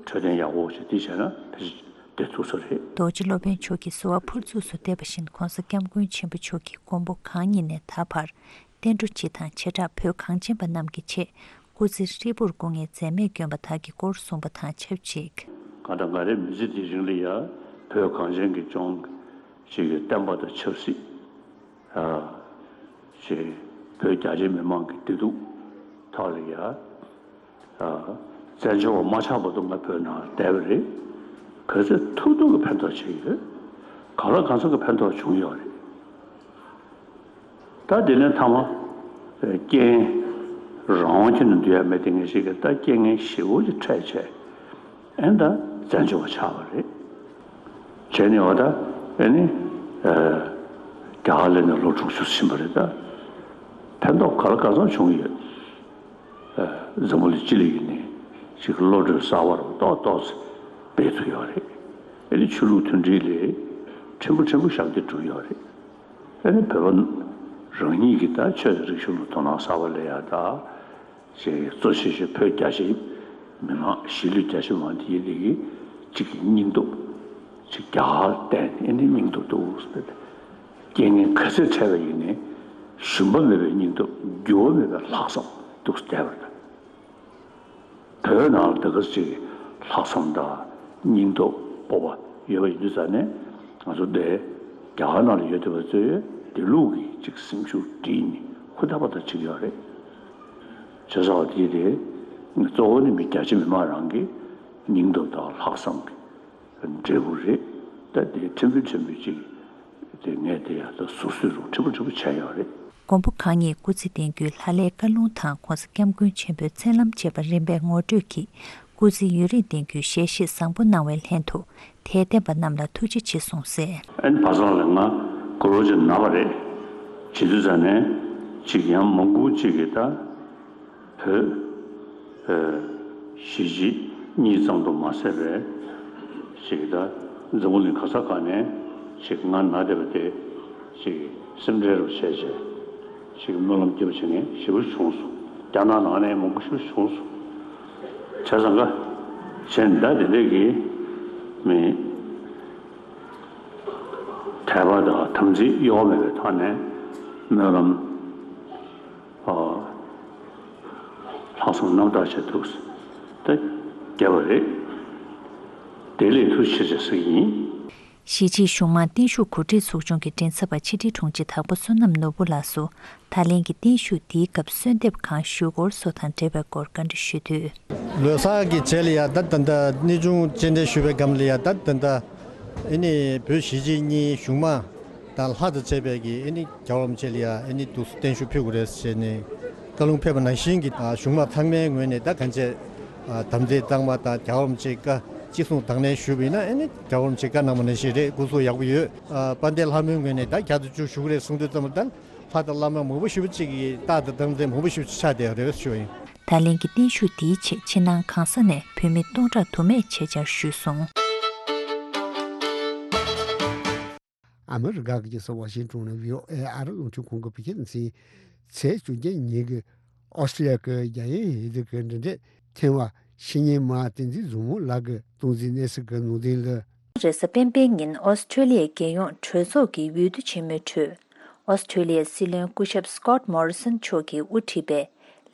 འཕྲོད་བསྟེན་ཡག་པོ་ཞིག་དེ་བྱས་ན་ཕལ་ཆེར་བསྡད་ཐུབ་ས་རེད། རྡོ་རྗེ་སློབ་དཔོན་མཆོག་གིས་གསོལ་བ་ཕུར་ཚུགས་སུ་འདེབས་པ་བཞིན་༧གོང་ས་༧སྐྱབས་མགོན་ཆེན་པོ་མཆོག་གི་མགོན་པོ་གང་ཉིད་ནས་ད་བར་བསྟན་འགྲོ་སྤྱི་དང་བྱེ་བྲག་བོད་གངས་ཅན་པ་རྣམས་ཀྱི་ཆེད་སྐུ་ཚེ་ཧྲིལ་པོར་སྐུ་ངལ་འཛེམས་མེད་བསྐྱོན་པ་དག་གི་སྐོར་གསུངས་པ་དང་ཆབས་ཅིག་གང་ལྟར་ང་རའི་མི་ཚེ་འདིའི་རིང་ལ་ཡང་བོད་གངས་ཅན་གྱི་ལྗོངས་ཤིག་གི་བསྟན་པ་དང་ཆབ་སྲིད། ཅེས་བོད་རྒྱ་ཆེ་མི་མང་གི་བདེ་སྡུག་ཐོག་ལ་ཡ། བཙན་བྱོལ་བ་མ་ཆགས་བར་དུ་ང་བོད་ནང་བསྡད་པ་རེད། ག་ཚོད་ཐུབ་ཐུབ་ཀྱི་ཕན་ཐོགས་བྱས་ཡོད། གང་ལ་གང་འཚམ་གྱི་ཕན་ཐོགས་བྱུང་ཡོད་རེད། ད་དེ་ནས་མཐའ་མ། རྐྱེན། རང་དབང་ཁྱོན་ནས་འདུལ་ཡ་མེད་དེ་ངེས་ཤེས་ཀྱི་ད་རྐྱེན་ངན་ཞེ་པོ་ཅིག་འཕྲད་བྱས། ཨེ་ད་བཙན་བྱོལ་བ་ཆགས་པ་རེད། བྱས་ནས་འོ་ད་ཨེ་ནི། རྒྱ་གར་ལ་ནས་ལོ་དྲུག་ཅུ་ཕྱིན་པ་རེད་ད། ཕན་ཐོགས་ག་ལ་ག་ཚོད་བྱུང་ཡོད། འཛམ་བུ་གླིང་སྤྱི་ལ་ཡིན་ནའི་ཅིག་བློ་གྲོས་གསར་པ་རུ་ཏོག་ཏོག་ཙམ་སྤེལ་ཐུབ་ཡོད་རེད། ཨེ་ནི་ཆོས་ལུགས་མཐུན་སྒྲིལ་ལས་ཕྲན་བུ་ཕྲན་བུ་ཞབས་འདེགས་བསྒྲུབས་ཡོད་རེད། ཨེ་ནི་བོད་པ་རང་ཉིད་ཀྱི་ད་ཆོས་དང་རིག་གཞུང་ལ་དོ་སྣང་གསར་པ་སླེབས་ཡ་ད། ཅེས་གཙོ་ཆེ་ཤོས་བོད་རྒྱ་ཆེ་མི་མང་གཞིས་ལུས་རྒྱ་ཆེ་མང་དེ་ཡིན་དེ་གི་གཅིག་གི་སྙིང་སྟོབས་ ཅིག་རྒྱ་གར་བསྟན་ནས་ཨེ་ནི་སྙིང་སྟོབས་འདུག་ཟེར་ཏེ། རྐྱེན་ངན་ག་ཚོད་འཕྲད་པ་ཡིན་ནའི་ཞུམ་པ་མེད་པའི་སྙིང་སྟོབས། འགྱུར་བ་མེད་པའི་ལྷག་བསམ་འདུག་ཟེར་བསྡད་པ་རེད། བོད་ནང་ལ་དེ་ག་ཅིག་ལྷག་བསམ་དང་སྙིང་སྟོབས་སྤོབས་པ་ཡོད་པ་ཡིན་དུས་ཙང་ནས། ང་ཚོ་འདི་རྒྱ་གར་ནང་ལ་ཡོད་བསྡད་པ་ཚོས་དེ་ལུགས་ཀྱི་ཅིག་སེམས་ཤུགས་བསྒྲིལ་ནས་ཧུར་ཐག་པ་ཐག་བྱེད་ཀྱི་ཡོད་རེད། བྱས་ཙང་དེ་དེ་གཙོ་བོ་ནི་མི་རྒྱ་ཆེ་མི་མང་རང་གི་སྙིང་སྟོབས་དང་ལྷག་བསམ་གྱི་འབྲས་བུ་རེད། ད་དེ་ཕྲན་བུ་ཕྲན་བུ་ཅིག་དེ་ངས་དེ་ཡང་ད་ཟུར་བཟོས་རུ་ཕྲན་བུ་ཕྲན་བུ་བྱས་ཡོད་རེད། མགོན་པོ་གང་ཉིད་སྐུ་ཚེ་བརྟན་རྒྱུའི་ལྷ་ལས་བཀའ་ལུང་དང་༸གོང་ས་༸སྐྱབས་མགོན་ཆེན་པོའི་མཚན་ལམ་བཅས་པ་རིམ་པས་ངོ་སྤྲོད་ཀྱིས་སྐུ་ཚེ་ཡུན་རིང་བརྟན་རྒྱུའི་ཞལ་བཞེས་བཟང་པོ་གནང་བའི་ལྷན་དུ། དད་ལྡན་པ་རྣམས་ལ་ཐུགས་རྗེ་ཆེ་གསུངས་གསལ། ཨན་བ་སང་ལ་ང་དགུ་ལོ་ཅིག་ན་བ་རེད། བྱེད་དུས་ཙང་ནས་ཅིག་ཡང་མང་པོ་ཅིག་གིས་ད་བོད་ཨ་གཞིས་བྱེས་གཉིས་ཙམ་དུ་མ་ཟད་པའི་ཅིག་ད་འཛམ་བུ་གླིང་ག་ས་ག་ནས་ཅིག་ང་ན་བསྡད་པ་དེ་ཅིག་སེམས་ཁྲལ་རུ་བྱས་བྱས་ཅིག་སྨོན་ལམ་རྒྱབ་བྱེད་མཁན་ཞེ་པོ་བྱུང་སོང་། རྒྱ་ནག་ནང་ནས་མང་པོ་ཞེ་པོ་བྱུང་སོང་། བྱས་ཙང་ཀ་བྱས་ནས་ད་དེ་འདྲས་ཀྱི་མི་དད་པ་དང་དམ་ཚིག་གཡོ་བ་མེད་པའི་ཐོག་ནས་སྨོན་ལམ་ཨ་ལྷག་བསམ་རྣམ་དག་བྱས་འདུག་ད་བརྒྱབ་པ་རེད། དེ་ལས་ཐུགས་ཆེ་ཆེ་ཟེར་གྱི་ཡིན། གཞིས་བྱེས་གཞུང་མང་བརྟན་བཞུགས་གོ་སྒྲིག་ཚོགས་ཆུང་གི་མགྲིན་ཚབ་པ་ཕྱི་དྲིལ་དྲུང་ཆེ་དྭགས་པོ་བསོད་ནམས་ནོར་བུ་ལགས་སུ། ད་ལན་གྱི་བརྟན་བཞུགས་འདིའི་སྐབས་གསོལ་འདེབས་གང་ཞུ་དགོས་སོགས་དང་འབྲེལ་བའི་སྐོར་བཀའ་འདྲི་ཞུས་དུས། ལོ་གསར་གྱི་རྗེས་ལ་ཡ་ད་ད་ལྟ་གནས་ཆུང་སྤྱན་འདྲེན་ཞུས་པའི་སྒང་ལ་ཡ་ད་ད་ལྟ་ཨེ་ནི་བོད་གཞིས་བྱེས་གཉིས་གཞུང་མང་དང་ལྷ་དང་བཅས་པའི་གི་ཨེ་ནི་རྒྱལ་བ་རིན་པོ་ཆེ་ལ་ཡ་ཨེ་ནི་འདུག་སེ་བརྟན་བཞུགས་ཕུལ་དགོས་རེད་ཟེར་ནས་བཀའ་ལུང་ཕེབས་པ་ནང་བཞིན་གྱི་གཞུང་མང་ཚང་མའི་ངོས་ནས་ད་གང་བྱས་དམ་ཚིག་གཙང་མ་དང་རྒྱལ་བ་རིན་པོ་ཆེའི་བཀའ་གཅིག་མཚུངས་དང་ལེན་ཞུས་པ་ཡིན་ན་ཨེ་ནི་རྒྱལ་བ་རིན་པོ་ཆེས་བཀའ་གནང་བ་ནང་བཞིན་རེད། སྐུ་གཟུགས་ཡག་པོ་ཡོད། དཔལ་ལྡན་ལྷ་མོའི་ངོས་ནས་ད་བརྒྱ་དང་བཅུ་ཞུ་གི་རེད་གསུངས་དུས་ཙམ་པ་ད། ལྷ་དང་བླ་མ་མང་པོ་ཞེ་པོ་ཅིག་གིས་རྟགས་དང་རྟགས་མཚན་མང་པོ་ཞེ་པོ་ཅིག་ཆགས་བསྡད་ཡོད་རེད་ཞུ་བ་ཡིན། ད་ལན་གྱི་བརྟན་བཞུགས་འདིའི་ཆེད་ཕྱི་ནང་གང་ས་ནས་བོད་མི་སྟོང་ཕྲག་དུ་མས་ཆེད་བཅར་ཞུས་སོང་། ཨ་མི་རི་ཀ་གི་རྒྱལ་ས་ཝ་ཤིང་ཏོན་ནས་བྷི་ཨོ་ཨེ་ཨ་རི་རླུང་འཕྲིན་ཁང་གི་བོད་སྐད་སྡེ་ཚན་ཚེས་བཅོ་བརྒྱད་ཉིན་གྱི་ཨོ་སི་ཀྲི་ལི་ཡ་གི་རྒྱལ་ཡོངས་འོས་བསྡུ་གི་འབྲེལ་འདྲིས་ཐེངས་བ་ཕྱི་ཉིན་མ་བསྟན་འཛིན་བཟང་མོ་ལགས་ཀྱིས་སྟངས་འཛིན་གནས་ཚུལ་གྱི་ནང་དོན་ལ། རེས་གཟའ་སྤེན་པའི་ཉིན་ཨོ་སི་ཀྲི་ལི་ཡའི་རྒྱལ་ཡོངས་གྲོས་ཚོགས་ཀྱི་འོས་བསྡུ་ཆེན་མོའི་ཁྲོད། ཨོ་སི་ཀྲི་ལི་ཡའི་སྲིད་བློན་སྐུ་ཞབས་སི་ཀོད་མོ་རི་སོན་མཆོག་གིས་དབུ་ཁྲིད་པའི་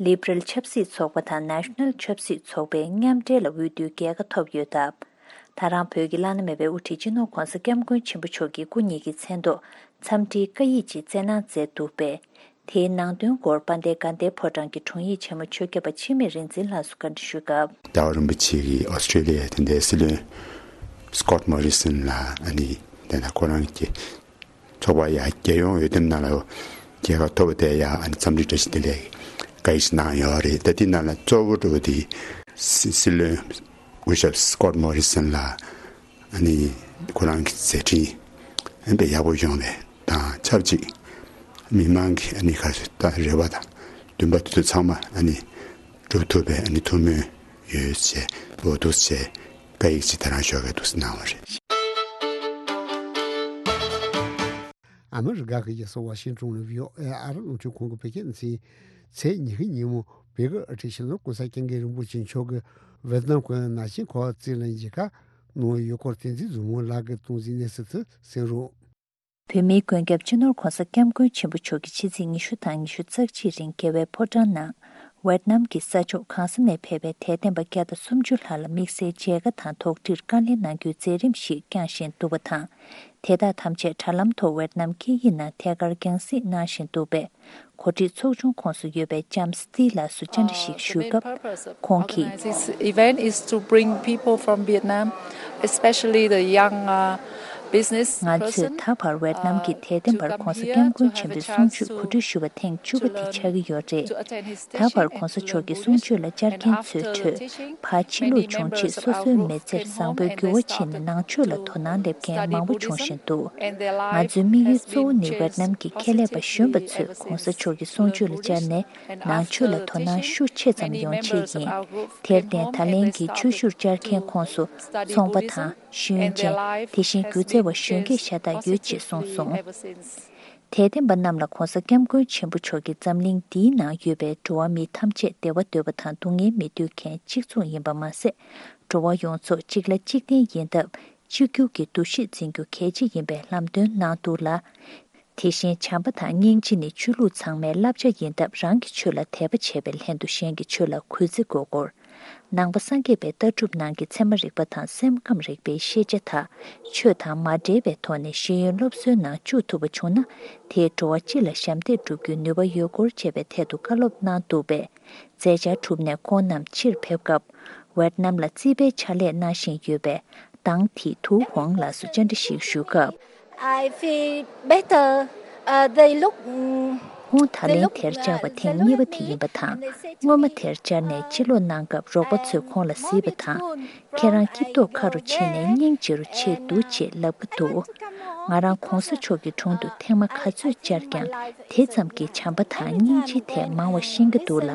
ལི་བྷི་རལ་ཆབ་སྲིད་ཚོགས་པ་དང་ནེ་ཤ་ནལ་ཆབ་སྲིད་ཚོགས་པས་མཉམ་འབྲེལ་ལ་འོས་བསྡུའི་རྒྱལ་ཁ་ཐོབ་ཡོད་སྟབས། ད་རང་བོད་ཀྱི་བླ་ན་མེད་པའི་དབུ་ཁྲིད་སྤྱི་ནོར་༸གོང་ས་༸སྐྱབས་མགོན་ཆེན་པོ་མཆོག་གིས་སྐུ་ཉིད་ཀྱི་མཚན་ཐོག་འཚམས་འདྲིའི་བཀའ་ཡིག་ཅིག་བསྩལ་གནང་མཛད་འདུག་པས། དེའི་ནང་དོན་སྐོར་དཔལ་ལྡན་དགའ་ལྡན་ཕོ་བྲང་གི་དྲུང་ཡིག་ཆེན་མོ་ཆོས་སྐྱབས་པ་འཆི་མེད་རིག་འཛིན་ལགས་སུ་བཀའ་འདྲི་ཞུས་སྐབས། རྒྱལ་བ་རིན་པོ་ཆེ་གིས་ཨོ་སི་ཀྲི་ལི་ཡའི་དེ་འདྲའི་སྲིད་བློན་སི་ཀོད་མོ་རི་སོན་ལ་ཨ་ནི་དེ་ན་ཁོ་རང་གི་ཚོགས་པ་ཡ་རྒྱལ་ཡོངས་འོས་འདེམས་ནང་ལ་རྒྱལ་ཁ་ཐོབ་པ་དེ་ཡ་ཨ་ནི་འཚམས་འདྲི་བཀྲ་ཤིས་བདེ་ལེགས་བཀའ་ཡིག་ཅིག་གནང་ཡོད་རེད། ད་དེ་ནང་ལ་གཙོ་བོ་འགྲོ་བ་དེ་སྲིད་བློན་སྐུ་ཞབས་སི་ཀོད་མོ་རི་སོན་ལ། ཨ་ནི་ཁོ་རང་གི་མཛད་འཕྲིན་ཨ་ནི་དཔེ་ཡག་པོ་ཡོང་བའི་དང་ཆབས་ཅིག་མི་མང་གི་ཨ་ནི་ཁ་ད་རེ་བ་དང་འདུན་པ་དེ་ཚོ་ཚང་མ་ཨ་ནི་འགྲུབ་ཐུབ་པའི་ཨ་ནི་ཐུགས་སྨོན་ཡོད་ཅེས་འོ་འདུག་ཅེས་བཀའ་ཡིག་ཅིག་དེ་རང་ཞོགས་ཀས་འདུག་སེ་གནང་བ་རེད། ཨ་མི་རི་ཀ་གི་རྒྱལ་ས་ཝ་ཤིང་ཏོན་ནས་བྷི་ཨོ་ཨེ་ཨ་རི་རླུང་འཕྲིན་ཁང་གི་བོད་སྐད་སྡེ་ཚན་ཚེས་ཉི་ཤུ་ཉིན་མོ་བོད་ཀྱི་ཨ་ཁྲིད་སྤྱི་ནོར་༸གོང་ས་༸སྐྱབས་མགོན་རིན་པོ་ཆེ་མཆོག་གིས་ཝེ་ཏི་ནམ་གྱི་ནང་ཆེན་ཁོག་རྩེད་ལ་མཇལ་ཁ་གནང་ཡོད་སྐོར་བསྟན་འཛིན་བཟང་མོ་ལགས་ཀྱིས་སྟངས་འཛིན་གནས་ཚུལ་དུ་གསན་རོགས། བོད་མིའི་མགོན་སྐྱབས་སྤྱི་ནོར་༸གོང་ས་༸སྐྱབས་མགོན་ཆེན་པོ་མཆོག་གིས་ཕྱི་ཚེས་ཉི་ཤུ་དང་ཉི་ཤུ་རྩ་གཅིག་རིང་རྒྱལ་བའི་ཕོ་བྲང་ནང་ཝེ་ཏི་ནམ་གྱི་ས་ཕྱོགས་གང་ས་ནས་ཕེབས་པའི་དད་ལྡན་པ་བརྒྱ་དང་སུམ་ཅུ་ལྷག་ལ་དམིགས་བསལ་མཇལ་ཁ་དང་དོགས་འདྲིར་བཀའ་ལན་གནང་རྒྱུའི་མཛད་རིམ་ཞིག་བསྐྱངས་བཞིན་འདུག་པ་དང་། དེ་དག་ཐམས་ཅད་དྲ་ལམ་ཐོག་ཝེ་ཏི་ནམ་སྐད་ཡིག་ནང་ཐད་ཀར་རྒྱང་སྲིང་གནང་བཞིན་འདུག་པས། གོ་སྒྲིག་ཚོགས་ཆུང་ཁོངས་སུ་ཡོད་པའི་ལྕམ་སི་ཏི་ལགས་སུ་བཅར་འདྲི་ཞིག་ཞུས་སྐབས། ཁོང་གིས། This event is to bring people from Vietnam, especially the young, uh, business person, ང་ཚོས་ད་བར་ཝེ་ཏི་ནམ་གྱི་དད་ལྡན་པར་༸གོང་ས་༸སྐྱབས་མགོན་ཆེན་པོའི་གསུང་ཆོས་གོ་སྒྲིག་ཞུ་བ་ཐེངས་བཅུ་པ་དེ་ཆགས་ཀྱི་ཡོད་རེད། ད་བར་༸གོང་ས་མཆོག་གི་གསུང་ཆོས་ལ་བཅར་མཁན་ཚོའི་ཁྲོད་ཕར་ཕྱིན་ལུགས་བྱུང་རྗེས་སོ་སོའི་མི་ཚེར་བཟང་པོའི་འགྱུར་བ་ཕྱིན་ནས་ནང་ཆོས་ལ་དོ་སྣང་སླེབས་མཁན་མང་པོ་བྱུང་བཞིན་འདུག་ང་ཚོའི་དམིགས་ཡུལ་གཙོ་བོ་ནི་ཝེ་ཏི་ནམ་གྱི་ཁྱད་ལས་པ་གཞོན་པ་ཚོས་༸གོང་ས་མཆོག་གི་གསུང་ཆོས་ལ་བཅར་ནས་ནང་ཆོས་ལ་དོ་སྣང་ཤུགས་ཆེ་ཙམ་ཡོང་ཆེད་ཡིན། དེར་བརྟེན་ད་ལན་གྱི་ཆོས་ཞུར་བཅར་མཁན་ཁོངས་སུ་ཚོང་པ་དང་། ཤེས་ཡོན་ཅན། དེ་བཞིན་སྒྱུ་རྩལ་བ་གཞོན་སྐྱེས་ཤ་སྟག་ཡོད་ཅེས་གསུངས་སོང་། དད་ལྡན་པ་རྣམས་ལ་༸གོང་ས་༸སྐྱབས་མགོན་ཆེན་པོ་མཆོག་གིས་འཛམ་གླིང་འདིའི་ནང་ཡོད་པའི་འགྲོ་བ་མི་ཐམས་ཅད་བདེ་བ་འདོད་པ་དང་སྡུག་བསྔལ་མི་འདོད་མཁན་གཅིག་མཚུངས་ཡིན་པ་མ་ཟད། འགྲོ་བ་ཡོངས་རྫོགས་གཅིག་ལ་གཅིག་བརྟེན་ཡིན་སྟབས། གཅིག་གྱུར་གྱི་འདུ་ཤེས་འཛིན་རྒྱུ་གལ་ཆེ་ཡིན་པའི་ལམ་སྟོན་གནང་འདུག་ལ། དེ་བཞིན་བྱམས་པ་དང་སྙིང་རྗེ་ནི་ཆོས་ལུགས་ཚང་མའི་བསླབ་བྱ་ཡིན་སྟབས། རང་གི་ཆོས་ལ་དད་པ་བྱས་པའི་ལྷན་དུ་གཞན་གྱི་ཆོས་ལ་གུས་བརྩི་དགོས་སྐོར། ནང་པ་སངས་རྒྱས་པའི་ལྟ་གྲུབ་ནང་གི་ཚད་མ་རིག་པ་དང་སེམས་ཁམས་རིག་པའི་ཤེས་བྱ་དག་ཆོས་དང་མ་འབྲེལ་བའི་ཐོག་ནས་ཤེས་ཡོན་སློབ་གསོའི་ནང་བཅུག་ཐུབ་པ་བྱུང་ན། དེས་འགྲོ་བ་སྤྱི་ལ་ཞབས་འདེགས་སྒྲུབ་རྒྱུའི་ནུས་པ་ཡོད་སྐོར་བཅས་པའི་ཐད་དུ་བཀའ་སློབ་གནང་འདུག་པས། མཛད་འཆར་གྲུབ་ནས་ཁོང་རྣམས་ཕྱིར་ཕེབས་སྐབས། ཝེད་ནམ་ལ་རྩིས་པའི་ཕྱག་ལས་གནང་བཞིན་ཡོད་པས། ཏང་ཐི་ཐུའུ་ཧོང་ལགས་སུ་བཅར་འདྲི་ཞིག་ཞུས་སྐབས། I feel better. Uh, they look, mm, ཁོང་ད་ལན་དེར་བཅར་བ་ཐེངས་གཉིས་པ་དེ་ཡིན་པ་དང་། སྔོན་མ་དེར་བཅར་ནས་ཕྱིར་ལོག་གནང་སྐབས། རོགས་པ་ཚོས་ཁོང་ལ་གཟིགས་པ་དང་། ཁྱེད་རང་སྐྱིད་ཏོག་ཁ་རུ་ཕྱིན་ནས་སྙིང་རྗེ་རུ་ཕྱིན་འདུག་ཅེས་ལབ་ཀྱི་འདུག་ང་རང་གོང་ས་མཆོག་གི་དྲུང་དུ་ཐེངས་མ་ག་ཚོད་བཅར་ཀྱང་། དེ་ཙམ་གྱིས་བྱམས་པ་དང་སྙིང་རྗེའི་ཐད་མང་བ་ཤེས་ཀྱི་འདུག་ལ།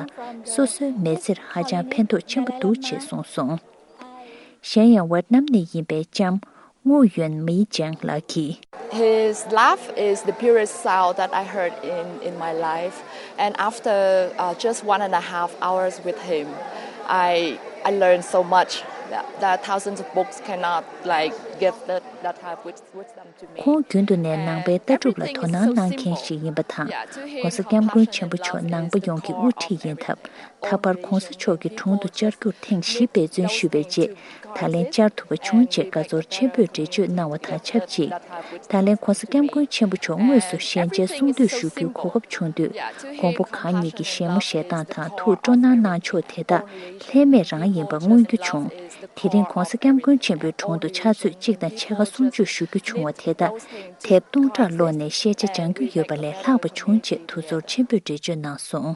སོ་སོའི་མི་ཚེར་ཧ་ཅང་ཕན་ཐོགས་ཆེན་པོ་འདུག་ཅེས་གསུངས་སོང་། གཞན་ཡང་ཝེད་ནམ་ནས་ཡིན་པའི་ལྕམ་ངུ་ཡོན་མི་ཅང་ལགས་ཀྱིས། His laugh is the purest sound that I heard in, in my life. And after uh, just one and a half hours with him, I, I learned so much. The, the thousands of books cannot like give that, that type of wisdom to me. ཁོང་རྒྱུན་དུ་ནས་ནང་པའི་ལྟ་གྲུབ་ལ་དོ་སྣང་གནང་མཁན་ཞིག་ཡིན་པ་དང་། ༸གོང་ས་༸སྐྱབས་མགོན་ཆེན་པོ་མཆོག་ནང་པ་ཡོངས་ཀྱི་དབུ་ཁྲིད་ཡིན་སྟབས། ད་བར་༸གོང་ས་མཆོག་གི་དྲུང་དུ་བཅར་རྒྱུར་ཐེངས་བཞི་འབད་བརྩོན་ཞུས་པའི་རྗེས། ད་ལན་བཅར་ཐུབ་པ་བྱུང་ཅེས་དགའ་ཚོར་ཆེན་པོས་འགྲེལ་བརྗོད་གནང་བ་དང་ཆབས་ཅིག་ད་ལན་༸གོང་ས་༸སྐྱབས་མགོན་ཆེན་པོ་མཆོག་དངོས་སུ་ཞལ་མཇལ་གསུང་བསྟོད་ཞུ་རྒྱུའི་གོ་སྐབས་བྱུང་དུས། མགོན་པོ་གང་ཉིད་ཀྱི་བཞད་མོ་བཞད་སྟངས་དང་ཐུགས་སྤྲོ་སྣང་གནང་ཕྱོགས་དེ་དག་ལྷད་མེད་རང་ཡིན་པ་མངོན་རྒྱུ་བྱུང་། དེ་རིང་༸གོང་ས་༸སྐྱབས་མགོན་ཆེན་པོའི་དྲུང་དུ་ཕྱག་ཚོད་གཅིག་དང་ཕྱེད་ཀ་གསུང་ཆོས་ཞུ་རྒྱུ་བྱུང་བ་དེ་དག་དེབ་སྟོང་ཕྲག་ཀློག་ནས་ཤེས་བྱ་སྦྱང་རྒྱུ་ཡོད་པ་ལས་ལྷག་པ་བྱུང་ཅེས་ཐུགས་ཚོར་ཆེན་པོས་འགྲེལ་བརྗོད་གནང་སོང་།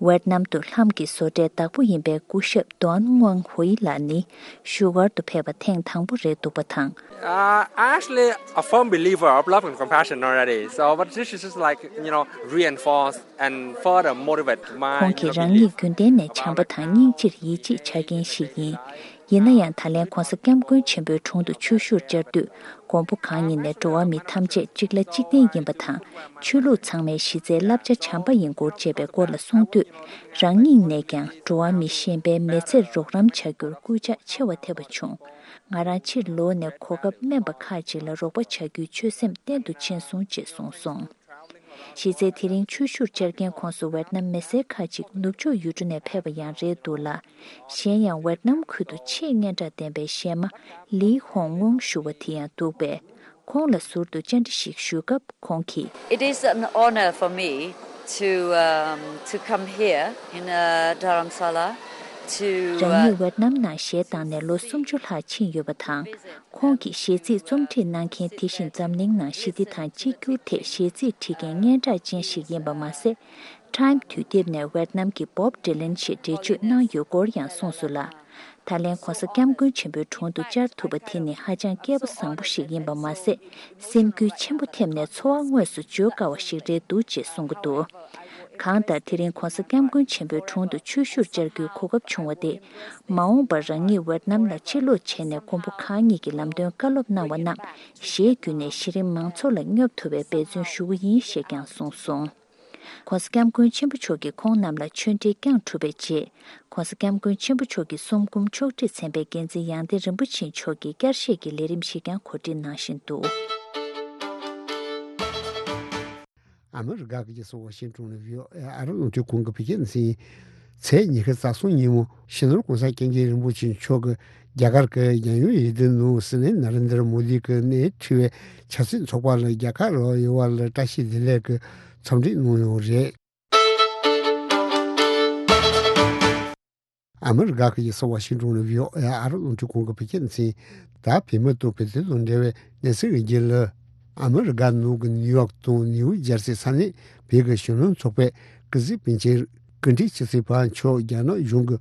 ཝེད་ནམ་དུ་ལྷམ་གྱི་བཟོ་གྲྭའི་བདག་པོ་ཡིན་པའི་སྐུ་ཞབས་ཏོན་ཝང་ཧུའེ་ལགས་ནི་བཞུགས་སྒར་དུ་ཕེབས་པ་ཐེངས་དང་པོ་རེད་འདུག་པ་དང་། Uh, I'm actually a firm believer of love and compassion already. So, but this is just like, you know, reinforce and further motivate my, ཁོང་གིས་རང་ཉིད་རྒྱུན་ལྡན་ནས་བྱམས་པ་དང་སྙིང་རྗེར་ཡིད་ཆེས་བྱ་མཁན་ཞིག་ཡིན། ཡིན་ན་ཡང་། ད་ལན་༸གོང་ས་༸སྐྱབས་མགོན་ཆེན་པོའི་དྲུང་དུ་ཆོས་ཞུར་བཅར་དུས། མགོན་པོ་གང་ཉིད་ནས་འགྲོ་བ་མི་ཐམས་ཅད་གཅིག་ལ་གཅིག་བརྟེན་ཡིན་པ་དང་། ཆོས་ལུགས་ཚང་མའི་གཞི་རྩའི་བསླབ་བྱ་བྱམས་པ་ཡིན་སྐོར་བཅས་པའི་སྐོར་ལ་གསུངས་དུས། རང་ཉིད་ནས་ཀྱང་འགྲོ་བ་མི་གཞན་པའི་མི་ཚེར་རོགས་རམ་བྱ་རྒྱུར་སྐུལ་ལྕག་ཆེ་བ་ཐེབས་པ་བྱུང་། ང་རང་ཕྱིར་ལོག་ནས་གོ་སྐབས་དམན་པ་ཁག་ཅིག་ལ་རོགས་པ་བྱ་རྒྱུའི་ཆོད་སེམས་བརྟན་དུ་ཕྱིན་སོང་ཅེས་གསུངས་སོང་། གཞི་རྩའི་དེ་རིང་ཆོས་ཞུར་བཅར་མཁན་ཁོངས་སུ་ཝེད་ནམ་མི་སེར་ཁག་ཅིག་ནུབ་ཕྱོགས་ཡུལ་གྲུ་ནས་ཕེབས་པ་ཡང་རེད་འདུག་ལ། གཞན་ཡང་ཝེད་ནམ་ཁུལ་དུ་ཆེས་སྙན་གྲགས་ལྡན་པའི་གཞས་མ་ལི་ཧོང་ཝོང་ཞུ་བ་དེ་ཡང་འདུག་པས། ཁོང་ལ་ཟུར་དུ་བཅར་འདྲི་ཞིག་ཞུས་སྐབས་ཁོང་གིས། It is an honor for me to, um, to come here in, uh, Dharamsala to, uh, རང་ཉིད་ཝེད་ནམ་ནང་གཞས་བཏང་ནས་ལོ་སུམ་ཅུ་ལྷག་ཕྱིན་ཡོད་པ་དང་། ཁོང་གིས་གཞས་ཚིག་རྩོམ་སྒྲིག་གནང་མཁན་དེ་བཞིན་འཛམ་གླིང་ནང་ཞི་བདེ་དང་གཅིག་གྱུར་ཐད་གཞས་ཚིག་བྲིས་མཁན་སྙན་གྲགས་ཅན་ཞིག་ཡིན་པ་མ་ཟད། Time་དུས་དེབ་ནས་ཝེད་ནམ་གྱི་Bob Dylan་ཞེས་འགྲེལ་བརྗོད་གནང་ཡོད་སྐོར་ཡང་གསུངས་སོང་ལ། ད་ལན་༸གོང་ས་༸སྐྱབས་མགོན་ཆེན་པོའི་དྲུང་དུ་བཅར་ཐུབ་པ་དེ་ནི་ཧ་ཅང་སྐལ་པ་བཟང་པོ་ཞིག་ཡིན་པ་མ་ཟད། སེམས་འགུལ་ཆེན་པོ་ཐེབས་ནས་ཚོར་བ་དངོས་སུ་བརྗོད་དཀའ་བ་ཞིག་རེད་འདུག་ཅེས་གསུང་གི་འདུག་གང་ལྟར་དེ་རིང་༸གོང་ས་༸སྐྱབས་མགོན་ཆེན་པོའི་དྲུང་དུ་ཆོས་ཞུར་བཅར་རྒྱུའི་གོ་སྐབས་བྱུང་བ་དེས། མ་འོངས་པར་རང་ཉིད་ཝེད་ནམ་ལ་ཕྱིར་ལོག་བྱས་ནས་མགོན་པོ་གང་ཉིད་ཀྱི་ལམ་སྟོན་བཀའ་སློབ་གནང་བ་རྣམས་གཞས་བརྒྱུད་ནས་གཞི་རིམ་མང་ཚོགས་ལ་སྙོབ་ཐུབ་པའི་འབད་བརྩོན་ཞུ་གི་ཡིན་ཞེས་ཀྱང་གསུངས་སོང་། ༸གོང་ས་༸སྐྱབས་མགོན་ཆེན་པོ་མཆོག་གིས་ཁོང་རྣམས་ལ་ཆོས་འབྲེལ་བསྐྱངས་གྲུབ་པའི་རྗེས། ༸གོང་ས་༸སྐྱབས་མགོན་ཆེན་པོ་མཆོག་གི་གསུང་འབུམ་ཕྱོགས་སྒྲིག་ཚན་པའི་འགན་འཛིན་ཡང་སྟེང་རིན་པོ་ཆེ་མཆོག་གིས་བསྐྱར་བཤད་ཀྱི་ལས་རིམ་ཞིག་ཀྱང་གོ་སྒྲིག་གནང་བཞིན་འདུག་ཨ་མི་རི་ཀ་གི་རྒྱལ་ས་ཝ་ཤིང་ཏོན་ནས་བྷི་ཨོ་ཨེ་ཨ་རི་རླུང་འཕྲིན་ཁང་གི་བོད་སྐད་སྡེ་ཚན། ཚེས་ཉི་ཤུ་རྩ་གསུམ་ཉིན་མོ་སྤྱི་ནོར་༸གོང་ས་༸སྐྱབས་མགོན་རིན་པོ་ཆེ་མཆོག་གིས་རྒྱ་གར་གྱི་རྒྱལ་ཡོངས་ཡུལ་དུ་ནང་སྲིད་བློན་ནཱ་རེན་དར་མོ་དི་གིས་གནས་འཁྲི་བའི་ཆབ་སྲིད་ཚོགས་པ་ལ་རྒྱལ་ཁ་རག་ཡོད་པ་ལ་བཀྲ་ཤིས་བདེ་ལེགས་ཀྱི་འཚམས་འདྲི་གནང་ཡོད་རེད། ཨ་མི་རི་ཀ་གི་རྒྱལ་ས་ཝ་ཤིང་ཏོན་ནས་བྷི་ཨོ་ཨེ་ཨ་རི་རླུང་འཕྲིན་ཁང་གི་བོད་སྐད་སྡེ་ཚན། ད་བོད་མི་དང་བོད་དོན་དང་འབྲེལ་བའི་གནས་ཚུལ་གྱི་རྒྱུན་ལ། ཨ་མི་རི་ཀ་ནང་གི་ནིའུ་ཡོག་དང་ནིའུ་ཇར་སི་ས་གནས་བོད་ཀྱི་གཞོན་ནུ་ཚོགས་པའི་སྐུ་གཟིགས་པཎ་ཆེན་སྐུ་ཕྲེང་བཅུ་གཅིག་པ་མཆོག་རྒྱ་ནག་གཞུང་གིས་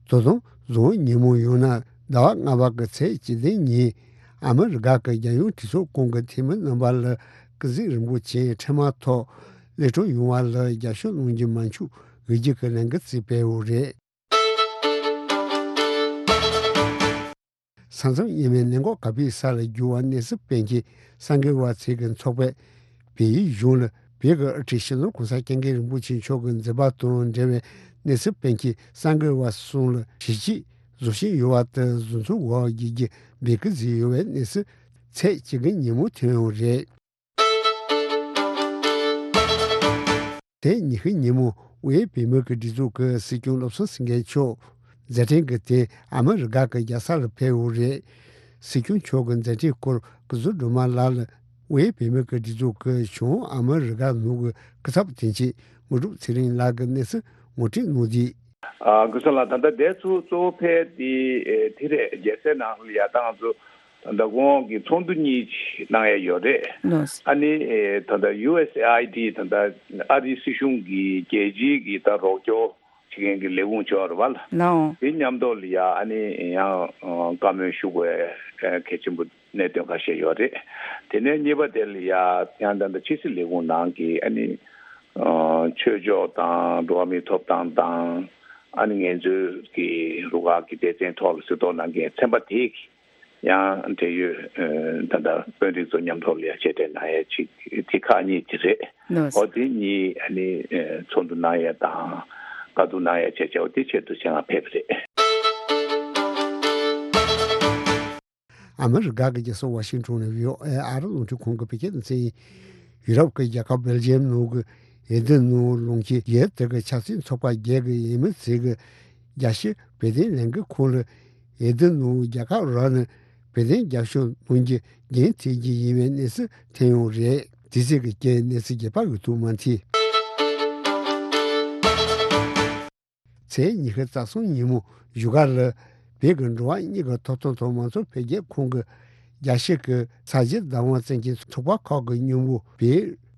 ད་དུང་གཟའ་ཉིན་མོ་ཡང་ན་ཟླ་བ་ལྔ་པ་གི་ཚེས་བཅུ་བདུན་ཉིན་ཨ་མི་རི་ཀ་གི་རྒྱལ་ཡོངས་གྲོས་ཚོགས་ཁང་གི་འཐུས་མི་རྣམ་པ་ལ་སྐུ་གཟིགས་རིན་པོ་ཆེ་འཕྲལ་མ་ཐོག་གློད་གྲོལ་ཡོང་བ་ལ་རྒྱབ་སྐྱོར་གནང་རྒྱུ་མ་འཆུག་འབོད་སྐུལ་གྱི་ལས་འགུལ་བརྩིས་སྤེལ་ཡོད་རེད། ས་མཚམས་གཡས་མའི་ནད་འགོག་ག་པའི་ས་ལ་རྒྱུ་བ་གནས་ཚུལ་སྤེལ་མཁན་གསར་འགོད་པ་ཚོས་ཀྱི་ཚོགས་པས་བལ་ཡུལ་གཞུང་ལ་བོད་ཀྱི་དབུ་ཁྲིད་སྤྱི་ནོར་༸གོང་ས་༸སྐྱབས་མགོན་རིན་པོ་ཆེ་མཆོག་གི་མཛད་པ་དང་འབྲེལ་བའི་གནས་ཚུལ་སྤེལ་མཁན་གསར་འགོད་པ་གསུམ་ལ་ཞི་བྱེད་ བཟོ་བཞིན་ཡོད་པ་དེ་བཟོ་ཚོང་འོག་བསྒྱུར་རྒྱུ་འབད་བསྐུལ་བཟོས་ཡོད་པའི་གནས་ཚུལ་ཚེས་བཅུ་དགུ་ཉིན་མོ་ཐོན་ཡོད་རེད། དེ་ཉི་ཤུ་ཉིན་མོ་དབུས་བོད་མིའི་སྒྲིག་འཛུགས་ཀྱི་སྲིད་སྐྱོང་བློ་བཟང་སེང་གེ་མཆོག་མཛད་འཕྲིན་གྱི་སྟེང་ཨ་མི་རི་ཀ་གི་རྒྱལ་ས་ལ་ཕེབས་ཡོད་རེད། སྲིད་སྐྱོང་མཆོག་གི་མཛད་འཕྲིན་སྐོར་སྐུ་ཞབས་སྒྲོལ་མ་ལགས་ལ་དབུས་བོད་མིའི་སྒྲིག་འཛུགས་ཀྱི་བྱང་ཨ་མི་རི་ཀ་ནང་གི་སྐུ་ཚབ་དོན་གཅོད་དངོས་གྲུབ་ཚེ་རིང་ལགས་ཀྱིས་གནས་ཚུལ་ངོ་སྤྲོད་གནང་དུས། ཨ། སྐུ་ཞབས་ལགས། ད་ལྟ་འདི་ཚོ་གཙོ་བོ་ཕལ་དེ་ཨེ་དེ་རེད། རྒྱལ་སའི་ནང་ལ་ཡ་ད་ང་ཚོ་ད་ལྟ་ཁོང་གི་ཚོགས་འདུ་གཉིས་གནང་ཡ་ཡོད་རེད། ལགས། ཨ་ནི་ཨེ་ད་ལྟ་ཡུ་ཨེས་ཨེ་ཨའི་ཌི་ད་ལྟ་ཨ་རིའི་སྲིད་གཞུང་གི་རྒྱལ་སྤྱིའི་གི་ད་རོགས་སྐྱོར་བྱེད་མཁན་གྱི་ལས་ཁུངས་ཅིག་ཡོད་རེད་པ། ལགས། དེ་མཉམ་དུ་ལ་ཡ་ཨ་ནི་ཡང་བཀའ་མོལ་ཞུ་དགོས་གལ་ཆེན་པོ་གནད་དོན་ཁ་ཤས་ཡོད་རེད། དེ་ནས་གཉིས་པ་དེ་ལ་ཡ་ཡང་ད་ལྟ་ཕྱི་སྲིད་ལས་ཁུངས་ནང་གི་ཨ་ནི་ཆོས་ཕྱོགས་དང་འགྲོ་བ་མིའི་ཐོབ་ཐང་དང་ཨ་ནི་ངལ་རྩོལ་གྱི་རུ་ཁག་གི་སྡེ་ཚན་ཐོག་ལ་གཟིགས་རྟོག་གནང་མཁན་ཚན་པ་དེ་ཡང་འབྲེལ་ཡོད་ད་ལྟ་དཔོན་རིགས་ཚོ་མཉམ་ཐོག་ལ་ཡ་མཇལ་འཕྲད་གནང་ཡ་ཅིག་དེ་ཁག་གཉིས་དེ་རེད། ལགས། འོ་དེ་གཉིས་ཨ་ནི་ཚོགས་འདུ་གནང་ཡ་དང་བཀའ་བསྡུར་གནང་ཡ་བྱས་བྱས་འོ་དེ་ཆེད་དུ་ཆེད་མངགས་ཕེབས་པ་རེད། ཨ་མི་རི་ཀ་གི་རྒྱལ་ས་ཝ་ཤིང་ཊོན་ནས་བྷི་ཨོ་ཨེ་ཨ་རི་རླུང་འཕྲིན་ཁང་གི་བོད་སྐད་སྡེ་ཚན་ཡིན། ཡུ་རོབ་ཀྱི་རྒྱལ་ཁབ་སྦེལ་ཇི་ཡམ་ནང་གི་ཨེ་དེ་ནང་ལུང་ཁྱེར་རྒྱལ་དེ་གི་ཆབ་སྲིད་ཚོགས་པ་བརྒྱད་ཀྱི་འོས་མི་ཚོས་ཀྱི་རྒྱལ་སྤྱིའི་བོད་དོན་ལས་འགུལ་ཁང་ལ་ཨེ་དེ་ནང་རྒྱལ་ཁབ་རང་ནས་བོད་དོན་རྒྱབ་སྐྱོར་གནང་རྒྱུ་འགན་འཁྱེར་རྒྱུ་ཡིན་པའི་གནས་ཚུལ་ཐོན་ཡོད་རེད། དེ་ཚོས་ཀྱི་རྐྱེན་གནས་ཚུལ་རྒྱས་པ་ཡོད་དུ་མ་མཐུན། ཚེས་ཉི་ཤུ་རྩ་གསུམ་ཉིན་མོ་བཞུགས་སྒར་ལ་བོད་ཀྱི་འགྲོ་བ་མིའི་ཐོབ་ཐང་དང་མང་གཙོ་འཕེལ་རྒྱས་ཁང་གི་རྒྱལ་སྤྱི་གི་ས་གཞི་བདག་དབང་བཙན་གྱི་ཚོགས་པ་ཁག་གི་མཉམ་འབུལ་བའི་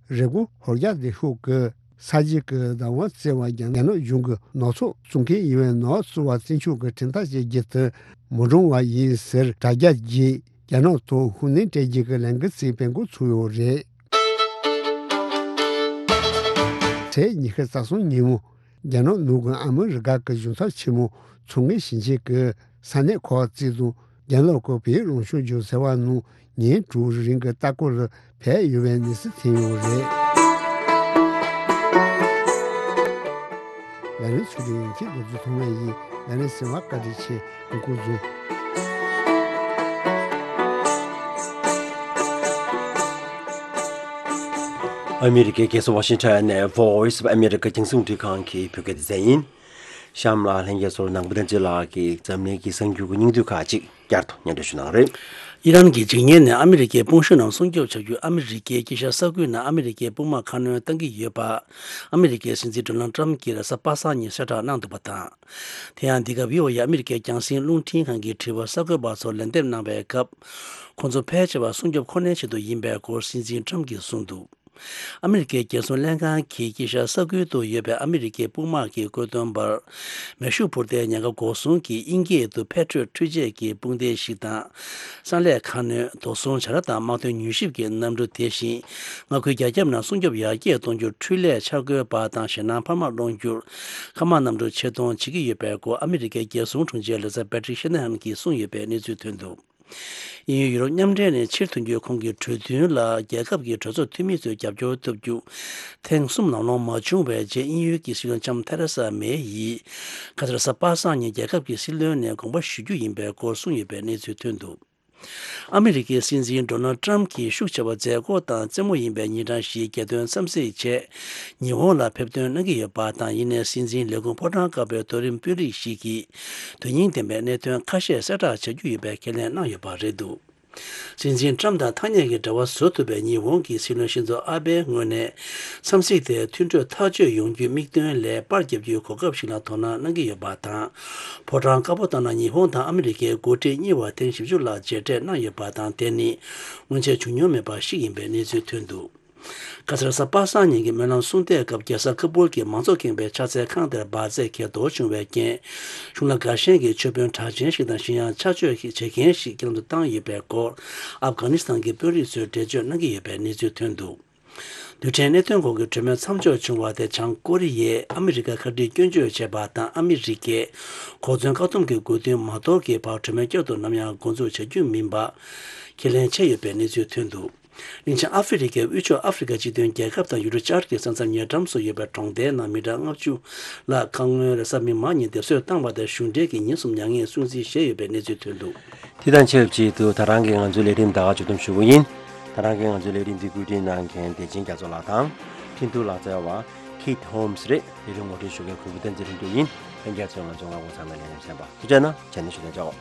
རི་ཀོན་ཧོར་རྒྱ་སྡེ་ཤོག་གི་ས་གཞི་གི་བདག་དབང་བཙན་པ་རྒྱ་ནག་གཞུང་གི་ནག་ཚོགས་བཙུགས་མཁན་ཡིན་པའི་ནག་བཙུགས་པ་བཙན་བྱོལ་གྱི་ཁྲིམས་ཐག་བཅད་རྒྱུ་དེ་མི་འགྲོ་བ་ཡིན་ཟེར་དྲ་རྒྱ་བརྒྱུད་རྒྱ་ནག་ཐོག་ཤུགས་སྣོན་སྤྲད་རྒྱུ་གི་ལས་འགུལ་ཞིག་སྤེལ་འགོ་ཚུགས་ཡོད་རེད། ཚེས་ཉི་ཤུ་རྩ་གསུམ་ཉིན་མོ། རྒྱ་ནག་ནང་གི་ཨ་མི་རི་ཀ་གི་གཞུང་ཚབ་ཆེན་མོ་མཚོ་སྔོན་ཞིང་ཆེན་གྱི་ས་གནས་ཁག་བརྩིས་ཏེ་རྒྱ་ནག་གི་བོད་རང་སྐྱོང་ལྗོངས་ཟེར་བ་ནང་ཉིན་དྲུག་རིང་གི་ལྟ་སྐོར་ལ་ཕེབས་ཡོད་པའི་གནས་ཚུལ་ཐོན་ཡོད་རེད། ལས་རིམ་ཚོགས་འདུ་ཡིན་གྱི་རྡོ་རྗེ་ཐོགས་མེད་ཡིན། ལས་རིམ་གསན་པར་བཀའ་དྲིན་ཆེ། སྐུ་གཟུགས། ཨ་མི་རི་ཀའི་རྒྱལ་ས་ཝ་ཤིང་ཊོན་ནས་Voice of America རྒྱང་སྲིང་རླུང་འཕྲིན་ཁང་གི་བོད་སྐད་སྡེ་ཚན་ཡིན། གཤམ་ལ་ལྷན་རྒྱས་ཚོར་ནང་པ་བསྟན་འཛིན་ལགས་ཀྱིས་འཛམ་གླིང་གི་གསར་འགྱུར་གྱི་སྙིང་བསྡུས་ཁག་ཅིག་བསྐྱར་དུ་སྙན་སྒྲོན་ཞུ་གནང་རེད། ཨི་རན་གྱི་འཇིགས་ཉེན་ནས་ཨ་མི་རི་ཀའི་དཔུང་ཤུགས་རྣམས་སྲུང་སྐྱོབ་བྱ་རྒྱུ། ཨ་མི་རི་ཀའི་དཀྱིལ་ཤར་ས་ཁུལ་ནང་ཨ་མི་རི་ཀའི་དཔུང་དམག་ཁ་སྣོན་གཏང་གི་ཡོད་པ། ཨ་མི་རི་ཀའི་སྲིད་འཛིན་ཌོ་ནལ་ཏྲམ་གྱིས་རེས་གཟའ་པ་སངས་ཉིན་གསལ་བསྒྲགས་གནང་འདུག་པ་དང་། དེ་ཡང་འདི་ག་བྷི་ཨོ་ཨེ་ཨ་མི་རི་ཀའི་རྒྱང་སྲིང་རླུང་འཕྲིན་ཁང་གི་དྲི་བར་གསར་འགོད་པ་ཚོར་ལན་འདེབས་གནང་བའི་སྐབས། ཁོང་ཚོ་ཕལ་ཆེ་བ་སྲུང་སྐྱོབ་ཁོ་ནའི་ཆེད་དུ་ཡིན་པའི་སྐོར་སྲིད་འཛིན་ཏྲམ་གྱིས་གསུངས་འདུག་ཨ་མི་རི་ཀའི་རྒྱལ་སྲུང་ལྷན་ཁང་གིས་དཀྱིལ་ཤར་ས་ཁུལ་དུ་ཡོད་པའི་ཨ་མི་རི་ཀའི་དཔུང་དམག་གི་བཀོད་འདོམས་པར། མེ་ཤུགས་འཕུར་མདེལ་ཉེན་ཁ་འགོག་སྲུང་གི་དབྱིན་སྐད་དུ་Patriot འཕྲུལ་ཆས་ཀྱི་དཔུང་སྡེ་ཞིག་དང་། གསང་ལས་ཁ་སྣོན། དོགས་ཟོན་བྱ་ར་དང་དམག་དོན་མྱུལ་ཞིབ་ཀྱི་གནམ་གྲུ། དེ་བཞིན་མངའ་ཁུལ་རྒྱ་ཁྱབ་ནང་སྲུང་སྐྱོབ་ཡར་རྒྱས་གཏོང་རྒྱུར་འཕྲུལ་ལས་འཆར་འགོད་པ་དང་ཞེད་སྣང་འཕར་མ་སློང་རྒྱུར་མཁའ་དམག་གནམ་གྲུ་ཆེད་གཏོང་བྱེད་ཀྱི་ཡོད་པའི་སྐོར་ཨ་མི་རི་ཀའི་རྒྱལ་སྲུང་དྲུང་ཆེ་ལོ་ཙཱ་Patrick Shanahan གྱིས་གསུངས་ཡོད་པའི་གནས་ཚུལ་ཐོན་འདུག་དབྱིན་ཡུལ་ཡུ་རོབ་མཉམ་འབྲེལ་ནས་ཕྱིར་ཐོན་རྒྱུའི་ཁོང་གི་གྲོས་མཐུན་ལ་རྒྱལ་ཁབ་ཀྱི་གྲོས་ཚོགས་འཐུས་མི་ཚོས་རྒྱབ་སྐྱོར་ཐོབ་རྒྱུ། ཐེངས་གསུམ་ནང་ལོང་མ་བྱུང་བའི་རྗེས་དབྱིན་ཡུལ་གྱི་སྲིད་བློན་ལྕམ་ཐེ་རེ་ས་མེ་ཡིས་ཁ་སང་རེས་གཟའ་པ་སངས་ཉིན་རྒྱལ་ཁབ་ཀྱི་སྲིད་བློན་ནས་དགོངས་པ་ཞུ་རྒྱུ་ཡིན་པའི་སྐོར་གསུངས་ཡོད་པའི་གནས་ཚུལ་ཐོན་འདུག་ཨ་མི་རི་ཀའི་སྲིད་འཛིན་ཌོ་ནལ་ཏྲམ་གྱིས་ཤུགས་ཆེ་བ་མཛད་སྒོ་དང་རྩེད་མོ་ཡིན་པའི་ཉིན་གྲངས་ཤིག་རྒྱལ་དོན་འཚམས་གཟིགས་ཆེད་ཉི་ཧོང་ལ་ཕེབས་ཐོན་གནང་གི་ཡོད་པ་དང་། ཡིན་ནའི་སྲིད་འཛིན་ལས་ཁུངས་ཕོ་བྲང་དཀར་པོའི་དོ་རིམ་དཔོན་རིགས་ཤིག་གིས་དོན་སྙིང་ལྡན་པའི་གནད་དོན་ཁ་ཤས་གསལ་བསྒྲགས་བྱ་རྒྱུ་ཡོད་པའི་ཁས་ལེན་གནང་ཡོད་པ་རེད་འདུག་སྲིད་འཛིན་ཏྲམ་དང་ཐག་ཉེ་གི་འབྲེལ་བ་བཟོ་ཐུབ་པའི་ཉི་ཧོང་གི་སྲིད་བློན་ཤིན་ཛོ་ཨ་བྷེའི་ངོས་ནས་འཚམས་གཟིགས་དེ་མཐུན་གྲོས་ཐག་གཅོད་ཡོང་རྒྱུའི་དམིགས་དོན་ལས་པར་བརྒྱབ་རྒྱུའི་གོ་སྐབས་ཤིག་ལ་དོ་སྣང་གནང་གི་ཡོད་པ་དང་། ཕོ་བྲང་དཀར་པོ་ལྟར་ན་ཉི་ཧོང་དང་ཨ་མི་རི་ཀའི་འགོ་ཁྲིད་གཉིས་བར་ཐེངས་བཞི་བཅུ་ལྷག་མཇལ་འཕྲད་གནང་ཡོད་པ་དང་། དེ་ནི་སྔོན་ཆད་བྱུང་མྱོང་མེད་པ་ཞིག་ཡིན་པའི་གནས་ཚུལ་ཐོན་འདུག་ཁ་སང་རེས་གཟའ་པ་སངས་ཉིན་གྱི་སྨོན་ལམ་གསུང་བསྡད་སྐབས་རྒྱལ་ས་ཁ་པུལ་གྱི་མང་གཙོ་ཁེངས་པའི་ཕྱག་འཚལ་ཁང་དེར་འབར་རྫས་འགས་གཏོར་བྱུང་བའི་རྐྱེན། གཞུང་ལ་དགའ་ཞེན་གྱི་མཆོད་དཔོན་གྲགས་ཅན་ཞིག་དང་གཞན་ཡང་ཕྱག་མཆོད་བྱེད་མཁན་ཞིག་བསྐྱར་དུ་བཏང་ཡོད་པའི་སྐོར་ཨབ་གྷ་ནི་སི་ཐན་གྱི་དཔོན་རིགས་ཚོས་འགྲེལ་བརྗོད་གནང་གི་ཡོད་པའི་གནས་ཚུལ་ཐོན་འདུག་རྡུལ་ཕྲན་གནད་དོན་སྐོར་གྱི་གྲོས་མོལ་མཚམས་འཇོག་བྱུང་བ་དེ་བྱང་ཀོ་རི་ཡས་ཨ་མི་རི་ཀར་ཁ་བྲལ་སྐྱོན་བརྗོད་བྱས་པ་དང་། ཨ་མི་རི་ཀས་གོ་མཚོན་བཀག་སྡོམ་གྱི་དགོས་འདུན་མ་དོར་གྱི་བར་གྲོས་མོལ་བསྐྱར་དུ་ནམ་ཡང་འགོ་འཛུགས་བྱ་རྒྱུ་མིན་པ་ཁས་ལེན་བྱས་ཡོད་པའི་གནས་ཚུལ་ཐོན་འདུག་གླིང་ཆེན་ཨ་ཧྥེ་རི་ཁའི་དབུས་ཕྱོགས་ཨ་ཧྥེ་རི་ཁ་སྤྱི་མཐུན་རྒྱལ་ཁབ་དང་ཡུ་རོབ་ཤར་གྱི་ས་མཚམས་ཉེ་འགྲམ་སུ་ཡོད་པའི་གྲོང་རྡལ་ནང་མི་གྲངས་ལྔ་བཅུ་ལ་ཁ་སྔོན་རེས་གཟའ་མིག་དམར་ཉིན་སྡེབ་གསོད་བཏང་བ་དང་གཞུང་འབྲེལ་གྱི་ཉེན་སྲུང་མྱ་ངན་སྲུང་བརྩི་བཞེས་ཡོད་པའི་གནས་ཚུལ་ཐོན་འདུག་དེ་དང་ཆབས་ཅིག་ཏུ་ད་རང་གིས་ང་ཚོའི་ལས་རིམ་ད་ག་མཇུག་བསྡོམས་ཞུ་གི་ཡིན། ད་རང་གིས་ང་ཚོའི་ལས་རིམ་འདི་བཀོད་སྒྲིག་གནང་མཁན་བདེ་ཆེན་རྒྱ་མཚོ་ལགས་དང་། འཕྲིན་ཐུང་ལག་རྩལ་བ་Kate Holmes་རེད། ལས་རིམ་ངོ་སྤྲོད་ཞུ་མཁན་གུས་པ་བསྟན་འཛིན་ལྷུན་གྲུབ་ཡིན། ལྷན་རྒྱས་ཚོས་ང་ཚོའི་རྔ་བོ་ཚང་མའི་ལས་རིམ་གསན་པ་ཐུགས་རྗེ་གནང་། བྱས་ན་ཞུ་དོན་ཅོག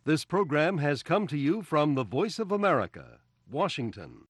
This program has come to you from the Voice of America, Washington.